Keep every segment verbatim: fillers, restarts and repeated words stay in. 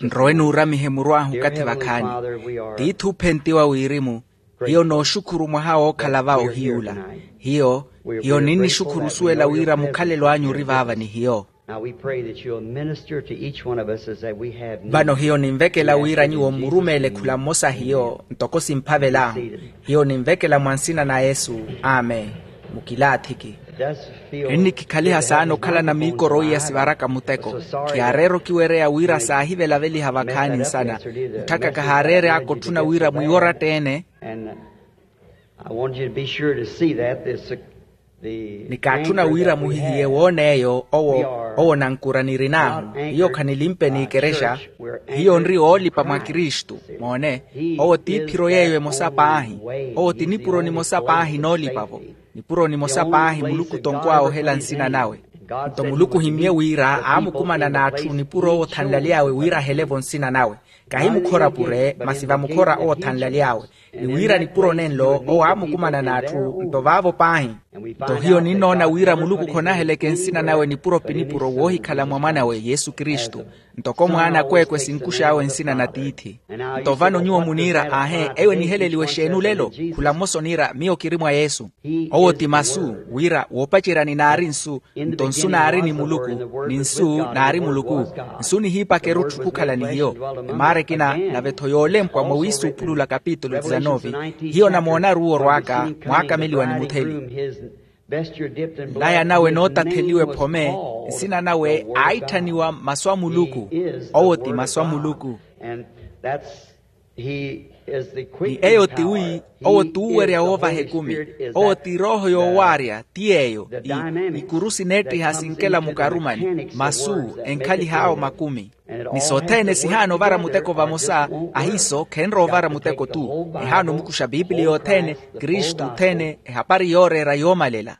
Nrowe nuuramihe muru ahu okathi vakhaani. Tiithi ophentiwa wirimu, hiyo nooxukhuru mwaha wookhala va ohiy'ula. Hiyo hiyo ninnixukhuru osuwela wira mukhalelo anyu ori vaava ni hiyo. Vano hiyo ninvekela wira nyuwo mmurumeele khula mmosa hiyo ntoko simphavel'ahu. Hiyo ninvekela mwa nsina na yesu. Amen. Mukilaathiki. Ennikikhaliha saana okhalana miikoro iya sivaraka muteko. Khiyaareera okiwereya wira saahivelaveliha vakhaani nsana. Mutthaka kahaareere aka otthuna wira mwiiwa oratta-ene. Nikaatthuna wira muhihiye woona eyo owo owo nankura nirin'ahu. Hiyo khanilimpeni ekerexa. Hiyo nri oolipa mwa kristu. Moone, owo t'iphiro yeeyo emosa paahi. Owo ti nipuro nimosa paahi noolipa-vo. Nipuro nimosa paahi muluku tonkwawe ohela nsina nawe. Nto muluku ohimmye wira aamukumana n'atthu nipuro owo othanlaly'awe wira ahele-vo nsina nawe. Kahi mukhora pure masi vamukhora owo othanlaly'awe. Ni wira nipuro nenlo owo aamukumana n'atthu nto vaavo paahi. Nto hiyo ninnoona wira muluku khonaheleke nsina nawe nipuro pi nipuro woohikhala mwa mwanawe yesu kristu. Ntoko mwaana akweekwe sinkux'awe nsina na tiithi. Nto vano nyuwo muniira aahe eyo eniheleliwe exeeni olelo? Khula mmosa oniira miyo kiri mwa yesu. Owo ti masu wira woopaceryani naari nsu. Nto nsu naari ni muluku ni nsu naari muluku. Nsu nihiipaka erutthu khukhala ni hiyo. Emaara ekina nave-tho yoolempwa mwa wiisuuphulula kapitulu dizanove. Hiyo namoonaru owo orwaaka mwaakameliwa ni mutheli. Nlaya nawe nootatheliwa ephome. Nsina nawe aitthaniwa masu a muluku. Owo ti masu a muluku. Ni eyo tiwi owo t'uwerya woovaha ekumi. Owo ti erooho yoowaarya ti yeeyo. Ikuru sineettiha sinkela mukarumani masu enkhalih'awo makumi. Ni sothene sihaana ovara muteko vamosa. Ahiiso khenrowa ovara muteko-tu. Ehaana omukuxa pipiliya othene kristu othene ehapari yooreera yoomalela.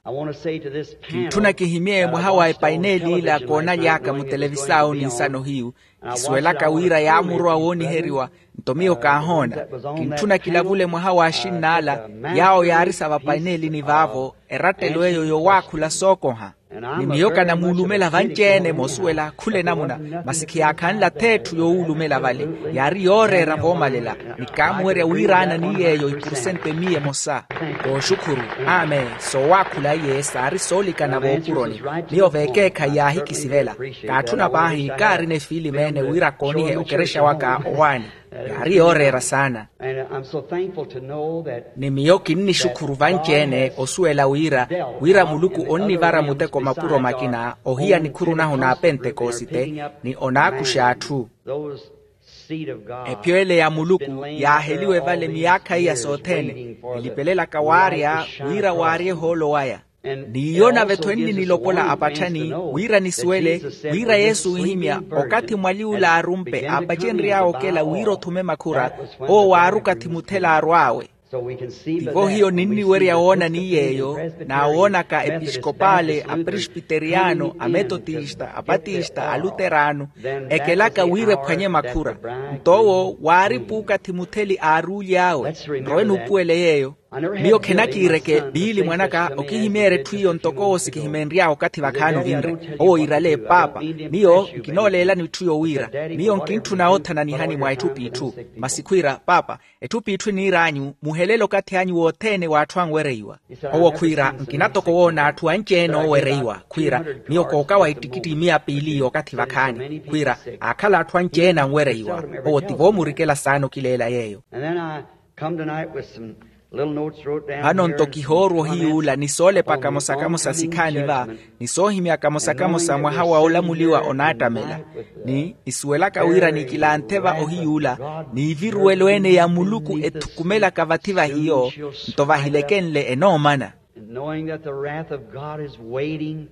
Kintthuna kihimye mwaha wa epaineeli ila koonaly'aka mutelevisaawo ninsano hiyu. Kisuwelaka wira yaamurowa wooniheriwa. Nto miyo kaahoona. Kintthuna kilavule mwaha w'axinn'ala yaawo yaarisa vapaineelini vaavo erattelo eyo yowaakhula sookoha. Ni miyo kanamuulumela vanci-ene moosuwela khula enamuna. Masi khiyaakhanla ath'etthu yoowulumela vale. Yaari yooreera voomalela. Ni kaamuwerya wiiraana ni yeeyo ipursentu emiya emosa. Kooxukhuru. Amen. Soowaakhula iye saari soolikana voopuroni. Miyo veekeekhayi yaahikisivela. Kaatthuna paahi kaarina efiilimeene wira koonihe okerexa waka owaani. Yaari yooreera saana. Ni miyo kinnixukhuru vanci-ene osuwela wira wira muluku onnivara muteko mapuro makina ohiya nikhuru nahu n'apentekosite. Ni onaakuxa atthu. Ephyo ele ya muluku yaaheliwe vale miyaakha iya sothene. Elipelelaka waarya wira waarye ohoolo waya. N'iyo nave-tho enninilopola apatthani wira nisuwele wira yesu onhimya okathi mwali ula aarumpe aapacenry'awe okela wira othume makhura. Owo waari okathi muthela aarw'awe. Tivo hiyo ninniwerya woona ni yeeyo. Naawoonaka episkopale apresbiteriyano ametotista apatista aluterano ekelaka wira ephwanye makhura. Nto owo waari puukathi mutheli aaruuly'awe. Nrowe nuupuwele yeeyo. Miyo khinakiireke piili mwanaka okihimeerya etthu iyo ntoko owo sikihimeenry'awe okathi vakhaani ovinre. Owo iirale paapa, miyo nkinooleelani etthu yowiira. Miyo nkintthuna oothananihani mwa etthu p'itthu. Masi khwiira paapa, etthu p'itthu eniir'anyu muhelele okathi anyu wothene w'atthu anwereiwa. Owo khwiira nkina toko woona atthu anci-ene oowereiwa. Khwiira miyo kookawa ettikitti miya piili y'okathi vakhaani khwiira aakhala atthu anci-ene anwereiwa. Owo ti voomurikela saana okileela yeeyo. Vano nto kihoorwa ohiy'ula ni soolepa kamosa-kamosa sikhaani va ni soohimya kamosa-kamosa mwaha wa olamuliwa onaattamela. Ni nisuwelaka wira nikilanthe va ohiy'ula n'iviruwelo-ene ya muluku ethukumelaka vathi va hiyo nto vahilekenle enoomana.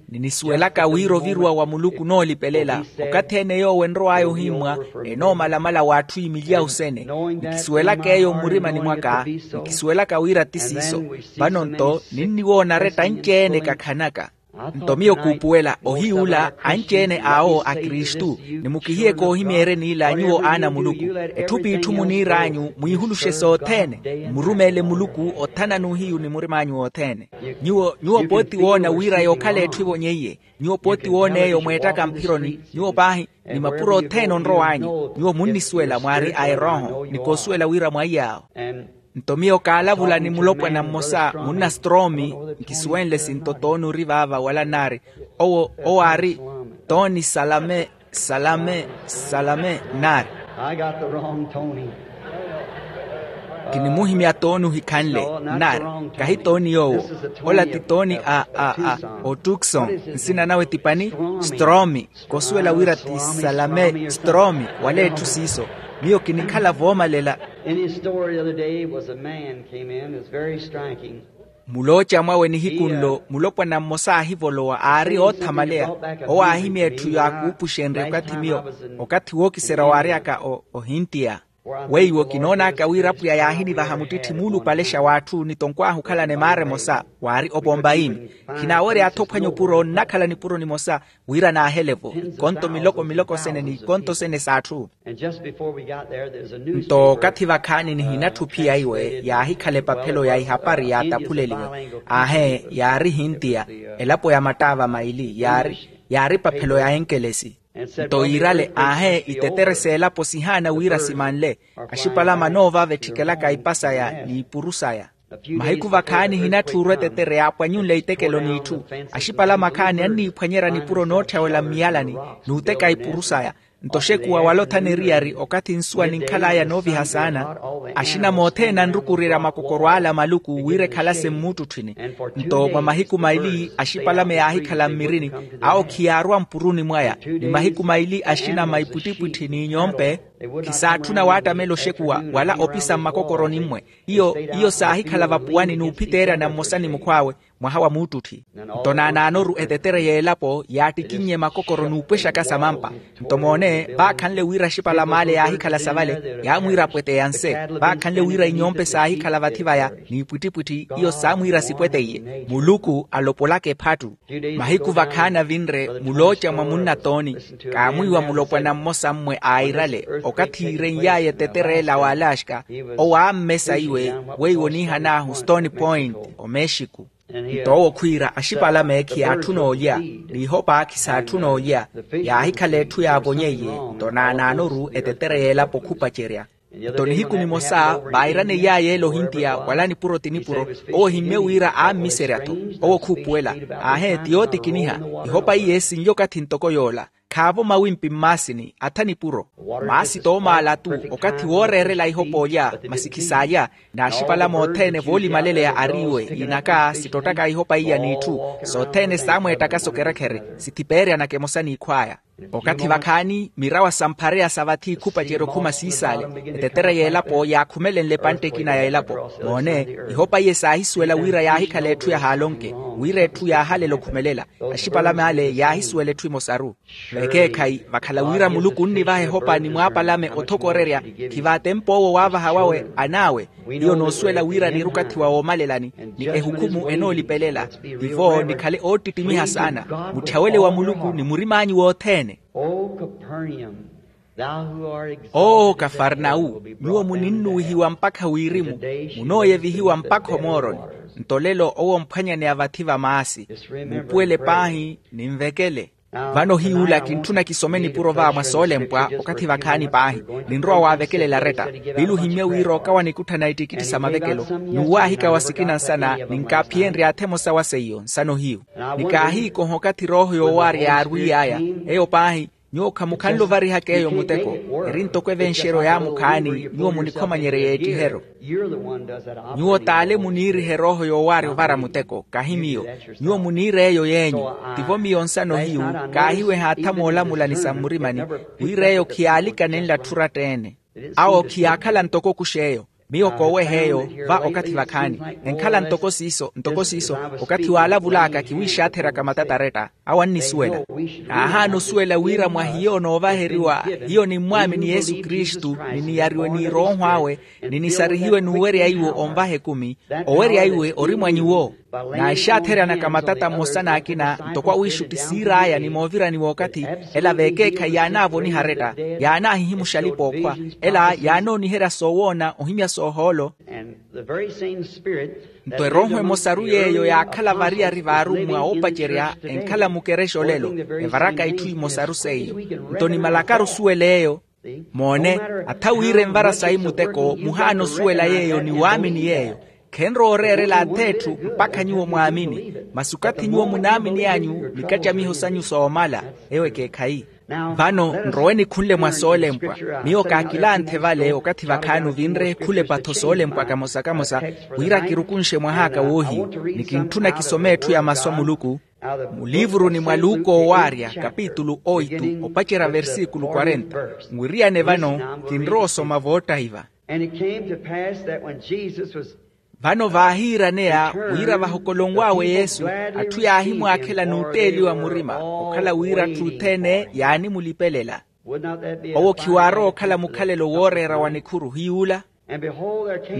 Ni nisuwelaka wira oviruwa wa muluku onoolipelela okathi ene yoowo enrow'aya ohimmwa enoomalamala w'atthu imiliya osene. Ni kisuwelaka eyo mmurimani mwaka ni kisuwelaka wira ti siiso. Vano nto ninniwoona aretta anci-ene kakhanaka. Nto miyo kuupuwela ohiy'ula anci-ene awo a kristu, ni mukihiye koohimyeeryeni ila nyuwo aana a muluku. Etthu p'itthu muniir'anyu mwiihuluxe sothene, mmurumeele muluku othana n'uhiyu ni murim'anyu wothene. Nyuwo nyuwo pooti woona wira yookhala etthu evonyeiye. Nyuwo pooti woona eyo mweettaka mphironi nyuwo paahi, ni mapuro othene onrow'anyu nyuwo munnisuwela mwaari a erooho ni koosuwela wira mwaiy'awo. Nto miyo kaalavula ni mulopwana mmosa munna stroomi, nkisuwenle sinto tooni ori vaava wala nnaari. Owo owo aari tooni salame, salame, salame nnaari. I got the wrong Tony. Kinimuhimya tooni ohikhanle nnaari. Kahi tooni yoowo. Ola ti tooni a a a otukson. Nsina nawe ti pani stroomi. Kosuwela wira ti salame stroomi wala etthu siiso. Miyo kinikhala voomalela. In his story the other day was a man came in, it's very striking. Mulooca mwawe nihiku nlo mulopwana mmosa aahivolowa aari oothamaleya. Owo aahimya etthu yaakuupuxenrye okathi miyo okathi wookiserya waary'aka ohintiya. Weiwo kinoon'aka wira apwiya yaahinivaha muttitthi muulupalexa w'atthu ni tonkw'ahu okhalana emaara emosa. Waari opompa iimi. Khinaawery'atho ophwanya opuro nnakhala nipuro nimosa wira naahele-vo. Ikonto miloko miloko sene n'ikonto sene s'atthu. Nto okathi vakhaani nihinatthu ophiya iwe yaahikhala epaphelo ya ihapari yaataphuleliwe. Aahe yaari hintiya. Elapo ya mattaava maili yaari yaari epaphelo ya enkelesi. Nto yiirale aahe itetere s'elapo sihaana wira simanle. Axipalame anoovava etthikelaka ipa saya n'ipuru saya. Mahiku vakhaani hinatthuurwa etetere yaapwanyunle itekelo n'itthu. Axipalame akhaani anniiphwanyerya nipuro nootthyawela mmiyalani n'uteka ipuru saya. Nto oxekuwa wala othana eriyari okathi nsuwa ninkhal'aya nooviha saana. Axina mothene anrukurirya makokoro ala maluku wira ekhalase mmuuttutthwini. Nto mwa mahiku maili axipalame yaahikhala mmirini. Awo khiyaarwa mpuruni mwaya. Ni mahiku maili axina maipwittipwitthi n'inyompe khisaatthuna waattamela oxekuwa wala opisa mmakokoroni mmwe. Iyo iyo saahikhala vapuwani n'uphiteeryana mmosa ni mukhw'awe mwaha wa muuttutthi. Nto naanaanoru etetere y'elapo yaattikinnye makokoro n'upwexaka samampa. Nto moone vaakhanle wira axipalame ale yaahikhala savale yaamwiira apweteya nse. Vaakhanle wira inyompe saahikhala vathi vaya n'ipwittipwitthi iyo saamwiira sipweteiye. Muluku alopolaka ephattu. Mahiku vakhaani avinre mulooca mwa munna tooni. Kaamwiiwa mulopwana mmosa mmwe airale okathi iiren'y'aya etetere ela w'alaxka. Owo aammesa iwe weiwo oniihan'ahu stone point omexico. Nto owo khwiira axipalame khiyaatthuna olya n'ihopa khisaatthuna olya. Yaahikhala etthu yaavonyeiye. Nto naanaanoru etetere y'elapo khupacerya. Nto nihiku nimosa vairaneiyaye ele ohintiya wala nipuro ti nipuro. Owo ohimmye wira aammiserya-tho. Owo khuupuwela. Aahe ti yootikiniha. Ihopa iye sinlya okathi ntoko yoola. Khaavo mawimpi mmaasini atha nipuro. Maasi toomaala-tu. Okathi wooreerela ihopa olya masi khisaalya. N'axipalame othene voolimaleleya ariiwe inaka sittottaka ihopa iya n'itthu. Sothene saamweettaka sokerekhere sithipeeryanaka emosa n'ikhw'aya. Okathi vakhaani mirawa samphareya sa vathi khupacerya okhuma siisaale. Etetere y'elapo yaakhumelenle epantte ekina ya elapo. Moone ihopa iye saahisuwela wira yaahikhala etthu yahaalonke wira etthu yaahalela okhumelela. Axipalame ale yaahisuwela etthu emosaru. Vekeekhayi vakhala wira muluku onnivaha ehopa ni mwaapalame othokorerya. Khivaatemp'owo waavaha wawe an'awe. Iyo noosuwela wira niirukathi wa woomalelani ni ehukhumu enoolipelela. Tivo nikhale oottittimiha saana. Mutthawele wa muluku ni murim'anyu wothene. Oo kafarnau, nyuwo muninnuwihiwa mpakha wirimu. Munooyevihiwa mpakha omooroni. Nto lelo owo omphwanyaneya vathi va maasi. Muupuwele paahi ninvekele. Vano hiy'ula kintthuna kisome nipuro va mwa soolempwa okathi vakhaani paahi. Ninrowa waavekelela aretta. Vile ohimmye wira okawa nikutthana ittikitthi sa mavekelo. N'uwaahika wa sikina nsana ninkaaphiyenrye atha emosa wa seiyo nsana ohiyu. Nikaahiikoha okathi rooho yoowaarya yaarwiiy'aya. Eyo paahi. Nyuwo khamukhanle ovarihaka eyo muteko. Eri ntoko evenxeryo ya mukhaani nyuwo munikhomanyerye yeettiheryo. Nyuwo t'ale muniiriha erooho yoowaarya ovara muteko kahi miyo. Nyuwo muniira eyo yeenyu. Tivo miyo nsana ohiyu. Kaahiweha atha moolamula ni sa mmurimani wira eyo khiyaalikane nlatthu oratta-ene. Awo khiyaakhala ntoko okuxa eyo. Miyo kooweha eyo va okathi vakhaani. Enkhala ntoko siiso ntoko siiso. Okathi waalavul'aka kiwiixaatheraka matata aretta. Awo annisuwela. Aahaana osuwela wira mwa hiyo noovaheriwa. Hiyo ni mmwaamini yesu kristu ni niyariwe n'irooho awe ni nisarihiwe n'uwerya iwo onvaha ekumi. Owerya iwe ori mwa nyuwo. N'axaatheryanaka matata mmosa n'akina ntoko awiixutti siir'aya ni moovirani w'okathi, ela v'ekeekhayi yaanaavoniha aretta, yaanaahihimuxa alipa-ookhwa, ela yaanooniherya soowoona ohimya soohoolo. Nto erooho emosaru yeeyo yaakhala variyari v'arummwa oopacerya enkhala mukerexa olelo, evaraka itthu imosaru seiyo. Nto nimalakaru osuwela eyo. Moone, atha wira envara sayi muteko muhaana osuwela yeeyo ni waamini yeeyo. Khenrowa oreerela ath'etthu mpakha nyuwo mwaamini. Masi okathi nyuwo munaamini anyu nikattamiho sanyu soomala, eyo ekeekhayi. Vano nrowe nikhunle mwa soolempwa. Miyo kaakilanthe vale okathi vakhaani ovinre khulepa-tho soolempwa kamosa-kamosa, wira kirukunxe mwah'aka woohiyu. Ni kintthuna kisome etthu ya masu a muluku, muliivuruni mwa luka owaarya kapitulu oitu opacerya versikulu kwarenta. Nwiriyane vano kinrowa osoma voottahiva. Vano vaahiiraneya wira vahokolonw'awe yesu, atthu yaahimwaakhela n'utteeliwa murima okhala wira atthu othene yaanimulipelela. Owo khiwaarowa okhala mukhalelo wooreera wa nikhuru hiy'ula.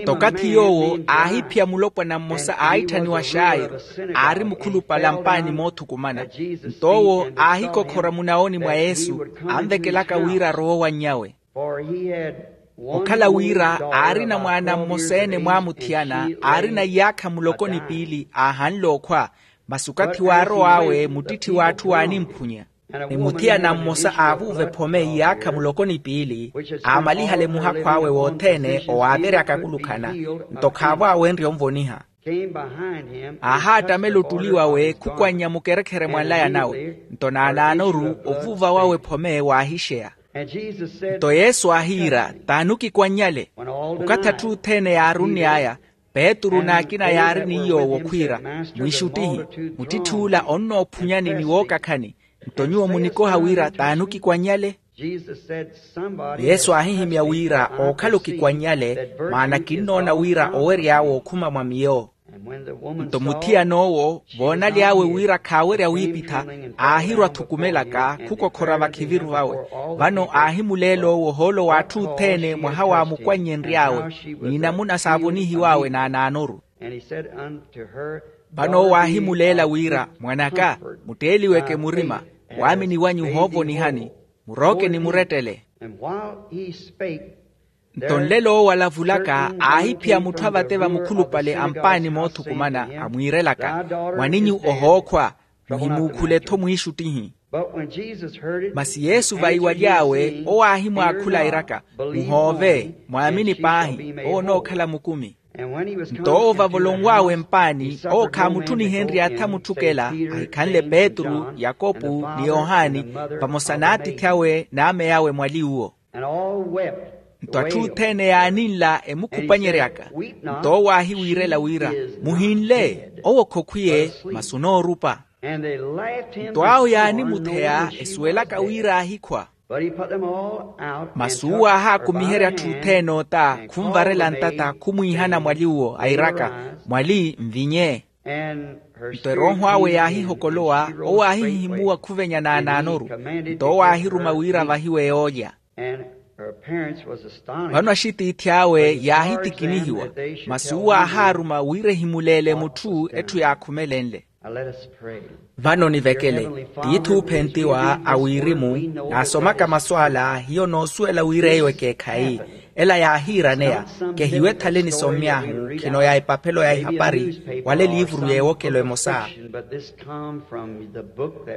Nto okathi yoowo aahiphiya mulopwana mmosa aahitthaniwa xairo, aari mukhulupale a mpaani moothukumana. Nto owo aahikokhora munaoni mwa yesu, anvekelaka wira arowe owanny'awe. Okhala wira aarina mwaana mmosa-ene mwaamuthiyana, aarina iyaakha muloko ni piili aahanle okhwa. Masi okathi waarow'awe muttitthi w'atthu waanimphunya. Ni muthiyana mmosa aavuuva ephome iyaakha muloko ni piili, aamalihale muhakhu awe wothene owaaveryaka akulukhana. Nto khaavo aawenrye onvoniha. Aahaattamela ottuli wawe khukwannya mukerekhere mwa nlaya nawe. Nto naanaanoru ovuuva wawe ephome waahixeya. Nto yesu aahiira, t'ani okikwannyale? Okathi atthu othene yaarunny'aya, petru n'akina yaari ni yoowo khwiira, mwiixuttihi, muttitthi'ula onnoophunyani ni wookakhani. Nto nyuwo munikoha wira t'ani okikwannyale? Yesu aahihimya wira ookhala okikwannyale, maana kinnoona wira owery'awe okhuma mwa miyo. Nto muthiyan'owo voonaly'awe wira khaawerya wiipitha, aahirwa thukumelaka khukokhora vakhiviru vawe. Vano aahimuleela owo ohoolo w'atthu othene mwaha waamukwannyennry'awe, n'inamuna saavonihiw'awe naanaanoru. Vano owo aahimuleela wira, mwan'aka, mutteeliweke murima, waamini wanyu ohoovonihani, murooke ni murettele. Nto nlelo owo alavulaka aahiphiya mutthu avate vamukhulupale a mpaani moothukumana, amwiirelaka, mwaninyu ohookhwa, muhimuukhule-tho mwiixuttihi. Masi yesu vaiwaly'awe owo aahimwaakhula iiraka, muhoove, mwaamini paahi, owo onookhala mukumi. Nto owo vavolonw'awe mpaani, owo khaamuttunihenrye atha mutthukela, ahikhanle petru, yakopu, ni yohani, vamosa n'atiithi awe n'ameya awe mwali uwo. Nto atthu othene yaaninla emukhupanyeryaka. Nto owo aahiwiirela wira, muhinle, owo khokhwiye, masi onoorupa. Nto awo yaanimutheya esuwelaka wira aahikhwa. Masi uwo aahaakumiherya atthu othene ota, khunvarela ntata khumwiihana mwali uwo airaka, mwali nvinye. Nto erooho awe yaahihokolowa, owo aahihihimuwa khuvenya naanaanoru. Nto owo aahiruma wira avahiwe yoolya. Vano axitiithi awe yaahitikinihiwa, masi uwo aahaaruma wira ehimuleele mutthu etthu yaakhumelenle. Vano nivekele. Tiithi oophentiwa a wirimu, naasomaka masu ala hiyo noosuwela wira eyo ekeekhayi. Ela yaahiiraneya, kehiwe ethale nisommy'ahu khino ya epaphelo ya ehapari, wala eliivuru y'ewokelo emosa.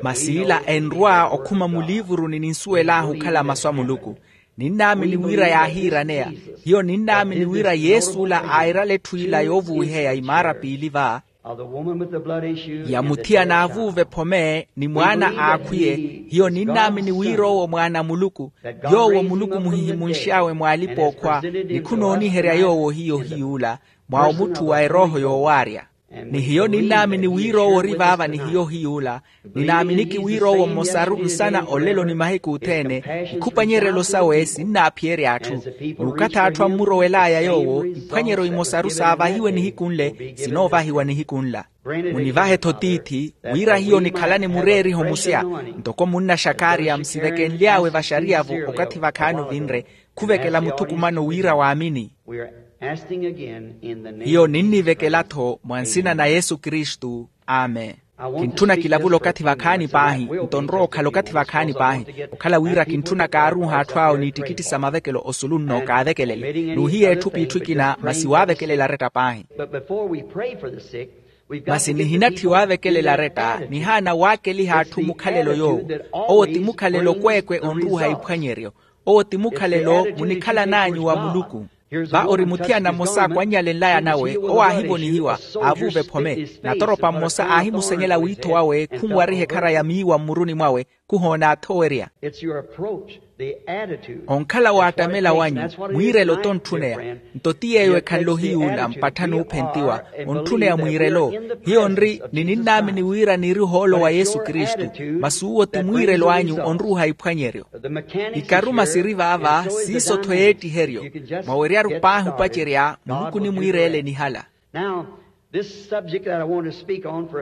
Masi ila enrwa okhuma muliivuruni ninsuwel'ahu okhala masu a muluku. Ninnaamini wira yaahiiraneya. Hiyo ninnaamini wira yesu ola airala etthu ila yoovuwiheya imaara piili va, ya muthiyana aavuuva ephome ni mwaana aakhwiye. Hiyo ninnaamini wira owo mwaana a muluku, yoowo muluku muhihimunx'awe mw'alipa-ookhwa, ni khunooniherya yoowo hiyo hiy'ula, mwa omutthu wa erooho yoowaarya. Ni hiyo ninnaamini wira owo ori vaava ni hiyo hiy'ula. Ninaaminiki wira owo mmosaru nsana olelo ni mahiku othene. Ikhupanyerelo sawe sinnaaphiyerya atthu. N'ukathi atthu ammurowel'aya yoowo iphwanyeryo imosaru saavahiwe nihiku nle sinoovahiwa nihiku nla. Munivahe-tho tiithi, wira hiyo nikhalane mureeriho musya, ntoko munna xakaria musivekenly'awe vaxariya-vo. Okathi vakhaani ovinre, khuvekela muthukumano wira waamini. Hiyo ninnivekela-tho mwa nsina na yesu kristu. Amen. Kintthuna kilavula okathi vakhaani paahi, nto nrowa okhala okathi vakhaani paahi, okhala wira kintthuna kaaruuha atthu awo n'ittikitthi sa mavekelo osulu nno kaavekelele n'uhiya etthu p'itthu ekina masi waavekelela aretta paahi. Masi nihinatthi waavekelela aretta nihaana waakeliha atthu mukhalelo yoowo. Owo ti mukhalelo kweekwe onruuha iphwanyeryo. Owo ti mukhalelo munikhalan'anyu wa muluku. Va ori muthiyana mmosa akwannyalenlaya nawe owo aahivonihiwa, aavuuva ephome. Natoropa mmosa aahimusenyela wiitho wawe khunwariha ekhara ya miiwa mmuruni mwawe, khuhoona athowerya. Onkhala waattamela wanyu, mwiirelo t'ontthuneya. Nto ti yeeyo ekhanle ohiyuula mpattha n'uphentiwa, ontthuneya mwiirelo. Hiyo nri ni ninnaamini wira niiri ohoolo wa yesu kristu. Masi uwo ti mwiirelo anyu onruuha iphwanyeryo. Ikaruma siri vaava, siiso-tho yeettiheryo. Mwaweryaru paahi opacerya muluku onimwiireele nihala.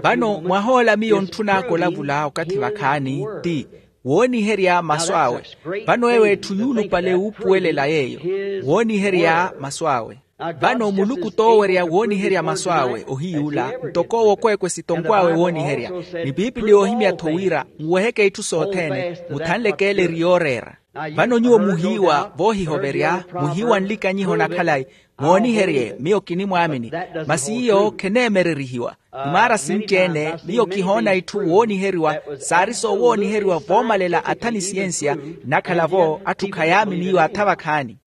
Vano mwahoola miyo ntthun'aka olavula okathi vakhaani ti, wooniherya masu awe. Vano eyo etthu yuulupale wuupuwelela yeeyo, wooniherya masu awe. Vano muluku t'owerya wooniherya masu awe ohiyuula, ntoko owo kweekwe sitonkw'awe wooniherya. Ni piipili yoohimya-tho wira nweheke itthu sothene, muthanleke ele eri yooreera. Vano nyuwo muhiiwa voohihoverya, muhiiwa nlikanyiho na khalayi. Mooniherye miyo kinimwaamini. Masi iyo kheneemererihiwa. Ni maara sinci-ene miyo kihoona itthu wooniheriwa, saari soowooniheriwa voomalela atha ni siyensiya. Nnakhala-vo atthu khayaamini iyo atha vakhaani.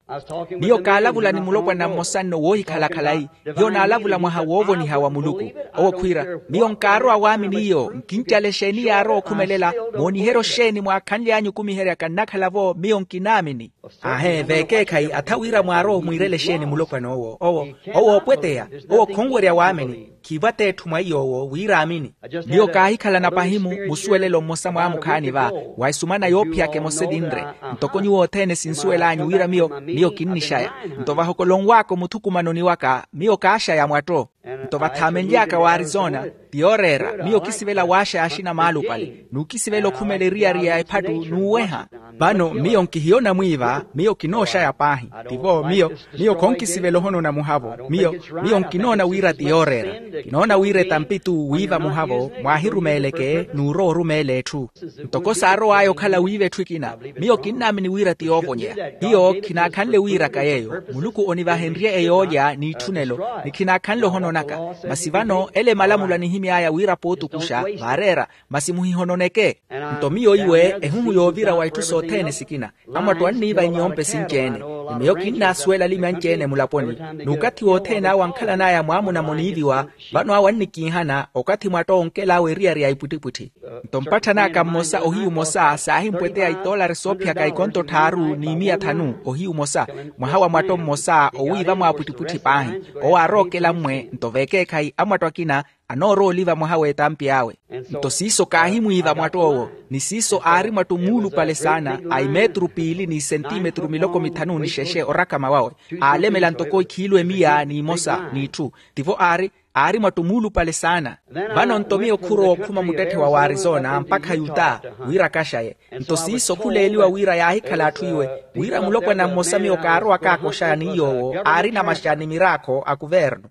Miyo kaalavula ni mulopwana mmosa nno woohikhala khalayi. Hiyo naalavula mwaha woovoniha wa muluku. Owo khwiira, miyo nkaarowa waamini iyo. Nkincala exeeni yaarowa okhumelela? Mooniheryo xeeni mwaakhanly'anyu okumiheryaka nnakhala-vo miyo nkinaamini? Aahe veekeekhayi atha wira mwaarowa omwiirela exeeni mulopwana owo owo owo opweteya. Owo khonwerya waamini. Khiivo at'etthu mwa iy'owo wira aamini. Miyo kaahikhalana pahi-mu musuwelelo mmosa mwaamukhaani va, wa esumana yoophiyaka emosa evinre. Ntoko nyuwo othene sinsuwel'anyu wira miyo miyo kinnixaya. Nto vahokolonw'aka omuthukumanoni waka miyo kaaxaya mwatto. Nto vathaamenly'aka w'arizona, ti yooreera miyo kisivela waaxaya axina maalupale n'ukisivela okhumela eriyari ya ephattu n'uweha. Vano miyo nkihiyona mwiiva, miyo kinooxaya paahi. Tivo miyo miyo khonkisivela ohonona muhavo. Miyo miyo nkinoona wira ti yooreera. Kinoona wira etampi-tu wiiva muhavo mwaahirumeeleke n'urowa orumeela etthu. Ntoko saarow'aya okhala wiiva etthu ekina, miyo kinnaamini wira ti yoovonyeya. Hiyo khinaakhanle wiiraka yeeyo. Muluku onivahenrye eyoolya n'itthunelo, ni khinaakhanle ohononaka. Masi vano ele malamula nihimy'aya wira pootukuxa vaareera. Masi muhihononeke. Nto miyo iwe ehuhu yoovira wa itthu sothene sikina. Amwatto anniiva inyompe sinci-ene. Ni miyo kinnaasuwela alimi anci-ene mulaponi. N'ukathi wothene awo ankhalan'aya mwaamuna muniiviwa. Vano awo annikiihana okathi mwatto onkel'awe eriyari ya ipwittipwitthi. Nto mpatthan'aka mmosa ohiyu omosa saahimpweteya itoolari soophiyaka ikonto tthaaru n'imiya thanu ohiyu omosa. Mwaha wa mwatto mmosa owiiva mwaapwittipwitthi paahi. Owo aarookela mmwe nto veekeekhayi amwatto akina anoorowa oliva mwaha w'etampi awe. Nto siiso kaahimwiiva mwatto owo. Ni siiso aari mwatto muulupale saana a imetru piili n'isentimetru miloko mithanu ni xexe orakama wawe. Aalemela ntoko ikhiilu emiya n'imosa n'itthu. Tivo aari aari mwatto muulupale saana. Vano nto miyo khurowa okhuma muttetthe wa warizona mpakha yuta wira akaxaye. Nto siiso khuleeliwa wira yaahikhala atthu iwe, wira mulopwana mmosa miyo kaarowakaaka oxaya ni yoowo aarina maxani miraakho a kuvernu.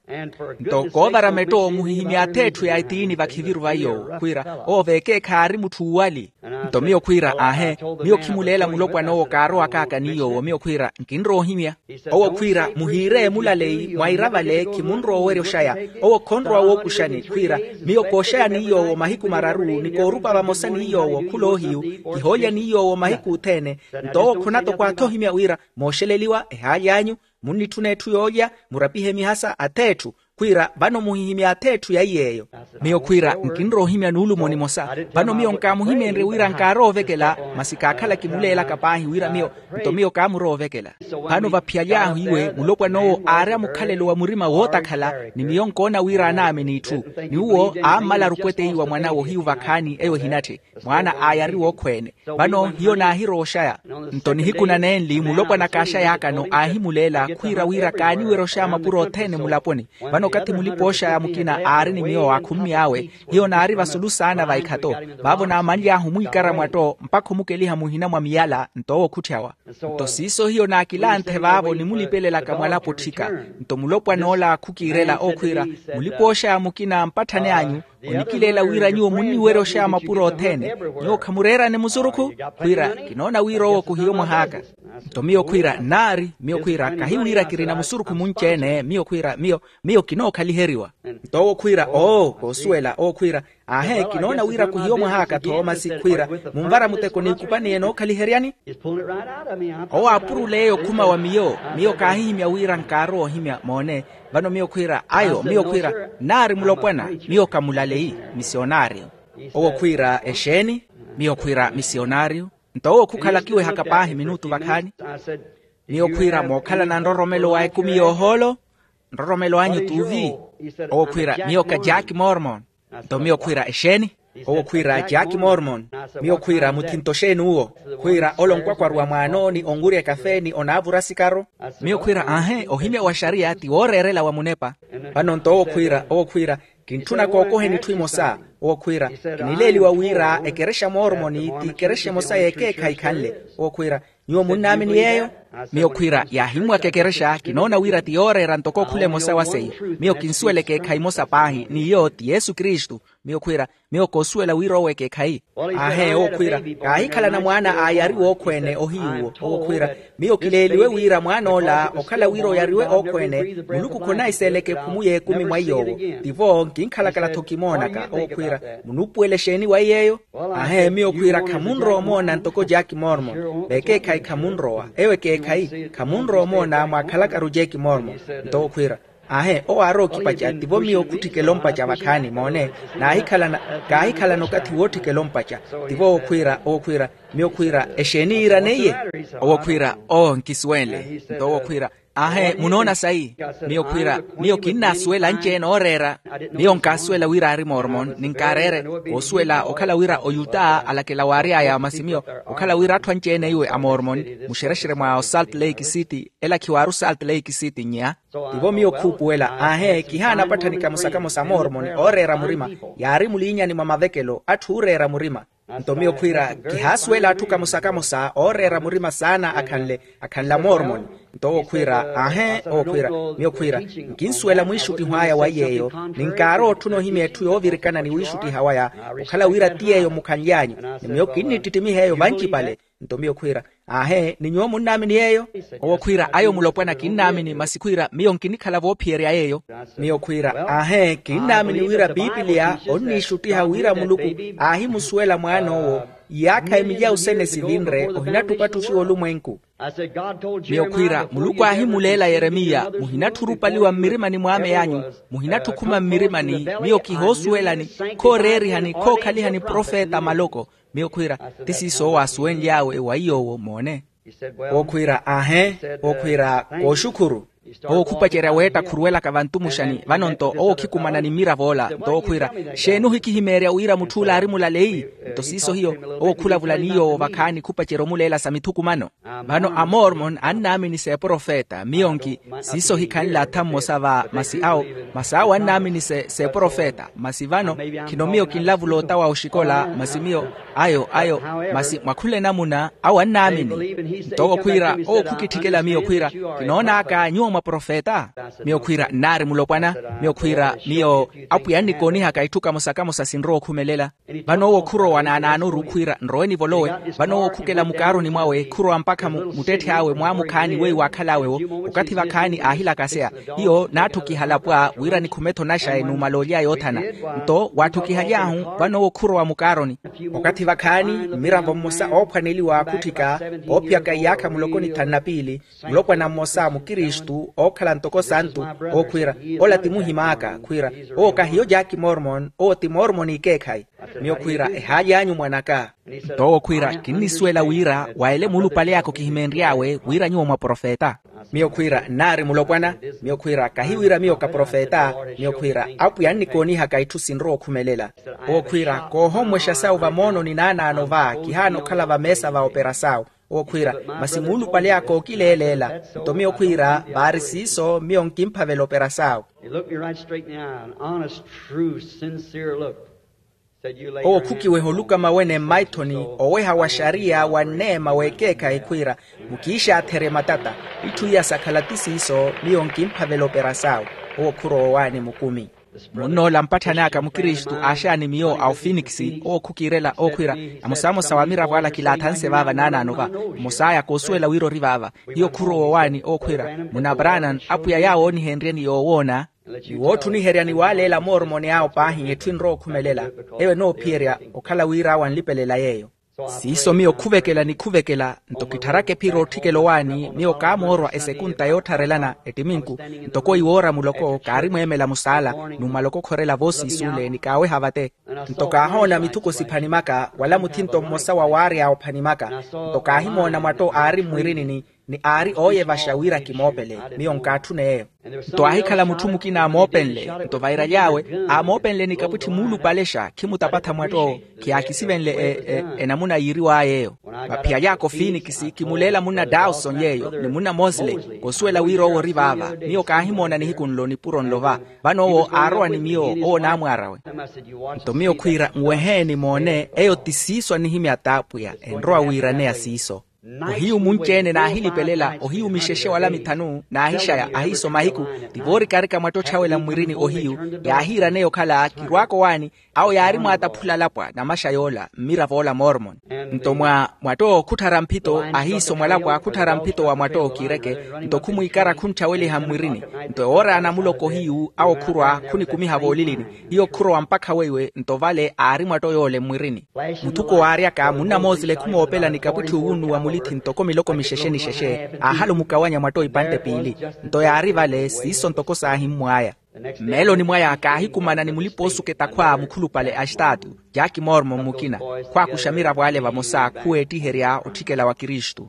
Nto koovara metto muhihimya ath'etthu ya etiini vakhiviru va yoowo khwiira, owo veekeekhayi aari mutthu uuwali. Nto miyo khwiira aahe, miyo khimuleela mulopwana owo kaarowakaaka ni yoowo miyo khwiira nkinrowa ohimya. Owo khwiira muhiireye mulaleyi mwaira vale khimunrowa owerya oxaya. Owo khonrowa wookuxani khwiira, miyo kooxaya ni yoowo mahiku mararu ni koorupa vamosa ni yoowo khuloohiyu, kihoolya ni yoowo mahiku othene. Nto owo khonatokwaatha ohimya wira mooxeleliwa ehaaly'anyu, munnitthuna etthu yoolya, murapihe mihasa ath'etthu. Khwiira vano muhihimya ath'etthu ya iy'eyo. Miyo khwiira nkinrowa ohimya nuulumo nimosa. Vano miyo nkaamuhimyenrye wira nkaarowa ovekela, masi kaakhala kimuleelaka paahi wira miyo, nto miyo kaamurowa ovekela. Vano vaphiyaly'ahu iwe mulopwana owo aari a mukhalelo wa murima wootakhala, ni miyo nkoona wira anaamini itthu. Ni uwo aammalaru opweteiwa mwan'awe ohiyu vakhaani eyo ehinatthi. Mwaana aayari wookhweene. Vano hiyo naahirowa oxaya. Nto nihiku nanenli mulopwana kaaxay'akano aahimuleela khwiira wira kaaniwerya oxaya mapuro othene mulaponi. Vano Okathi mulipa-ooxaya mukina aari ni miyo akhummi awe, hiyo naari vasulu saana va ikhato. Vaavo naamanly'ahu omwiikara mwatto mpakha omukeliha muhina mwa miyala. Nto owo khutthiyawa. Nto siiso hiyo naakilanthe vaavo nimulipelelaka mwalapo otthika. Nto mulopwan'ola khukiirela owo khwiira, mulipa-ooxaya mukina mpatthani anyu onikileela wira nyuwo munniwerya oxeya mapuro othene. Nyuwo khamureerani musurukhu? Khwiira, kinoona wira owo khuhiyo mwah'aka. Nto miyo khwiira nnaari. Miyo khwiira kahi wira kirina musurukhu munci-ene. Miyo khwiira miyo miyo kinookhaliheryiwa. Nto owo khwiira oo koosuwela owo khwiira, aahe kinoona wira khuhiyo mwah'aka tho masi khwiira, munvara muteko n'ikupani enookhaliheryani. Owo aapurula eyo okhuma wa miyo. Miyo kaahihimya wira nkaarowa ohimya moone. Vano miyo khwiira ayo miyo khwiira, nnaari mulopwana. Miyo kamulaleyi misionaariyo. Owo khwiira exeeni? Miyo khwiira misionaariyo. Nto owo khukhala kiwehaka paahi minutu vakhaani. Miyo khwiira mookhalana nroromelo wa ekumi y'ohoolo? Nroromelo anyu t'uvi? Owo khwiira miyo ka jack mormon. Nto miyo khwiira exeeni? Owo khwiira jack mormon. Miyo khwiira muthinto xeeni uwo? Khwiira ole onkwakwaru wa mwaano ni onwurya ekafe ni onaavura sikaru. Miyo khwiira aahe ohimya wa xariya ti wooreerela wa munepa. Vano nto owo khwiira owo khwiira, kintthuna kookoheni itthu imosa. Owo khwiira, kinileeliwa wira ekerexa mormoni ti ekerexa emosa y'ekeekhayi khanle. Owo khwiira, nyuwo munnaamini yeeyo? Miyo khwiira yaahimmwaka ekerexa kinoona wira ti yooreera ntoko okhula emosa wa seiyo. Miyo kinsuwela ekeekhayi emosa paahi n'iyo ti yesu kristu. Miyo khwiira, miyo koosuwela wira owo ekeekhayi. Aahe owo khwiira, kaahikhalana mwaana aayari wookhweene ohiyuwo. Owo khwiira, miyo kileeliwe wira mwaan'ola okhala wira oyariwe ookhweene, muluku khonahiseeleke ekhumu y'ekumi mwa iy'owo. Tivo nkinkhalakala-tho kimoonaka. Owo khwiira, munuupuwela exeeni waiye eyo? Aahe miyo khwiira khamunrowa omoona ntoko jack mormon. Vekeekhayi khamunrowa eyo ekeekhayi khamunrowa omoona mwaakhalakaru jack mormon. Nto owo khwiira, aahe owo aarowa okhipaca tivo miyo khutthikela ompaca vakhaani moone. Naahikhalana kaahikhalana okathi wootthikela ompaca. Tivo owo khwiira owo khwiira, miyo khwiira exeeni yiiraneiye? Owo khwiira oo nkisuwenle. Nto owo khwiira, aahe munoona sayi? Miyo khwiira, miyo kinnaasuwela anci-ene ooreera. Miyo nkaasuwela wira aari mormon ninkaareere. Koosuwela okhala wira oyuta alakela waary'aya masi miyo okhala wira atthu anci-ene iwe amormon, muxerexere mwa osalt lake city. Ela khiwaaru salt lake city nnya. Tivo miyo khuupuwela aahe kihaana apatthani kamosa kamosa amormon ooreera murima. Yaari muliinyani mwa mavekelo atthu ooreera murima. Nto miyo khwiira, kihaasuwela atthu kamosa kamosa ooreera murima saana akhanle akhanle amormoni. Nto owo khwiira aahe owo khwiira, miyo khwiira nkinsuwela mwiixuttiho aya wa iy'eyo. Ninkaarowa otthuna ohimya etthu yoovirikana ni wiixuttiha waya okhala wira ti yeeyo mukhanly'anyu. Ni miyo kinnittittimiha eyo vancipale. Nto miyo khwiira, aahe ni nyuwo munnaamini yeeyo? Owo khwiira ayo mulopwana kinnaamini masi khwiira miyo nkinikhala voophiyerya yeeyo. Miyo khwiira aahe kinnaamini wira pipiliya onniixuttiha wira muluku aahimusuwela mwaan'owo. Iyaakha emilya usene sivinre ohinattupa atthu xiwa olumwenku. Miyo khwiira muluku aahimuleela yeremiya muhinatthurupaliwa mmirimani mw'ame anyu, muhinattukhuma mmirimani. Miyo khihoosuwelani khooreerihani khookhalihani profeta maloko. Miyo khwiira, ti siiso owo aasuwenly'awe wa iy'owo moone. Owo khwiira aahe. Owo khwiira kooxukhuru. Owo khupacerya weetta khuruwelaka vantu muxani vano nto owo khikumanani mmirav'ola nto owo khwiira, xeeni ohikihimeerya wira mutth'ula aari mulaleyi? Nto siiso hiyo owo khulavula n'iy'owo vakhaani khupacerya omuleela sa mithukumano. Vano amormon annaamini s'eprofeta miyo nki siiso hikhanle atha mmosa va masi awo. Masi awo annaamini s'eprofeta masi vano khino miyo kinlavula ota wa oxikola masi miyo ayo ayo masi mwakhula enamuna awo annaamini. Nto owo khwiira owo khukitthikela miyo khwiira, kinoon'aka nyuwo mwaprofeta? Miyo khwiira nnaari mulopwana. Miyo khwiira miyo apwiya annikoonihaka itthu kamosa kamosa sinrowa okhumelela. Vano owo khurowa naanaanoru khwiira nrowe nivolowe. Vano owo khukela mukaaroni mwawe khurowa mpakha muttetthe awe mwaamukhaani weiwo aakhal'awe-wo. Okathi vakhaani aahilakaseya hiyo naatthukihala pwa wira nikhume-tho naxayi numala olya yoothana. Nto waatthukihaly'ahu vano owo khurowa mukaaroni. Okathi vakhaani mmiravo mmosa oophwaneliwa khutthika oophiyaka iyaakha muloko ni thanu na piili, mulopwana mmosa mukristu ookhala ntoko santu. Owo khwiira ola ti muhim'aka khwiira, owo kahiyo jaaki mormon owo ti mormoni ikeekhayi. Miyo khwiira ehaaly'anyu mwan'aka. Nto owo khwiira kinnisuwela wira wa ele muulupale aka okihimeenry'awe wira nyuwo mwaprofeta. Miyo khwiira nnaari mulopwana. Miyo khwiira kahi wira miyo kaprofeta. Miyo khwiira apwiya annikoonihaka itthu sinrowa okhumelela. Owo khwiira koohommwexa sawu vamoononi naanaano va kihaana okhala vameesa va opera sawu. Owo khwiira, masi muulupale aka ookileeleela. Nto miyo khwiira, vaari siiso miyo nkimphavela operasaawe. He looked me right straight in the eye, an honest, true, sincere look. Said, "You lay your hand on me." Owo khukiweha olukama wene mmaithoni, oweha wa xariya wa nneema w'ekeekhayi khwiira, mukiixaatherye matata. Itthu iya sakhala ti siiso miyo nkimphavela operasaawe. Owo khurowa owaani mukumi. Munnoola mpatthani aka mukristu aaxaani miyo a ofinikisi owo khukiirela owo khwiira, amosamosa wa miravo ala kilaathanse vaava naanaano va. Mmosa aya koosuwela wira ori vaava. Hiyo khurowa owaani owo khwiira, munna branan apwiya yaawo oonihenryeni yoowoona. Ni wootthuniherya ni waaleela moormoni awo paahi etthu enrowa okhumelela. Eyo enoophiyerya okhala wira awo anlipelela yeeyo. Siiso miyo khuvekela ni khuvekela, nto kittharaka ephiro otthikela owaani miyo kaamoorwa esekunta yoottharelana ettiminku, ntoko iwoora muloko kaarimweemela musaala, numala okokhorela voosiisule ni kaaweha vate. Nto kaahoona mithuko siphani maka wala muthinto mmosa wa waary'awe ophani maka. Nto kaahimoona mwatto aari mmwirinini, ni aari ooyevaxa wira kimoopele, miyo nkaatthuna eyo. Nto aahikhala mutthu mukina aamoopenle, nto vairaly'awe aamoopenle ni kapwitthi muulupale xa khimutapatha mwatto. Khiyaakisivenle e- e- enamuna yiiriw'aya eyo. Vaphiyaly'aka ofinikisi kimuleela munna dawson yeeyo ni munna mosley, koosuwela wira owo ori vaava. Miyo kaahimoona nihiku nlo nipuro nlo va. Vano owo aarowa ni miyo, owo naamwaar'awe. Nto miyo khwiira nweheeni moone eyo ti siiso annihimya t'apwiya enrowa wiiraneya siiso. Ohiyu munci-ene naahilipelela ohiyu mixexe wala mithanu naahixaya ahiiso mahiku. Ti voorikarika mwatto otthawela mmwirini ohiyu, yaahiiraneya okhala kirwaaka owaani. Awo yaari mwaataphula alapwa namaxa yoola mmiravo ola mormon. Nto mwa mwatto khutthara mphito ahiiso mwalapwa khutthara mphito wa mwatto kiireke. Nto khumwiikara khuntthaveliha mmwirini. Nto ewoora ya namuloko hiyu awo khurwa khunikumiha voolilini. Hiyo khurowa mpakha weiwe nto vale aari mwatto yoole mmwirini. Muthuko waaryaka munna moosile khumoopela ni kapwitthi owunnuwa mulithi ntoko miloko mixexe ni xexe. Aahalumukawanya mwatto ipantte piili. Nto yaari vale siiso ntoko saahimmw'aya. Mmeeloni mwaya kaahikumana ni mulipa-oosuka etakhwa mukhulupale a estaatu, jack mormon mukina. Khwaakuxa miravo ale vamosa khuweettiherya otthikela wa kristu.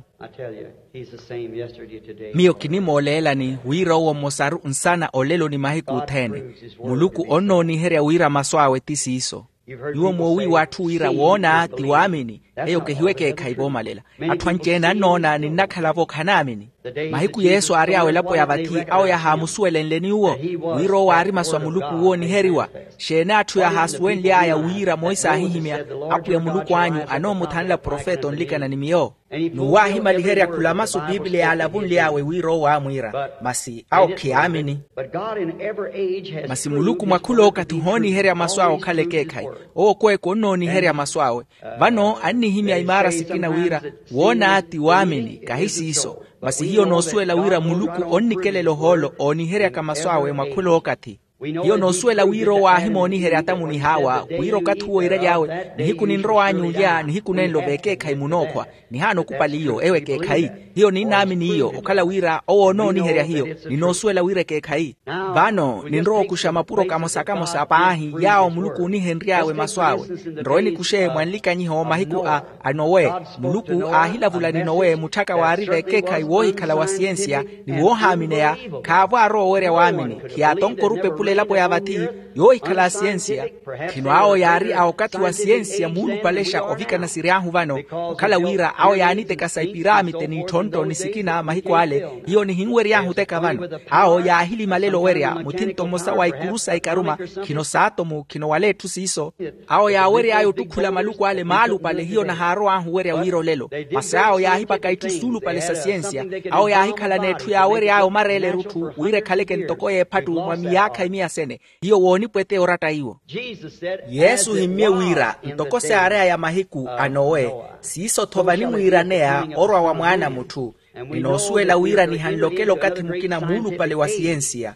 Miyo kinimooleelani wira owo mmosaru nsana olelo ni mahiku othene. Muluku onnooniherya wira masu awe ti siiso. Nyuwo moowiiwa atthu wira woona ti waamini. Eyo kehiwe ekeekhayi voomalela. Atthu anci-ene annoona ninnakhala-vo khanaamini. Mahiku yesu aary'awe elapo ya vathi awo yahaamusuwelenle ni uwo, wira owo aari masu a muluku wooniheriwa. Xeeni atthu yahaasuwenly'aya wira moisa aahihimya, apwiya muluku anyu anoomuthanla profeta onlikana ni miyo? N'uwo aahimaliherya khula masu piipiliya yaalavunly'awe wira owo aamwiira, masi awo khiyaamini. Masi muluku mwa khul'okathi ohooniherya masu awe okhala ekeekhayi. Owo kweeku onnooniherya masu awe. Vano annihimya imaara sikina wira, woona ti waamini kahi siiso. Masi hiyo noosuwela wira muluku onnikelela ohoolo ooniheryaka masu awe mwa khul'okathi. Hiyo noosuwela wira owo aahimooniherya atamu nihaawa wira okathi uwo iiraly'awe, nihiku ninrow'anyu olya nihiku nenlo v'ekeekhayi munookhwa. Nihaana okupali iyo ewo ekeekhayi. Hiyo ninnaamini iyo okhala wira owo onooniherya hiyo. Ninoosuwela wira ekeekhayi. Vano ninrowa okuxa mapuro kamosa-kamosa paahi yaawo muluku oonihenry'awe masu awe. Nrowe nikuxe mwa nlikanyiho mahiku a a nowe. Muluku aahilavula ni nowe mutthaka waari v'ekeekhayi woohikhala wa siyensiya ni woohaamineya. Khaavo aarowa owerya waamini. Khiyaatonka orupepula elapo ya vathi yoohikhala a siyensiya. Khino awo yaari a okathi wa siyensiya muulupalexa ovikana siry'ahu vano. Okhala wira awo yaanitekasa ipiraamite n'itthonttho ni sikina mahiku ale. Hiyo nihinwery'ahu oteka vano. Awo yaahilimalela owerya muthinto mmosa wa ikuru sa ikaruma. Khino saatomu khino wala etthu siiso. Awo yaawery'aya ottukhula maluku ale maalupale hiyo nahaarow'ahu owerya wira olelo. Masi awo yaahipaka itthu suulupale sa siyensiya. Awo yaahikhalana etthu yaawery'aya omareela erutthu wira ekhaleke ntoko y'ephattu mwa miyaakha imiya sene. Hiyo woonipweteya oratta iwo. Yesu ohimmye wira ntoko saary'aya mahiku a nowe, siiso-tho vanimwiiraneya orwa wa mwaana a mutthu. Ninoosuwela wira nihanlokela okathi mukina muulupale wa siyensiya.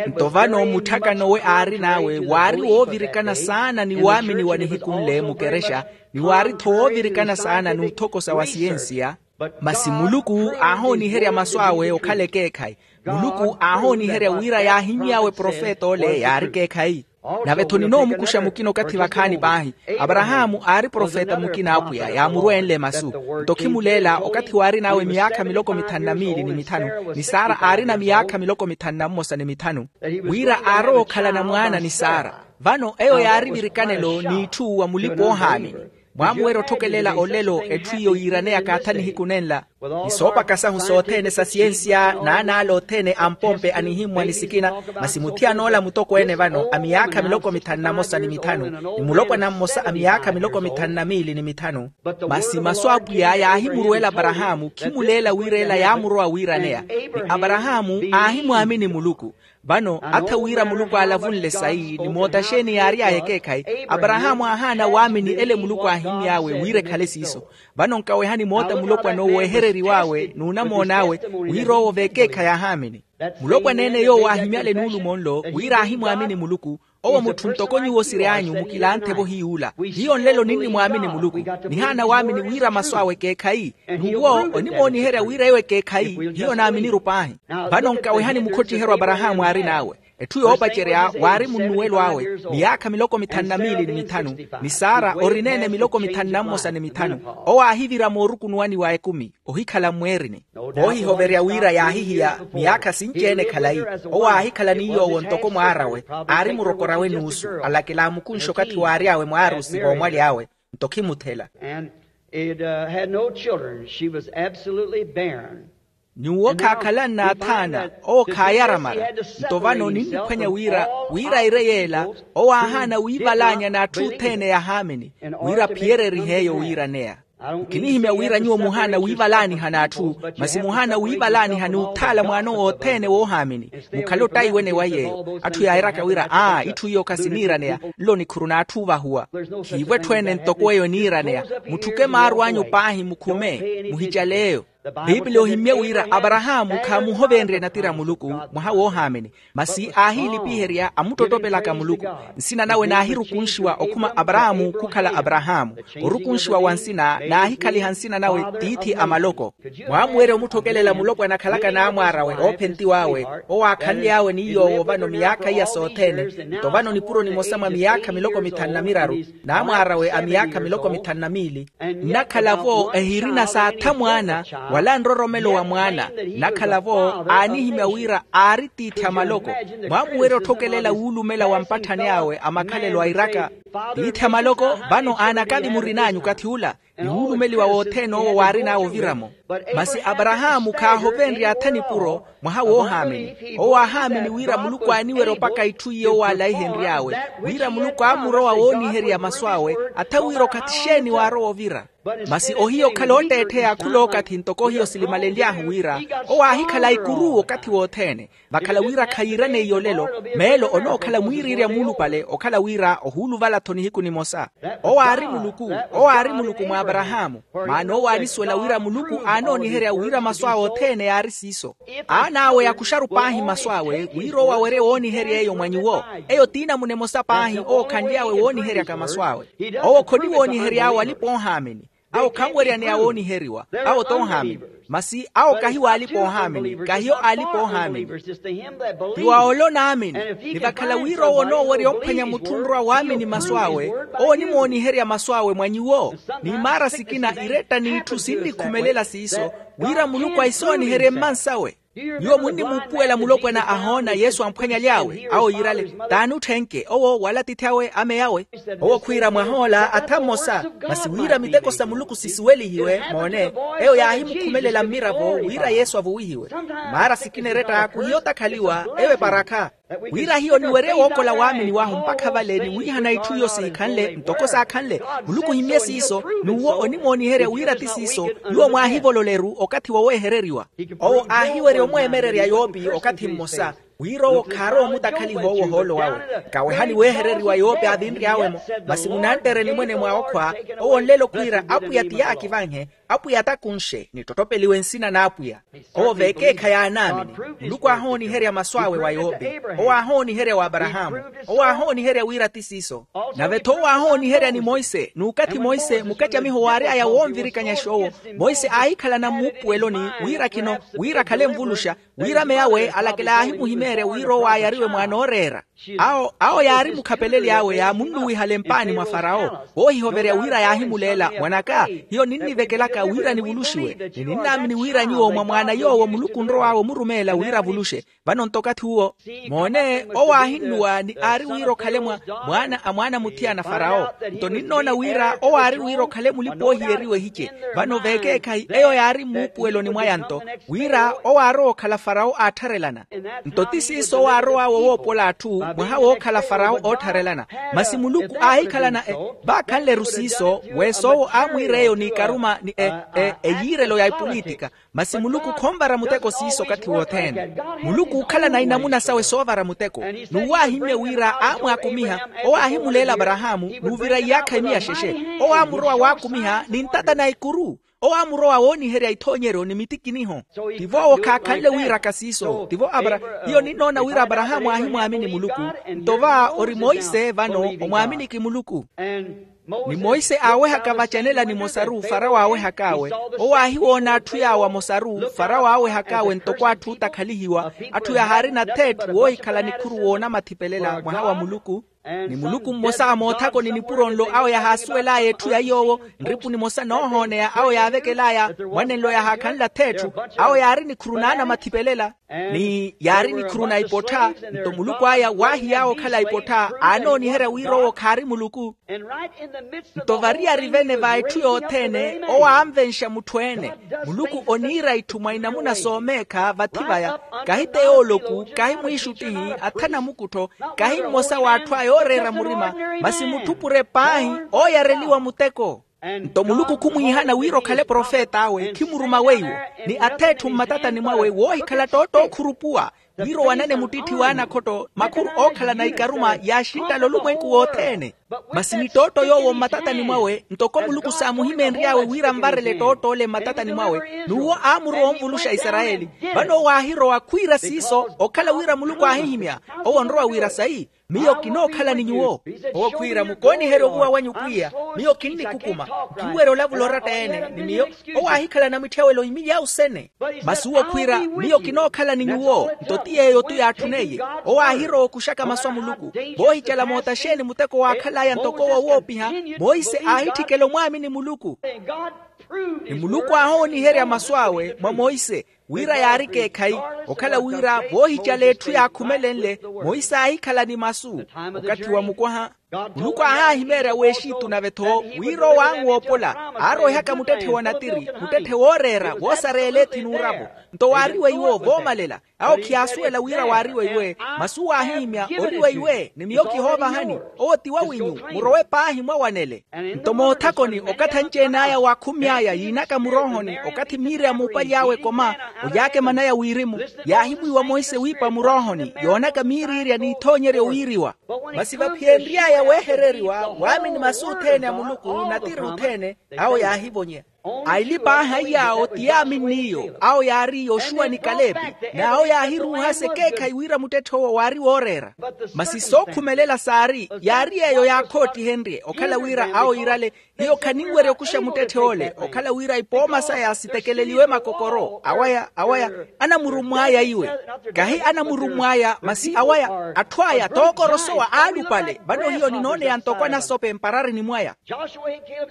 Nto vano mutthaka nowe aarin'awe waari woovirikana saana ni waamini wa nihiku nle mukerexa, ni waari-tho woovirikana saana n'uthokosa wa siyensiya. Masi muluku aahooniherya masu awe okhala ekeekhayi. Muluku aahooniherya wira yaahimmy'awe profeta ole yaari ekeekhayi. Nave-tho ninoomukuxa mukina okathi vakhaani paahi. Aparahaamu aari profeta mukina a apwiya yaamurweenle masu. Nto khimuleela okathi waarin'awe miyaakha miloko mithanu na miili ni mithanu, ni sara aarina miyaakha miloko mithanu na mmosa ni mithanu, wira aarowa okhalana mwaana ni sara. Vano eyo yaari virikanelo n'itthu wa mulipa-oohaamini. Mwaamuwerya otthokelela olelo etthu iyo yiiraneyaka atha nihiku nenla. Ni soopaka sahu sothene sa siyensiya n'anaala othene a mpompe anihimmwa ni sikina. Masi muthiyan'ola mutokweene vano a miyaakha miloko mithanu na mosa ni mithanu, ni mulopwana mmosa a miyaakha miloko mithanu na miili ni mithanu. Masi masu a apwiya yaahimuruwela aparahaamu khimuleela wira ela yaamurowa wiiraneya. Ni aparahaamu aahimwaamini muluku. Vano atha wira muluku aalavunle sayi ni moota xeeni yaary'aya ekeekhayi. Aparahaamu aahaana waamini ele muluku aahimy'awe wira ekhale siiso. Vano nkawehani moota mulopwana owo ehereriw'awe n'unamoon'awe, wira owo v'ekeekhayi aahaamini. Mulopwana ene yoowo aahimyale nuulumo nlo wira aahimwaamini muluku. Owo mutthu ntoko nyuwo siry'anyu mukilanthe-vo hiy'ula. Hiyo nlelo ninnimwaamini muluku. Nihaana waamini wira masu awe ekeekhayi. N'uwo onimooniherya wira eyo ekeekhayi hiyo naaminiru paahi. Vano nkawehani mukhottiheryo aparahaamu aarin'awe. Etthu yoopacerya waari munnuwelo awe miyaakha miloko mithanu na miili ni mithanu. Ni sara orineene miloko mithanu na mmosa ni mithanu. Owo aahivira moorukunuwani wa ekumi ohikhala mmweerini. Voohihoverya wira yaahihiya miyaakha sinci-ene khalayi. Owo aahikhala ni yoowo ntoko mwaar'awe. Aari murokor'awe nuusu alakela amukunxe okathi waary'awe mwaarusi voomwaly'awe. Nto khimuthela. And it had no children. She was absolutely barren. Nyuwo khaakhalanna athaana. Owo khaayaramara. Nto vano ninniphwanya wira wira ire yeela. Owo aahaana wiivalaanya n'atthu othene yahaamini wira aphiyererihe eyo wiiraneya. Nkinihimya wira nyuwo muhaana wiivalaaniha n'atthu. Masi muhaana wiivalaaniha n'uthaala mwaanowo othene woohaamini. Mukhale ottaiwene wa yeeyo atthu yaairaka wira aa itthu iyo khasiniiraneya. Nlo nikhuru n'atthu ovahuwa. Khiivo etthu ene ntoko eyo eniiraneya. Mutthuke maaru anyu paahi mukhume muhicale eyo. Piipili ohimmye wira aparahaamu khaamuhovenrye natira muluku mwaha woohaamini. Masi aahiilipiherya amuttottopelaka muluku. Nsina nawe naahirukunxiwa okhuma aparahaamu khukhala aparahaamu. Orukunxiwa wa nsina naahikhaliha nsina nawe tiithi a maloko. Mwaamuwerya omutthokelela mulopwana akhalaka n'amwaar'awe oophentiw'awe. Owo aakhanly'awe ni yoowo vano miyaakha iya sothene. Nto vano nipuro nimosa mwa miyaakha miloko mithanu na miraru n'amwaar'awe a miyaakha miloko mithanu na miili. Nnakhala-vo ehirina s'atha mwaana wala nroromelo wa mwaana. Nnakhala-vo aanihimya wira aari tiithi a maloko. Mwaamuwerya otthokelela wuulumela wa mpatthani awe a makhalelo airaka. Tiithi a maloko vano aanakathi murin'anyu okathi ula. Ni wuulumeliwa wothene owo waarin'awe ovira-mo. Masi aparahaamu khaahovenrye atha nipuro mwaha woohaamini. Owo aahaamini wira muluku aaniwerya opaka itthu iyo owo aalaihenry'awe. Wira muluku aamurowa wooniherya masu awe atha wira okathi xeeni waarowa ovira. Masi ohiya okhala ootteettheya khul'okathi ntoko hiyo silimalenly'ahu wira owo aahikhala ikuru okathi wothene. Vakhala wira khayiiraneyiye olelo meelo onookhala mwiiriirya muulupale okhala wira ohuuluvala-tho nihiku nimosa. Owo aari muluku. Owo aari muluku mwa aparahaamu. Maana owo aanisuwela wira muluku aanooniherya wira masu awe othene yaari siiso. Aan'awe yakuxaru paahi masu awe wira owo awerye wooniherya eyo mwa nyuwo. Eyo t'inamuna emosa paahi owo khanly'awe wooniheryaka masu awe. Owo khoniwoonihery'awe alipa-oohaamini. Awo khanweryaneya wooniheriwa. Awo t'ohaamini. Masi awo kahi w'alipa-oohaamini kahiyo alipa-oohaamini. Ti wa ole onaamini. Ni vakhala wira owo onoowerya ophwanya mutthu onrowa waamini masu awe owo onimooniherya masu awe mwa nyuwo. Ni imaara sikina iretta n'itthu sinnikhumelela siiso wira muluku ahisooniherye mmansawe. Nyuwo munnimuupuwela mulopwana ahoona yesu amphwanyaly'awe awo yiirale t'ani otthenke owo wala atiithi awe ameyawe. Owo khwiira mwahoola atha mmosa. Masi wira miteko sa muluku sisuwelihiwe moone eyo yaahimukhumelela mmiravo wira yesu avuwihiwe. Maara sikina eretta khuhiyo otakhaliwa eyo eparakha. Wira hiyo niwerye wookola waamini wahu mpakha vale ni wiihana itthu iyo siikhanle ntoko saakhanle. Muluku ohimmye siiso. N'uwo onimooniherya wira ti siiso. Nyuwo mwaahivololeru okathi woweehereriwa. Owo aahiwerya omweemererya yoopi okathi mmosa wira owo khaarowa omutakhaliha owo ohoolo wawe. Nkawehani weehereriwa yoopi aavinry'awe-mo. Masi munanttereni mwene mwa okhwa owo nlelo khwiira apwiya ti yaakivanhe. Apwiya atakunxe nittottopeliwe nsina n'apwiya. Owo v'ekeekhayi aanaamini. Muluku aahooniherya masu awe wa yoopi. Owo aahooniherya wa aparahaamu. Owo aahooniherya wira ti siiso. Nave-tho owo aahooniherya ni monse n'ukathi monse mukacamiho waary'aya woonvirikanya xoowo. Monse aahikhalana mmuupuweloni wira khino wira akhale nvuluxa wira ameyawe alakela yaahimuhimya. wira owo ayariwe mwaana ooreera. Awo awo yaari mukhapeleli awe yaamunnuwihala empaani mwa farawo, woohihoverya wira yaahimuleela mwan'aka, hiyo ninnivekelaka wira nivuluxiwe. Ni ninnaamini wira nyuwo mwa mwaana yoowo muluku onrow'awe omurumeela wira avuluxe. Vano nto okathi uwo, moone owo aahinnuwa ni aari wira okhale mwa mwaana a mwaana muthiyana farawo. Nto ninnoona wira owo aari wira okhale mulipa oohiyeriwa ehice. Vano veekeekhayi eyo yaari mmuupuweloni mwaya nto, wira owo aarowa okhala farawo aattharelana. Nto ti siiso owo aarow'awe owoopola atthu, mwaha wookhala farawo oottharelana. Masi muluku aahikhalana e vaakhanle-ru siiso, weesa owo aamwiira eyo n'ikaruma ni e e eyiirelo ya epolitika. Masi muluku khonvara muteko siiso okathi wothene. Muluku ookhalana inamuna sawe soovara muteko. N'uwo aahimmye wira aamwaakumiha, owo aahimuleela aparahaamu n'uvira iyaakha imiya xexe. Owo aamurowa waakumiha ni ntata na ikuru. Owo aamurowa wooniherya ithoonyeryo ni mitikiniho. Tivo owo khaakhanle wiiraka siiso tivo apara. Hiyo ninnoona wira aparahaamu aahimwaamini muluku. Nto va ori monse vano, omwaaminiki muluku. Ni monse aawehaka vacanela nimosa-ru farawo aawehak'awe. Owo aahiwoona atthu yaawo amosa-ru farawo aawehak'awe ntoko atthu ootakhalihiwa, atthu yahaarina atheetthu woohikhala nikhuru woona mathipelela mwaha wa muluku. Ni muluku mmosa a moothako ni nipuro nlo awo yahaasuwel'aya etthu ya yoowo, nripu nimosa noohooneya awo yaavekel'aya mwanenlo yahaakhanle atheetthu, awo yaari nikhuru naana mathipelela. Ni yaari nikhuru na ipottha. Nto muluku aya waahiy'awe okhala ipottha aanooniherya wira owo khaari muluku. Nto variyari-vene va etthu yothene owo aanvenxa mutthu-ene. Muluku oniira itthu mwa inamuna soomeekha vathi vaya, kahi te yooloku, kahi mwiixuttihi, athana mukuttho, kahi mmosa w'atthu aya ooreera murima, masi mutthu pure paahi ooyareliwa muteko. Nto muluku khumwiihana wira okhale profet'awe khimuruma weiwo, ni atheetthu mmatatani mwawe woohikhala ttootto okhurupuwa, wira owanane muttitthiwa anakhotto makhuru ookhalana ikaruma yaaxinttala olumwenku wothene. Masi ni ttootto yoowo mmatatani mwawe ntoko muluku saamuhimeenry'awe wira anvarele ttootto ole mmatatani mwawe, n'uwo aamurowa onvuluxa isarayeli. Vano owo aahirowa khwiira siiso okhala wira muluku aahihimya. Owo onrowa wira sayi, miyo kinookhala ni nyuwo. Owo khwiira mukooniherye ovuwa wanyu pwiya, miyo kinnikukuma, nkinwerya olavula oratta-ene ni miyo. Owo aahikhala na mitthiyawelo imili awo sene. Masi uwo khwiira, miyo kinookhala ni nyuwo. Nto ti yeeyo-tu yaatthuneiye. Owo aahirowa okuxaka masu a muluku. Voohicala moota xeeni muteko waakhal'aya ntoko owo woopiha? Monse aahitthikela omwaamini muluku. Ni muluku aahooniherya masu awe mwa monse, wira yaari ekeekhayi, okhala wira voohicala etthu yaakhumelenle. Monse aahikhala ni masu. Okathi wa mukwaha, muluku aahaahimeerya w'exitu nave-tho, wira owo anwoopola, aarowehaka muttetthe wa natiri, muttetthe wooreera woosareela ethi n'uravo. Nto waariwe iwo voomalela. Awo khiyaasuwela wira waariwe iwe, masi uwo aahihimya, oriwe iwe ni miyo kihoovahani. Owo ti wawinyu, murowe paahi mwawanele. Nto moothakoni okathi anci-ene aya waakhumy'aya yiinaka muroohoni okathi miiri a muupaly'awe ekoma, oyaakema naya wirimu, yaahimwiiwa monse wiipa muroohoni yoonaka miiriirya n'ithoonyeryo wiiriwa. Masi vaphiyenry'aya weehereriwa waamini masu othene a muluku natiri othene, awo yaahivonya. Aili paahi aiy'awo ti yaaminn'iyo awo yaari yoxuwa ni kalepi. N'awo yaahiruuhasa ekeekhayi wira muttetthe owo waari wooreera. Masi sookhumelela saari yaari yeeyo yaakhootihenrye okhala wira awo iirale, hiyo khaninwerya okuxa muttetthe ole okhala wira ipooma saya sitekeleliwe makokoro awaya awaya. Anamurummw'aya iwe, kahi anamurummw'aya masi awaya atthu aya tookorosowa aalupale. Vano hiyo ninooneya ntoko anasope mpararini mwaya.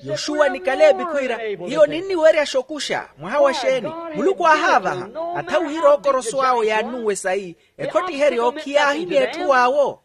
Yoxuwa ni kalepi khwiira, hiyo ninniweryaxa okuxa mwaha wa xeeni? Muluku aahaavaha. Atha wira ookoroso awo yaannuwe sayi, ekhottiheryo khiyaahimya etthu awo.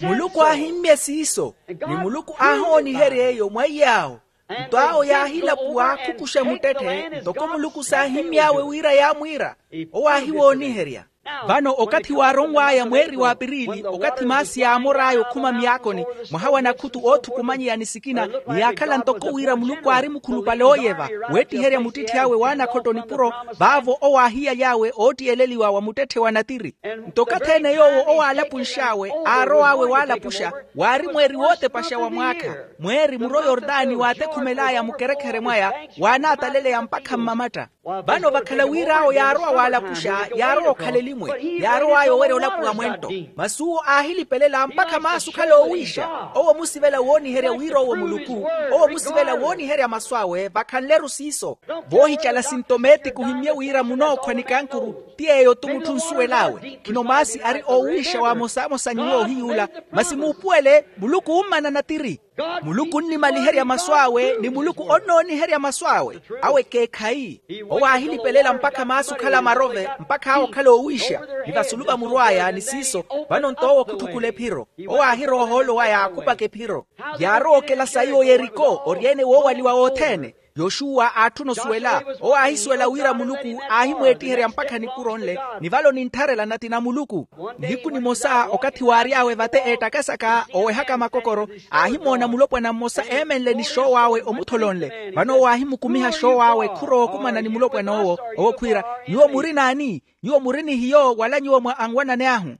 Muluku aahimmye siiso, ni muluku aahooniherya eyo mwa iy'awo. Nto awo yaahilapuwa khukuxa muttetthe ntoko muluku saahimmy'awe wira yaamwiira. Owo aahiwooniherya. Vano okathi waaronw'aya mweeri w'apirili okathi maasi yaamor'aya okhuma myaakoni, mwaha wa nakhutu oothukumanyeya ni sikina, ni yaakhala ntoko wira muluku aari mukhulupale ooyeva, weettiherya muttitthi awe w'anakhotto nipuro. Vaavo owo aahiyaly'awe oottiyeleliwa wa muttetthe wa natiri. Nto okathi-ene yoowo owo aalapunx'awe aarow'awe waalapuxa, waari mweeri wootepaxa wa mwaakha, mweeri muro yortani waatekhumel'aya mukerekhere mwaya, waanaataleleya mpakha mmamatta. Vano vakhala wira awo yaarowa waalapuxa yaarowa okhala elimwe. Yaarow'aya owerya olapo wa mwento. Masi uwo aahilipelela mpakha maasi okhala oowiixa. Owo omusivela wooniherya wira owo muluku. Owo omusivela wooniherya masu awe vakhanle-ru siiso. Voohicala sintomeetiki ohimmye wira munookhwa ni kankuru. Ti yeeyo-tu mutthu onsuwel'awe khino maasi ari oowiixa wa amosamosa nyuwo ohiy'ula. Masi muupuwele muluku ommana natiri. Muluku onnimaliherya masu awe ni muluku onnooniherya masu awe. Awe ekeekhayi. Owo aahilipelela mpakha maasi okhala marove mpakha awe okhala oowiixa. Ni vasulu vamurw'aya ni siiso vano nto owo khutthukula ephiro. Owo aahirowa ohoolo waya akhupaka ephiro. Yaarowa okela sayi oyeriko oryeene woowaliwa wothene. Yoxuwa aatthuna osuwela. Owo aahisuwela wira muluku aahimweettiherya mpakha nikuro nle. Ni vale onintharela nati na muluku. Nihiku nimosa okathi waary'awe vate eettakasaka owehaka makokoro. Aahimoona mulopwana mmosa eemenle ni xoow'awe omutholo nle. Vano owo aahimukumiha xoow'awe khurowa okumana ni mulopwana owo. Owo khwiira, nyuwo muri naani? Nyuwo muri ni hiyo wala nyuwo mwa anwanani ahu?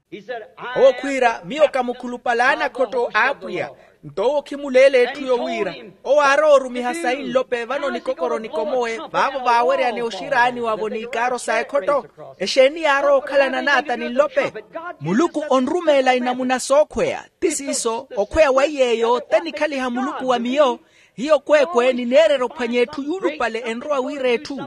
Owo khwiira, miyo ka mukhulupale a anakhotto a apwiya. Nto owo khimuleela etthu yowiira. Owo aarowa orumiha sayi nlope vano nikokoro nikomowe vaavo vaaweryane oxiraaniwa-vo n'ikaaro sa ekhotto. Exeeni yaarowa okhalana n'ata ni nlope? Muluku onrumeela inamuna sookhweya. Ti siiso okhweya wa iy'eyo te nikhaliha muluku wa miyo. Hiyo kweekwe nineererya ophwanya etthu yuulupale enrowa wiira etthu.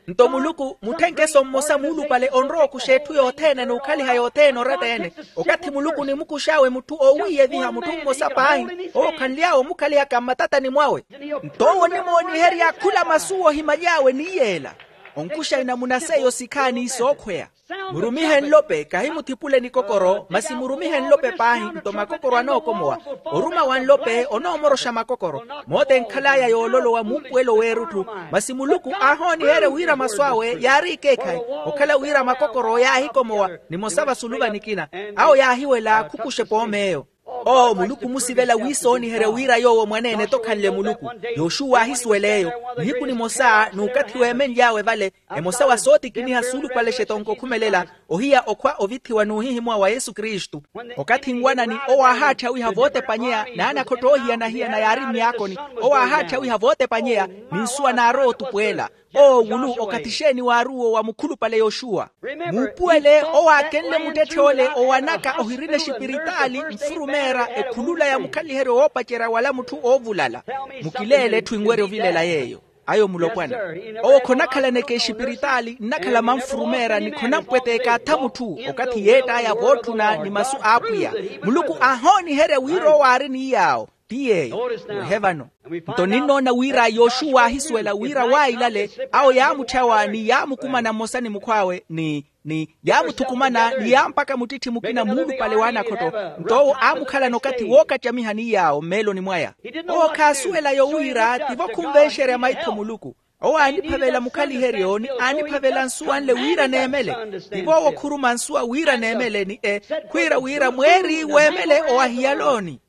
Nto muluku mutthenkeso mmosa muulupale onrowa okuxa etthu yothene n'ukhaliha yothene oratta-ene. Okathi muluku onimukux'awe mutthu oowiiyeviha mutthu mmosa paahi owo okhanly'awe omukhaliha ka mmatatani mwawe. Nto owo onimooniherya khula masu ohimaly'awe ni yeela. Onkuxa inamuna seiyo sikhaani sookhweya. Murumihe nlope kahimuthipule nikokoro masi murumihe nlope paahi nto makokoro anookomowa. Oruma wa nlope onoomoroxa makokoro. Moota enkhal'aya yoololowa muupuwelo w'erutthu. Masi muluku aahooniherya wira masu awe yaari ekeekhayi. Okhala wira makokoro yaahikomowa nimosa vasulu va nikina. Awo yaahiwela khukuxa epoom'eyo. Oo muluku omusivela wiisooniherya wira yoowo mwaneene-tho okhanle muluku. Yoxuwa aahisuwela eyo. Nihiku nimosa n'ukathi weemenly'awe vale emosa wa sootikiniha suulupale xetonko okhumelela ohiya okhwa ovithiwa n'uhihimuwa wa yesu kristu. Okathi nwanani owo aahaatthiha wiiha vootepanyeya n'anakhotto oohiyana-hiyana yaari myaakoni. Owo aahaatthiha wiiha vootepanyeya ni nsuwa naarowa otupuwela. Oo wulu okathi xeeni waaruwo wa mukhulupale yoxuwa? Muupuwele owo aakenle muttetthe ole owanaka ohirina exipiritaali nfurumeera ekhulula ya mukhaliheryo woopacerya wala mutthu oovulala. Mukileele etthu enwerya ovilela yeeyo. Ayo mulopwana. Owo khonakhalaneke exipiritaali nnakhala manfurumeera ni khonampweteeka atha mutthu. Okathi yeett'aya vootthuna ni masu a apwiya muluku aahooniherya wira owo aari ni yaawo. Ti yeeyo. Wehe vano. Nto ninnoona wira yoxuwa aahisuwela wira wailale awo yaamutthawa ni yaamukumana mmosa ni mukhw'awe ni ni yaamuthukumana ni yaampaka muttitthi mukina muulupale w'anakhotto. Nto owo aamukhalana okathi wookacamiha ni yaawo mmeeloni mwaya. Owo khaasuwela yowira tivo khunvenxerya maitho muluku. Owo aaniphavela mukhaliheryo ni aaniphavela nsuwa nle wira neemele. Tivo owo khuruma nsuwa wira neemele ni e khwiira wira mweeri weemele owa hiyalooni.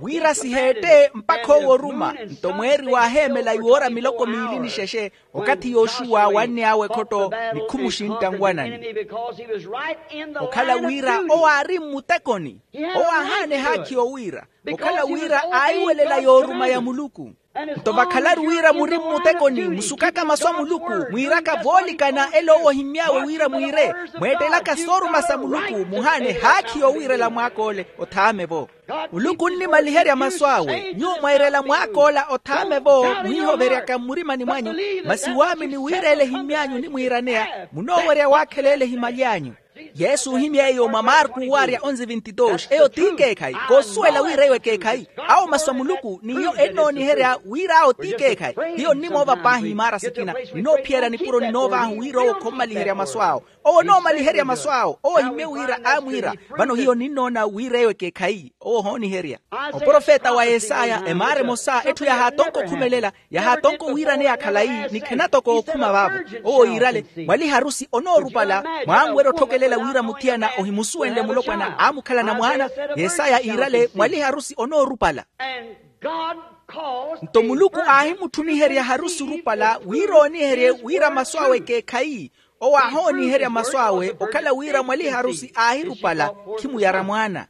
Wira siheette mpakha owo oruma nto mweeri waaheemela iwoora miloko miili ni xexe. Okathi yoxuwa wanny'awe ekhotto ni khumuxintta nwanani. Okhala wira owo aari mmutekoni. Owo aahaana ehaakhi yowiira okhala wira aahiwelela yooruma ya muluku. Nto vakhalaru wira muri mmutekoni musukaka masu a muluku mwiiraka voolikana ele owo ohimmy'awe wira mwiire mweettelaka sooruma sa muluku muhaana ehaakhi yowiirela mwaak'ole. Othaame-vo. Muluku onnimaliherya masu awe nyuwo mwairela mwaak'ola othaame-vo muhihoveryaka mmurimani mwanyu. Masi waamini wira ele ehimmy'anyu onimwiiraneya munoowerya waakhela ele ehimaly'anyu. Yesu ohimya eyo mwa marku waarya onzi vinti dos eyo t'ikeekhayi. Koosuwela wira eyo ekeekhayi. Awo masu a muluku n'iyo ennooniherya wira awo t'ikeekhayi. Hiyo nnimoova paahi imaara sikina ninoophiyerya nipuro ninoov'ahu wira owo khommaliherya masu awo. Owo onoomaliherya masu awo owo ohimmye wira aamwiira. Vano hiyo ninnoona wira eyo ekeekhayi owo ohooniherya. Oprofeta wa yesaya emaara emosa etthu yahaatonka okhumelela yahaatonka owiiraneya khalayi ni khenatoka okhuma vaavo. Owo yiirale mwaliharusi onoorupala mwaanwerya otthokelela wira muthiyana ohimusuwenle mulopwana aamukhalana mwaana. Yesaya iirale mwaliharusi onoorupala. Nto muluku aahimutthuniherya harusi orupala wira ooniherye wira masu awe ekeekhayi. Owo aahooniherya masu awe okhala wira mwaliharusi aahirupala khimuyara mwaana.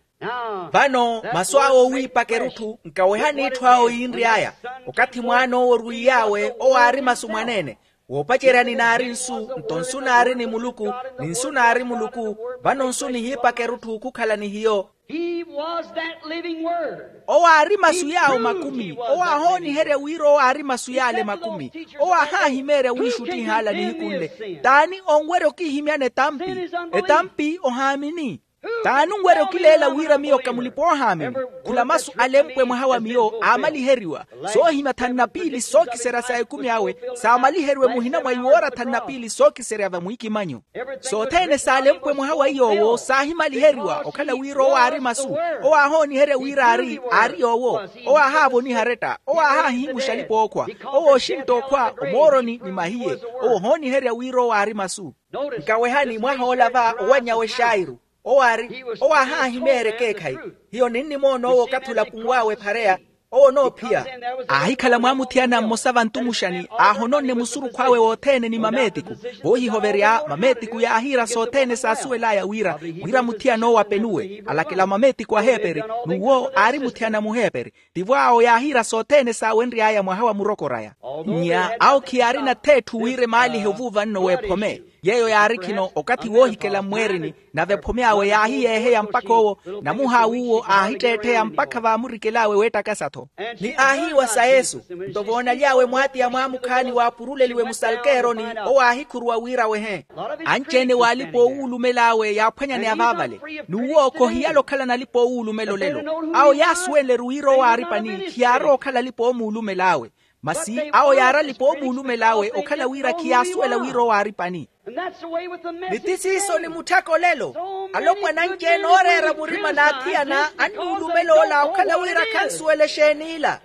Vano masu awe owiipaka erutthu nkawehani etthu awe yiinry'aya. Okathi mwaan'owo orwiiy'awe owo aari masu mwaneene. Woopaceryani naari nsu, nto nsu naari ni muluku, ni nsu naari muluku. Vano nsu nihiipaka erutthu okhukhala ni hiyo. He was that living word. Owo aari masu yaawo makumi. Owo aahooniherya wira owo aari masu yaale makumi. Owo aahaahimeerya wiixuttihaala nihiku nle. T'ani onwerya okihimyana etampi? Etampi ohaamini. T'ani onwerya okileela wira miyo ka mulipa-oohaamini? Khula masu alempwe mwaha wa miyo aamaliheriwa. Soohimya thanu na piili sookiserya sa ekumi awe saamaliheriwe muhina mwa iwoora thanu na piili sookiserya vamwiikimanyo. Sothene saalempwe mwaha wa iy'owo saahimaliheriwa okhala wira owo aari masu. Owo aahooniherya wira aari aari yoowo. Owo aahaavoniha aretta. Owo aahaahihimuxa alipa-ookhwa. Owo ooxintta okhwa omooroni ni mahiye. Owo ohooniherya wira owo aari masu. Nkawehani mwahoola va owanny'awe xairu. Owo aari owo aahaahimeerya ekeekhayi. Hiyo ninnimoona owo okathi olapunw'awe ephareya. Owo onoophiya. Aahikhala mwaamuthiyana mmosa vantumuxani aahononne musurukhw'awe wothene ni mameetiku. Voohihoverya mameetiku yaahiira sothene saasuwel'aya wira wira muthiyana owo apenuwe alakela mameetiku aheeperi. N'uwo aari muthiyana muheeperi. Tivo awo yaahiira sothene saawenry'aya mwaha wa murokor'aya. Nnya awo khiyaarina th'etthu wira emaalihe ovuuva nno w'ephome. Yeeyo yaari khino okathi woohikela mmweerini. Nave ephome awe yaahiyeeheya mpakha owo namuha aw'uwo aahitteettheya mpakha vaamurikel'awe weettakasa-tho. Ni aahiiwa sa yesu. Nto voonaly'awe mwaatiya mwaamukhaani waapuruleliwe musalkeeroni. Owo aahikhuruwa wira awehe. Anci-ene w'alipa-oowulumel'awe yaaphwanyaneya vaavale. N'uwo khohiyala okhalana alipa-oowulumela olelo. Awo yaasuwenle-ru wira owo aari pani khiyaarowa okhala alipa-oomulumel'awe. Masi awo yaari alipa-oomulumel'awe okhala wira khiyaasuwela wira owo aari pani. Ni ti siiso ni mutthaka olelo. Alopwana anci-ene ooreera murima n'athiyana annuulumela ola okhala wira khansuwela exeen'ila.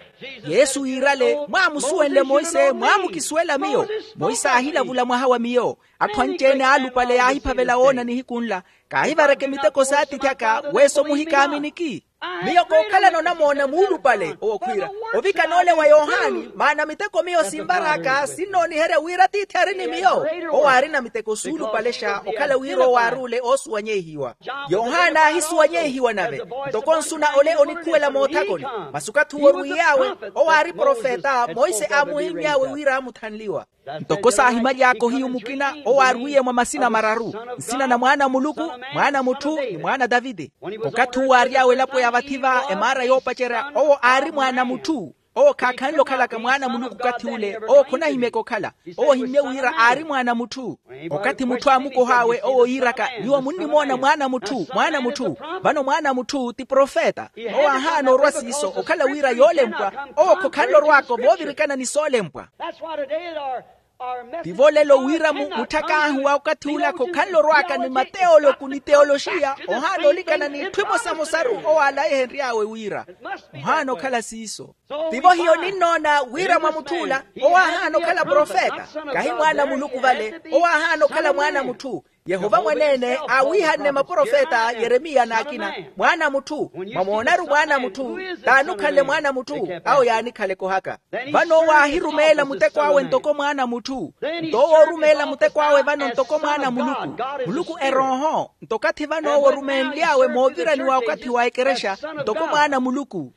Yesu yiirale mwaamusuwenle monse mwaamukisuwela miyo. Monse aahilavula mwaha wa miyo. Atthu anci-ene aalupale yaahiphavela woona nihiku nla. Kaahivareke miteko s'atiithi aka weso muhikaaminiki. Miyo kookhalana onamoona muulupale owo khwiira ovikana ole wa yohani maana miteko miyo sinvar'aka sinnooniherya wira atiithi ari ni miyo. Owo aarina miteko suulupalexa okhala wira owo aaruule oosuwanyeihiwa. Yohani aahisuwanyeihiwa nave ntoko nsuna ole onikhuwela moothakoni. Masi okathi owo orwiiy'awe owo aari profeta monse aamuhimmy'awe wira aamuthanliwa. Ntoko saahimaly'aka ohiyu mukina owo aarwiiye mwa masina mararu, nsina na mwaana a muluku, mwaana a mutthu ni mwaana a taviti. Okathi uwo aary'awe elapo ya vathi va emaara yoopacerya owo aari mwaana a mutthu. Owo khaakhanle okhalaka mwaana a muluku okathi ule owo khonahimyeke okhala. Owo ohimmye wira aari mwaana a mutthu. Okathi mutthu aamukoh'awe owo yiiraka nyuwo munnimoona mwaana a mutthu mwaana a mutthu. Vano mwaana a mutthu ti profeta. Owo aahaana orwa siiso okhala wira yoolempwa. Owo khokhanle orw'aka ovoovirikana ni soolempwa. Tivo lelo wira mutthak'ahu wa okathi ula khokhanle orw'aka ni mateoloku ni teoloxiya ohaana olikana n'itthu emosamosaru owo aalaihenry'awe wira. Ohaana okhala siiso. Tivo hiyo ninnoona wira mwa mutth'ula owo aahaana okhala profeta. Kahi mwaana a muluku vale. Owo aahaana okhala mwaana a mutthu. Yehova mwaneene aawiihanne maprofeta yeremiya n'akina. Mwaana a mutthu. Mwamoona-ru mwaana a mutthu. T'ani okhanle mwaana a mutthu? Awo yaanikhaleke ohaka. Vano owo aahirumeela muteko awe ntoko mwaana a mutthu. Nto owo orumeela muteko awe vano ntoko mwaana a muluku. Muluku erooho nto okathi vano owo orumeenly'awe mooviraniwa okathi wa ekerexa ntoko mwaana a muluku.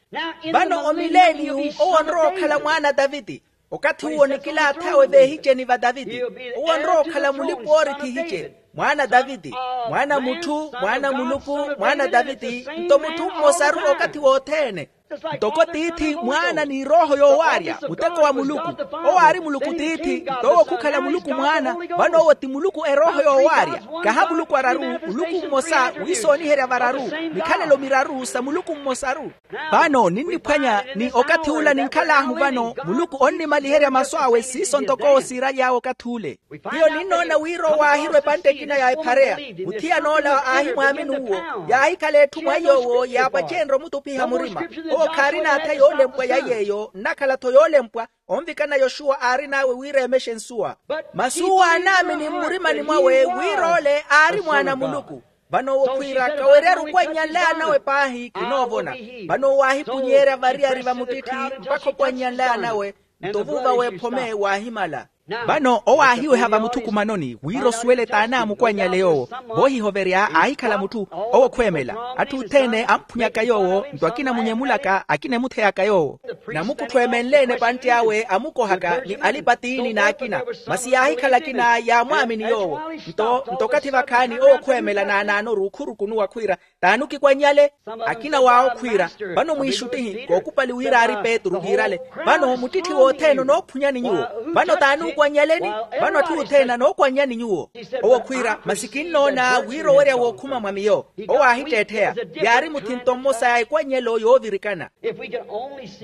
Vano omileeniyu owo onrowa okhala mwaana a taviti. Okathi uwo nikilaath'awe veehiceni va taviti. Owo onrowa okhala mulipa-oorithi ehice. Mwaana a taviti. Mwaana a mutthu mwaana a muluku. Mwaana a taviti. Nto mutthu mmosaru okathi wothene. Ntoko tiithi mwaana ni erooho yoowaarya muteko wa muluku. Owo aari muluku tiithi nto owo khukhala muluku mwaana. Vano owo ti muluku erooho yoowaarya. Kaha muluku araru. Muluku mmosa wiisooniherya vararu. Mikhalelo miraru sa muluku mmosaru. Vano ninniphwanya ni okathi ula ninkhal'ahu vano muluku onnimaliherya masu awe siiso ntoko owo siiraly'awe okathi ule. Hiyo ninnoona wira owo aahirwa epantte ekina ya ephareya. Muthiyan'ola aahimwaamini uwo. Yaahikhala etthu mwa iy'owo yaapacenrye omutuphiha murima. Owo khaarina atha yoolempwa ya iy'eyo nnakhala-tho yoolempwa. Onvikana yoxuwa aarin'awe wira emexe nsuwa. Masi uwo aanaamini mmurimani mwawe wira ole aari mwaana a muluku. Vano owo khwiira kawerya-ru okwannya nle anawe paahi kinoovona. Vano owo aahipunyeerya variyari va muttitthi mpakha okwannya nle anawe. Nto vuuva w'ephome waahimala. Vano owo aahiweha vamuthukumanoni wira osuwele t'anaamukwannyale yoowo. Voohihoverya aahikhala mutthu owo khweemela. Atthu othene amphunyaka yoowo nto akina munyemulaka akina emutheyaka yoowo. Namukuttho emenleene epantti awe amukohaka ni alipatiini n'akina. Masi yaahikhala akina yaamwaamini yoowo. Nto nto okathi vakhaani owo khweemela naanaanoru khurukunuwa khwiira, t'ani okikwannyale? Akina waawo khwiira, vano mwiixuttihi kookupali wira aari petru iirale. Vano muttitthi wothene onoophunyani nyuwo. Vano t'ani okwannyaleni? Vano atthu othene anookwannyani nyuwo. Owo khwiira masi kinnoona wira owerya wookhuma mwa miyo. Owo aahitteettheya. Yaari muthinto mmosa ya ekwannyelo yoovirikana.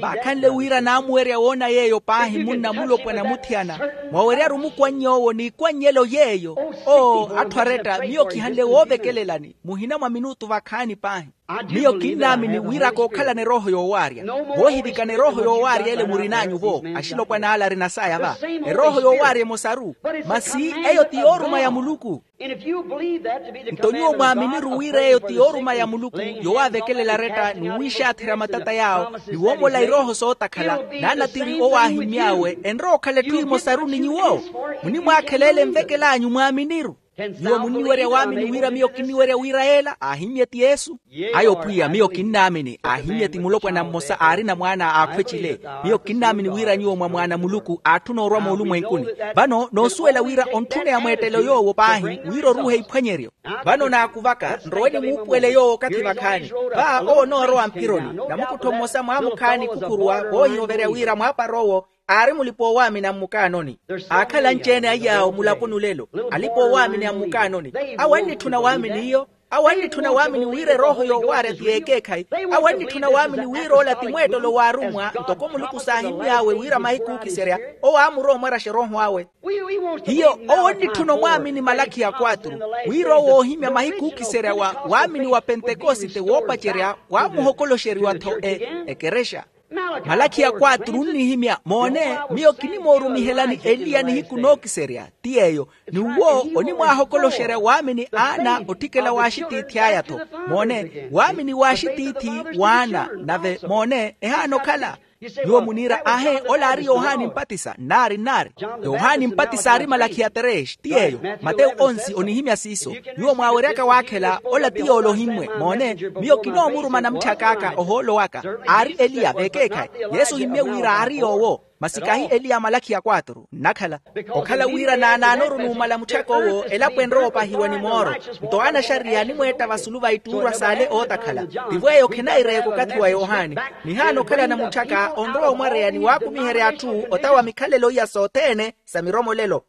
Vaakhanle wira naamuwerya woona yeeyo paahi munna mulopwana muthiyana. Mwaweryaru mukwanny'owo n'ikwannyelo yeeyo. Oo atthu aretta miyo kihanle woovekelelani muhina mwa minutu vakhaani paahi. Miyo kinnaamini wira kookhalana erooho yoowaarya. Voohivikana erooho yoowaarya ele murin'anyu vo axilopwana ale arina saya va. Erooho yoowaarya emosaru. Masi eyo ti yooruma ya muluku. Nto nyuwo mwaaminiru wira eyo ti yooruma ya muluku, yowaavekelela aretta ni wiixaatherya matata yaawo ni woomola irooho sootakhala. Naanatiri owo aahimmy'awe enrowa okhala etthu emosaru ni nyuwo. Munimwaakhela ele envekel'anyu mwaaminiru. Nyuwo munniwerya waamini wira miyo kinniwerya wira yeela aahimmye ti yesu. Ayo pwiya miyo kinnaamini aahimmye ti mulopwana mmosa aarina mwaana a akhweccile. Miyo kinnaamini wira nyuwo mwa mwaana muluku aatthuna orwa moolumwenkuni. Vano noosuwela wira ontthuneya mweettelo yoowo paahi wira oruuhe iphwanyeryo. Vano naakuvaka nrowe nimuupuwele yoowo okathi vakhaani. Va owo onoorowa mphironi. Namukuttho mmosa mwaamukhaani khukuruwa voohihoverya wira mwaapara owo aari mulipa-oowaamini a mmukaanoni. Aakhala anci-ene aiy'awo mulaponi olelo. Alipa-oowaamini a mmukaanoni awo annitthuna waamini iyo. Awo annitthuna waamini wira erooho yoowaarya ti y'ekeekhayi. Awo annitthuna waamini wira ola ti mweettolo w'arummwa ntoko muluku saahimmy'awe wira mahiku ookiserya. Owo aamurowa omwaraxa erooho awe. Hiyo owo onnitthuna omwaamini malakhi ya kwatru wira owo oohimya mahiku ookiserya wa waamini wa pentekosite woopacerya waamuhokoloxeriwa-tho ekerexa. Malakhi ya kwatru onnihimya moone. Miyo kinimoorumihelani eliya nihiku nookiserya ti yeeyo. Ni uwo onimwaahokoloxerya waamini aana otthikela w'axitiithi aya-tho. Moone waamini w'axitiithi w'aana nave moone ehaana okhala. Nyuwo muniira aahe ola aari yohani mpatisa nnaari nnaari. Yohani mpatisa aari malakhi ya tereex ti yeeyo. Matewu onsi onihimya siiso. Nyuwo mwaaweryaka waakhela ola ti yoole ohimmwe moone. Miyo kinoomuruma namutthaka aka ohoolo waka aari eliya v'ekeekhayi. Yesu ohimmye wira aari yoowo. Masi kahi eliya malakhi ya kwatru nnakhala. Okhala wira naanaanoru numala mutthaka owo elapo enrowa opahiwa ni mooro. Nto aana axariya animweetta vasulu va ittuurwa s'ale ootakhala. Tivo eyo khenaireeka okathi wa yohani. Nihaana okhalana mutthaka onrowa omwareya ni waakumiherya atthu ota wa mikhalelo iya sothene sa miromolelo.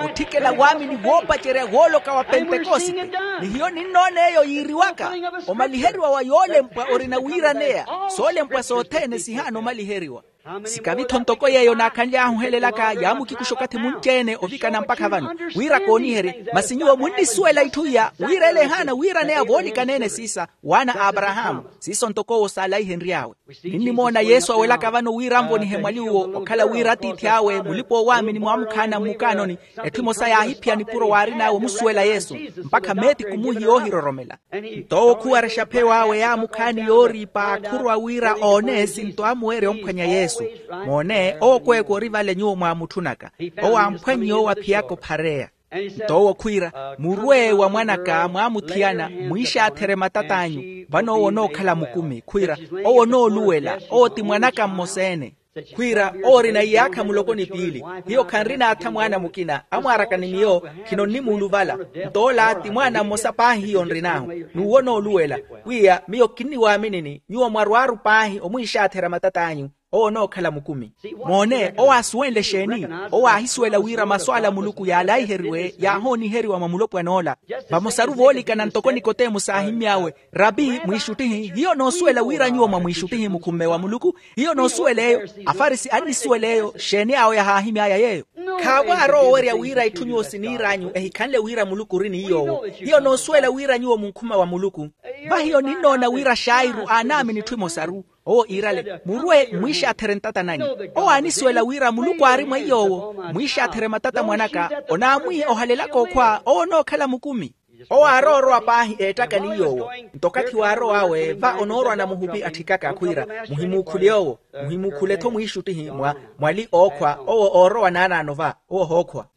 Otthikela waamini woopacerya wooloka wa pentekosite. Ni hiyo ninnoona eyo yiiriwaka omaliheriwa wa yoolempwa orina wiiraneya. Soolempwa sothene sihaana omaliheriwa. Sikavi-tho ntoko yeeyo naakhanly'ahu ohelelaka yaamukikusha okathi munci-ene ovikana mpakha vano wira kooniherye. Masi nyuwo munnisuwela itthu iya wira ele ehaana wiiraneya voolikana-ene siisa waana a aparahaamu. Siiso ntoko owo saalaihenry'awe. Ninnimoona yesu awelaka vano wira anvonihe mwali uwo okhala wira atiithi awe mulipa-oowaamini mwaamukhaana mmukaanoni. Etthu emosa yaahiphiya nipuro waarin'awe omusuwela yesu mpakha meeti khumuuhi yoohiroromela. Nto owo khuwarexa pheyo awe yaamukhaani yooriipa akhurwa wira oone esinto amuweerya omphwanya yesu. Moone owo kweeka ori vale nyuwo mwaamutthunaka. Owo amphwannye owo aphiyaka ophareya. Nto owo khwiira murwe wa mwan'aka mwaamuthiyana mwiixaatherye matat'anyu. Vano owo onookhala mukumi khwiira owo onooluwela owo ti mwan'aka mmosa-ene. Khwiira owo orina iyaakha muloko ni piili. Hiyo khanrina atha mwaana mukina amwaaraka ni miyo. Khinonnimuuluvala. Nto ola ti mwaana mmosa paahi hiyo nrin'ahu. N'uwo onooluwela pwiya miyo kinniwaaminini nyuwo mwarwaaru paahi omwiixaatherya matat'anyu. Owo onookhala mukumi. Moone owo aasuwenle exeeni? Owo aahisuwela wira masu ala a muluku yaalaiheriwe yaahooniheriwa mwa mulopwan'ola. Vamosaru voolikana ntoko nikodemu saahimmy'awe, rapi mwiixuttihi hiyo onoosuwela wira nyuwo mwa mwiixuttihi mukhumme wa muluku? Hiyo onoosuwela eyo? Afarisi annisuwela eyo xeeni awo yahaahimy'aya yeeyo? Khaavo aarowa owerya wira itthu nyuwo siniir'anyu ehikhanle wira muluku ori ni yoowo. Hiyo onoosuwela wira nyuwo munkhuma wa muluku? Vahiyo ninnoona wira xairu aanaamini itthu emosaru. Owo iirale murwe mwiixaatherye ntata nanyu. Owo aanisuwela wira muluku aari mweiy'owo. Mwiixaatherye matata mwan'aka onaamwiiha ohalelaka okhwa owo onookhala mukumi. Owo aarowa orowa paahi eettaka ni yoowo. Nto okathi waarow'awe va onoorwa namuhupi atthikaka khwiira, muhimuukhule owo, muhimuukhule-tho mwiixuttihi mwa mwali ookhwa owo oorowa naanaano va owo ohookhwa.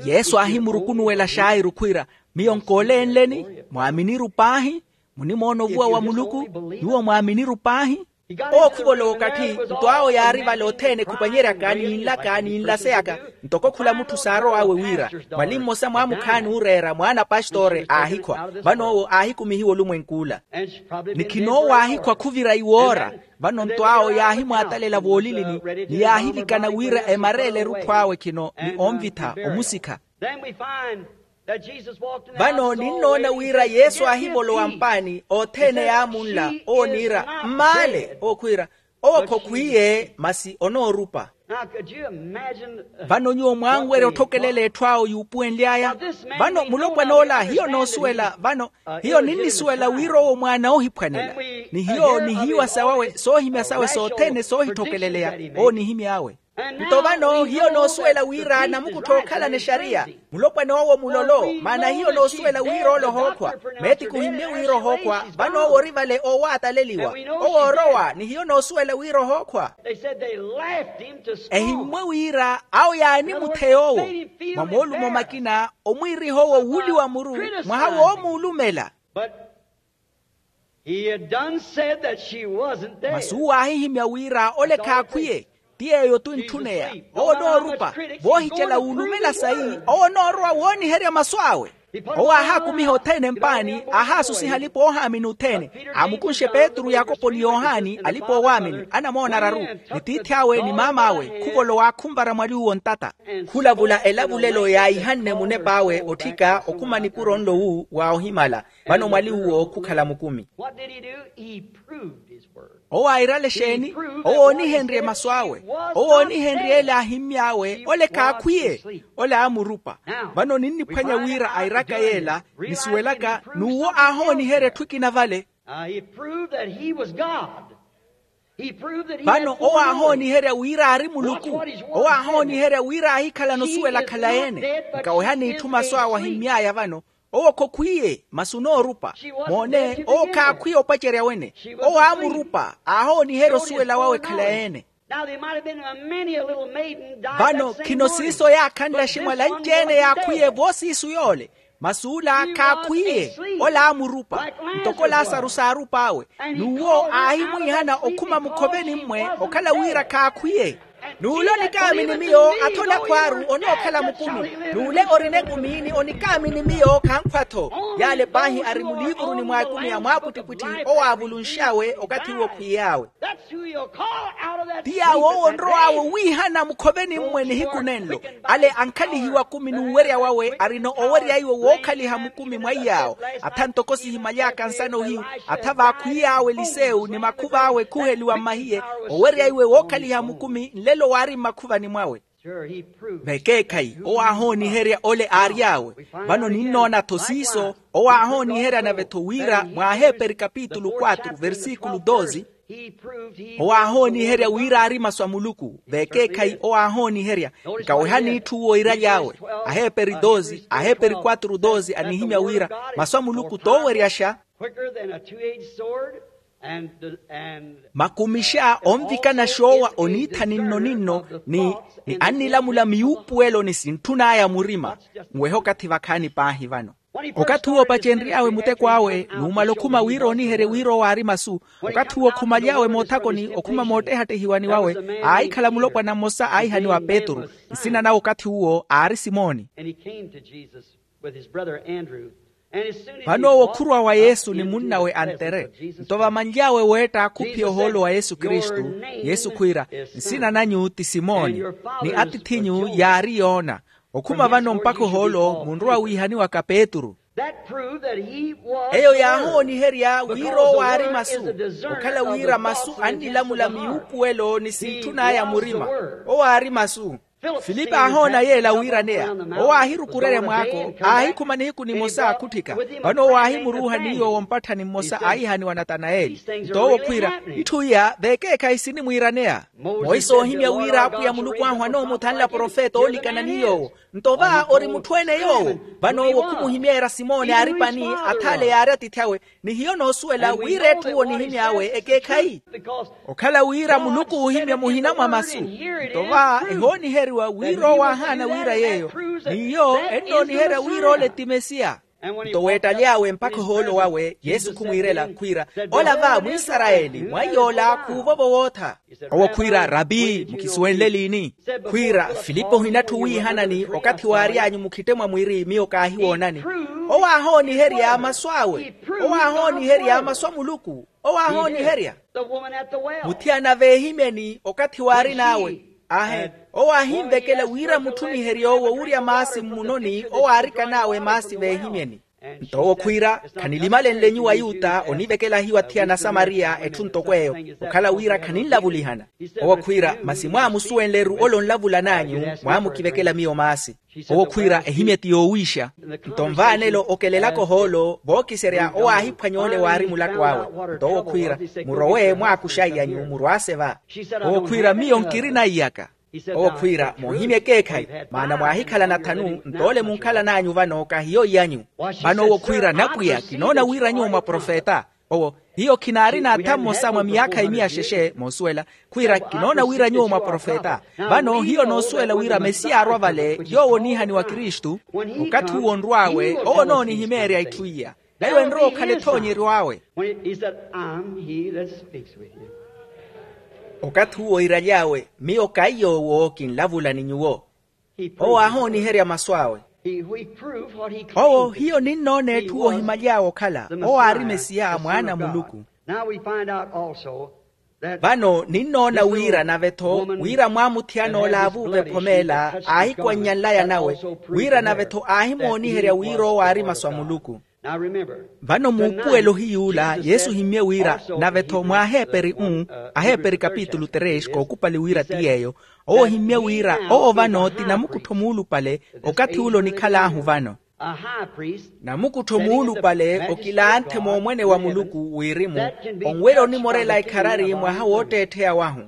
Yesu aahimurukunuwela xairu khwiira, miyo nkoolenleni? Mwaaminiru paahi? Munimoona ovuwa wa muluku? Nyuwo mwaaminiru paahi? Owo khuvolowa okatthi nto awo yaari vale othene khupanyeryaka ni nlaka ni nlaseyaka. Ntoko khula mutthu saarow'awe wira mwali mmosa mwaamukhaani ooreera mwaana a pastoore aahikhwa. Vano owo aahikumihiwa olumwenk'ula ni khinoowo aahikhwa khuvira iwoora. Vano nto awo yaahimwaatalela voolilini ni yaahivikana wira emareele erutthu awe khino ni onvitha omusikha. Vano ninnoona wira yesu aahivolowa mpaani othene yaamunla owo niira mmaale owo khwiira owo khokhwiiye masi onoorupa. Vano nyuwo mwaanwerya otthokelela etthu awo yuupuwenly'aya. Vano mulopwan'ola hiyo noosuwela vano hiyo ninnisuwela wira owo mwaana oohiphwanela ni hiyo nihiiwa sawawe soohimya sawe sothene soohitthokeleleiya owo nihimy'awe. Nto vano hiyo noosuwela wira namukuttha ookhalana exariya mulopwan'owo mulolo. Maana hiyo noosuwela wira ole ohookhwa meeti khuhimmye wira ohookhwa. Vano owo ori vale oowaataleliwa owo oorowa ni hiyo noosuwela wira ohookhwa. Ehimmwe wira awo yaanimutheya owo mwa moolumo makina omwiiriha owo wuuliwa muru mwaha woomuulumela. Masu uwo aahihimya wira ole khaakhwiye ti yeeyo tuntthunneya owo onoorupa voohicela wuulumela sayi owo onoorowa wooniherya masu awe. Owo aahaakumiha othene mpaani aahaasusiha alipa oohaamini othene aamukunxe petru yakopo ni yohani alipa oowaamini anamoona araru ni tiithi awe ni maam'awe khuvolowa aakhunvara mwali uwo ntata. Khulavula elavulelo yaahihanne munep'awe otthika okhuma nipuro nlo wu wa ohimala. Vano mwali uwo khukhala mukumi. Owo airale exeeni? Owo oonihenrye masu awe owo oonihenrye ele aahimmy'awe ole khaakhwiye ole aamurupa. Vano ninniphwanya wira airaka yeela nisuwelaka n'uwo aahooniherya etthu ekina vale. Vano owo aahooniherya wira aari muluku. Owo aahooniherya wira aahikhalana osuwela akhala-ene. Nkawehani itthu masu awe ahimmy'aya vano owo khokhwiiye masi onoorupa. Moone owo khaakhwiya opacerya wene. Owo aamurupa aahooniherya osuwela wawe khalayi-ene. Vano khino siiso yaakhanle aximwali anci-ene yaakhwiye voosiisu yoole. Masi ola khaakhwiye. Ola aamurupa ntoko lasaru saarup'awe. N'uwo aahimwiihana okhuma mukhoveni mmwe okhala wira khaakhwiye. N'ule onikaamini miyo atha olakhw'aru onookhala mukumi. N'ule orina ekumi ni onikaamini miyo khankhwa-tho. Yale paahi ari muliivuruni mwa ekumi ya mwaapwittipwitthi owo aavulunx'awe okathi uwo khwiiy'awe. Ti yaawo owo onrow'awe owiihana mukhoveni mmwe nihiku nenlo. Ale ankhalihiwa kumi n'uwerya wawe arina owerya iwe wookhaliha mukumi mwa iyaawo. Atha ntoko sihimaly'aka nsana ohiyu atha vaakhwiy'awe elisewu ni makhuv'awe ekhuheliwa mmahiye. Owerya iwe wookhaliha mukumi nlelo waari mmakhuvani mwawe. Vekeekhayi owo aahooniherya ole aary'awe. Vano ninnoona-tho siiso owo aahooniherya nave-tho wira mwa aheeperi kapitulu quatro versikulu doze. Owo aahooniherya wira aari masu a muluku vekeekhayi owo aahooniherya. Nkawehani itthu uwo iraly'awe. Aheeperi doze aheeperi quatro doze anihimya wira masu a muluku tooweryaxa. Makumixa onvikana xoowa oniitha ninno-ninno ni annilamula miyuupuwelo ni sintthun'aya murima. Nwehe okathi vakhaani paahi vano. Okathi uwo opacenry'awe muteko awe numala okhuma wira ooniherye wira owo aari masu. Okathi uwo okhumaly'awe moothakoni okhuma moottehattehiwani wawe aahikhala mulopwana mmosa aahihaniwa petru. Nsina nawe okathi uwo aari simoni. Vano owo khurwa wa yesu ni munnawe antere. Nto vamanly'awe weetta khuphiya ohoolo wa yesu kristu. Yesu khwiira, nsina nanyu ti simoni ni atiith'inyu yaari yoona. Okhuma vano mpakha ohoolo munrowa wiihaniwaka petru. Eyo yaahooniherya wira owo aari masu. Okhala wira masu annilamula miyuupuwelo ni sintthun'aya murima. Owo aari masu. Filipi aahoona yeela wiiraneya. Owo aahirukurerya mwaako, aahikhuma nihiku nimosa akhutthika. Vano owo aahimuruuha ni yoowo mpatthani mmosa aahihaniwa natanayeli. Nto owo khwiira, itthu iya veekeekhayi sinimwiiraneya. Monse oohimya wira apwiya muluku ahu anoomuthanla profeta oolikana ni yoowo. Nto va ori mutthu-ene yoowo. Vano owo khumuhimyeerya simoni aaripani, athaale yaari atiithi awe. Ni hiyo noosuwela wira etthu onihimy'awe ekeekhayi. Okhala wira muluku oohimya muhina mwa masu. Nto va ehooniheriwa wira owo aahaana wira yeeyo. N'iyo ennooniherya wira ole ti mesiya. Nto weettaly'awe mpakha ohoolo wawe yesu khumwiirela khwiira, ola va mwisarayeli mwa iy'ola khuuvovo wootha. Owo khwiira rapi mukisuwenle liini? Khwiira filipi ohinatthu wiihanani okathi waary'anyu mukhitte mwa mwiri miyo kaahiwoonani. Owo aahooniherya masu awe. Owo aahooniherya masu a muluku. Owo aahooniherya. Muthiyana veehimyeni okathi waarin'awe. Ahe. Owo aahinvekela wira mutthumiherye owo wurya maasi mmunoni owo aarikan'awe maasi veehimyeni. Nto owo khwiira, khanilimalenle nyuwo ayuta onivekela hiyo athiyana asamariya etthu ntoko eyo. Okhala wira khaninlavulihana. Owo khwiira, masi mwaamusuwenle-ru ole onlavulan'anyu, mwaamukivekela miyo maasi. Owo khwiira ehimye ti yoowiixa. Nto nvaanelo okelelaka ohoolo vookiserya owo aahiphwanya ole waari mulattu awe. Nto owo khwiira, murowe mwaakuxaiy'anyu murwaase va. Owo khwiira miyo nkirina iyaka. Owo khwiira moohimya ekeekhayi, maana mwaahikhala nathanu nto ole munkhalan'anyu vano kahiyo iy'anyu. Vano owo khwiira napwiya kinoona wira nyuwo mwa profeta. Owo, hiyo khinaarina atha mmosa mwa myaakha imiya xexe moosuwela. Khwiira kinoona wira nyuwo mwa profeta. Vano hiyo noosuwela wira mesiya aarwa vale yoowo oniihaniwa kristu. Okathi uwo onrw'awe owo onoonihimeerya itthu iya. Nayo enrowa okhala ethoonyeryo awe. When he said, "I'm he that speaks with you." Okathi uwo iiraly'awe, miyo kaiy'owo kinlavula ni nyuwo. Owo aahooniherya masu awe. Owo hiyo ninnoona etthu ohimaly'awe okhala owo aari mesiya mwaana a muluku. Vano ninnoona wira nave-tho wira mwaamuthiyana ola aavuuva ephomeela aahikwannya nlaya nawe, wira nave-tho aahimooniherya wira owo aari masu a muluku. Vano muupuwelo hiy'ula yesu ohimmye wira, nave-tho mwa aheeperi u aheeperi kapitulu tres kookupali wira ti yeeyo. Owo ohimmye wira owo vano ti namukuttho muulupale. Okathi ule onikhal'ahu vano namukuttho muulupale okilanthe moomwene wa muluku wirimu onwerya onimorela ekharari mwaha wootteettheya wahu.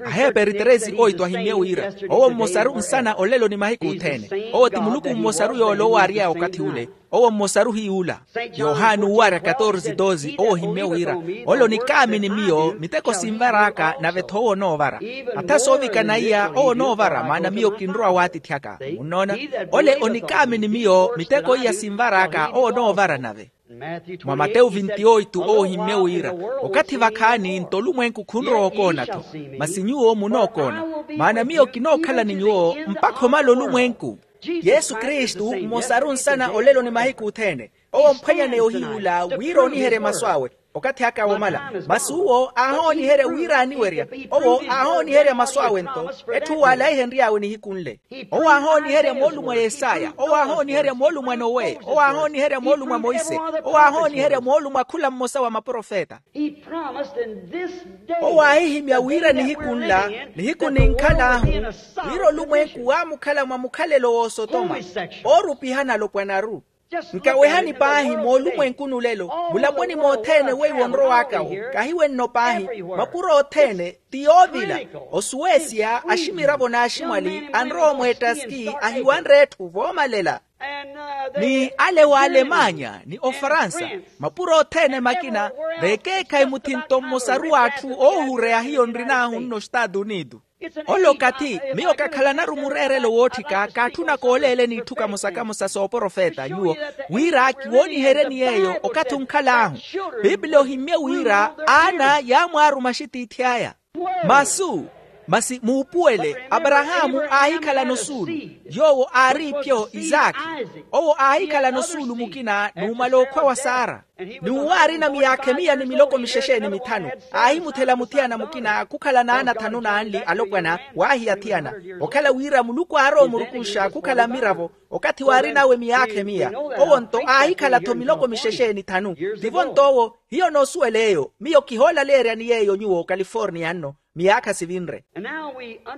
Aheeperi teresi oito ahimmye wira owo mmosaru nsana olelo ni mahiku othene. Owo ti muluku mmosaru yoole owo aary'aya okathi ule. Owo mmosaru hiy'ula. Yohani uwarya katorze doze owo ohimmye wira, ole onikaamini miyo miteko sinvar'aka nave-tho owo onoovara. Atha soovikana iya owo onoovara maana miyo kinrowa waatithi aka. Munnoona? Ole onikaamini miyo miteko iya sinvar'aka owo onoovara nave. Mwa matewu vinti oito owo ohimmye wira, okathi vakhaani nto olumwenku khunrowa okoona-tho. Masi nyuwo munookoona. Maana miyo kinookhala ni nyuwo mpakha omala olumwenku. Yesu kristu mmosaru nsana olelo ni mahiku othene. Owo omphwanyaneya ohiy'ula wira ooniherye masu awe. Okathi aka womala. Masi uwo aahooniherya wira aaniwerya. Owo aahooniherya masu awe-nto. Etthu uwo alaihenry'awe nihiku nle. Owo aahooniherya moolumo a yesaya owo aahooniherya moolumo a nowe owo aahooniherya moolumo a monse. Owo aahooniherya moolumo a khula mmosa wa maprofeta. Owo aahihimya wira nihiku nla nihiku ninkhal'ahu wira olumwenku waamukhala mwa mukhalelo w'osotoma. Oorupihana alopwanaru. Nkawehani paahi moolumwenkuni olelo mulaponi mothene weiwo onrow'akawo kahiwenno paahi. Mapuro othene ti yoovila osuwesia aximiravo n'aximwali anrowa omweettaski ahiwanre etthu voomalela. Ni ale w'alemanya ni ofaransa mapuro othene makina veekeekhayi muthi nto mmosaru w'atthu oohureya hiyo nrin'ahu nno estatu unitu. Ole okathi miyo kakhalanaru mureerelo wootthika kaatthuna kooleeleni itthu kamosa kamosa sooprofeta nyuwo wira kiwooniheryeni yeeyo okathi onkhal'ahu. Piipili ohimmye wira aana yaamwaaruma axitiithi aya. Masu masi muupuwele aparahaamu aahikhalana osuulu yoowo aari ipyo isaakhi. Owo aahikhalana osuulu mukina numala okhwa wa sara. N'uwo aarina miyaakha emiya ni miloko mixexe ni mithanu, aahimuthela muthiyana mukina khukhala n'ana thanu n'anli alopwana. Waahiya athiyana okhala wira muluku aari omurukuxa khukhala mmiravo. Okathi waarin'awe miyaakha emiya, owo-nto aahikhala-tho miloko mixexe ni thanu. Tivo-nto owo. Hiyo noosuwela eyo, miyo kihoolaleeryani yeeyo nyuwo kaliforniya nno. Miyaakha sivinre.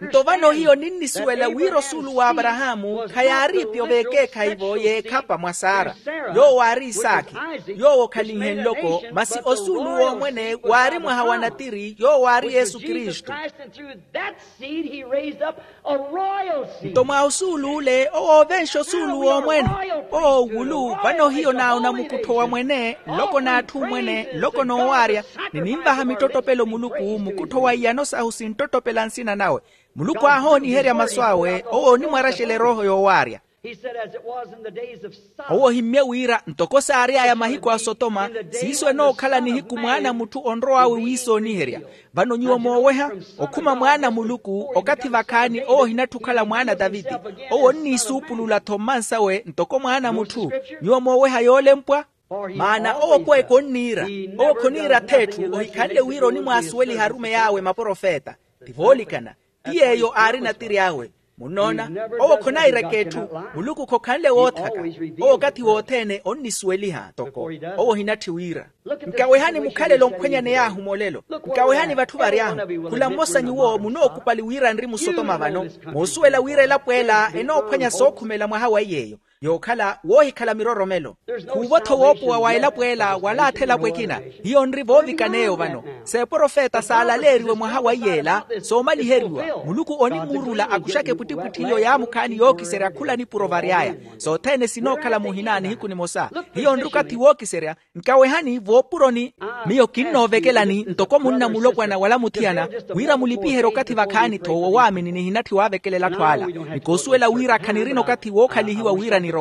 Nto vano hiyo ninnisuwela wira osuulu w'aparahaamu khayaariipi oveekeekhayi-vo y'ekhapa mwa sara, yoowo aari isaakhi, yoowo okhalinhe nloko masi osuulu w'omwene waari mwaha wa natiri yoowo aari yesu kristu. Nto mwa osuulu ule owo ovenxa osuulu w'omwene, owo owulu vano hiyo naawuna mukuttho wa mwene, nloko n'atthu mwene, nloko n'owaarya, ni ninvaha mittottopelo muluku mukuttho wa iyano sahu sinttottopela nsina nawe. Muluku aahooniherya masu awe owo onimwaraxela erooho yoowaarya. Owo ohimmye wira ntoko saary'aya mahiku a sotoma, siiso enookhala nihiku mwaana a mutthu onrow'awe wiisooniherya. Vano nyuwo mooweha okhuma mwaana a muluku okathi vakhaani owo ohinatthi okhala mwaana a taviti. Owo onniisuupulula-tho mmansawe ntoko mwaana a mutthu. Nyuwo mooweha yoolempwa. Maana owo okweeka onniira, owo khoniira ath'etthu ohikhanle wira onimwaasuweliha arumeyi awe maprofeta. Ti voolikana. Ti yeeyo aari natiri awe. Munnoona, owo khonairek'etthu. Muluku khokhanle woothaka. Owo okathi wothene onnisuweliha toko. Owo ohinatthi wira. Nkawehani mukhalelo nkhwenyane yaahu molelo. Nkawehani vatthu vary'ahu. Khula mmosa nyuwo munookupali wira nri musotoma vano, moosuwela wira elapo ela enoophwanya sookhumela mwaha wa iy'eyo. Yookhala woohikhala miroromelo. Khuuvo-tho woopowa wa elapo ela wala athelapo ekina. Hiyo nri voovikan'eyo vano. S'eprofeta saalaleeriwe mwaha wa iy'ela soomaliheriwa. Muluku onimuurula akuxaka epwittipwitthi iyo yaamukhaani yookiserya khula nipuro vary'aya. Sothene sinookhala muhina nihiku nimosa. Hiyo nri okathi wookiserya. Nkawehani voopuroni. Miyo kinnoovekelani ntoko munna mulopwana wala muthiyana, wira mulipiherye okathi vakhaani-tho wowaamini nihinatthi waavekelela atthu ala. Ni koosuwela wira khanirina okathi wookhalihiwa wira nirowe.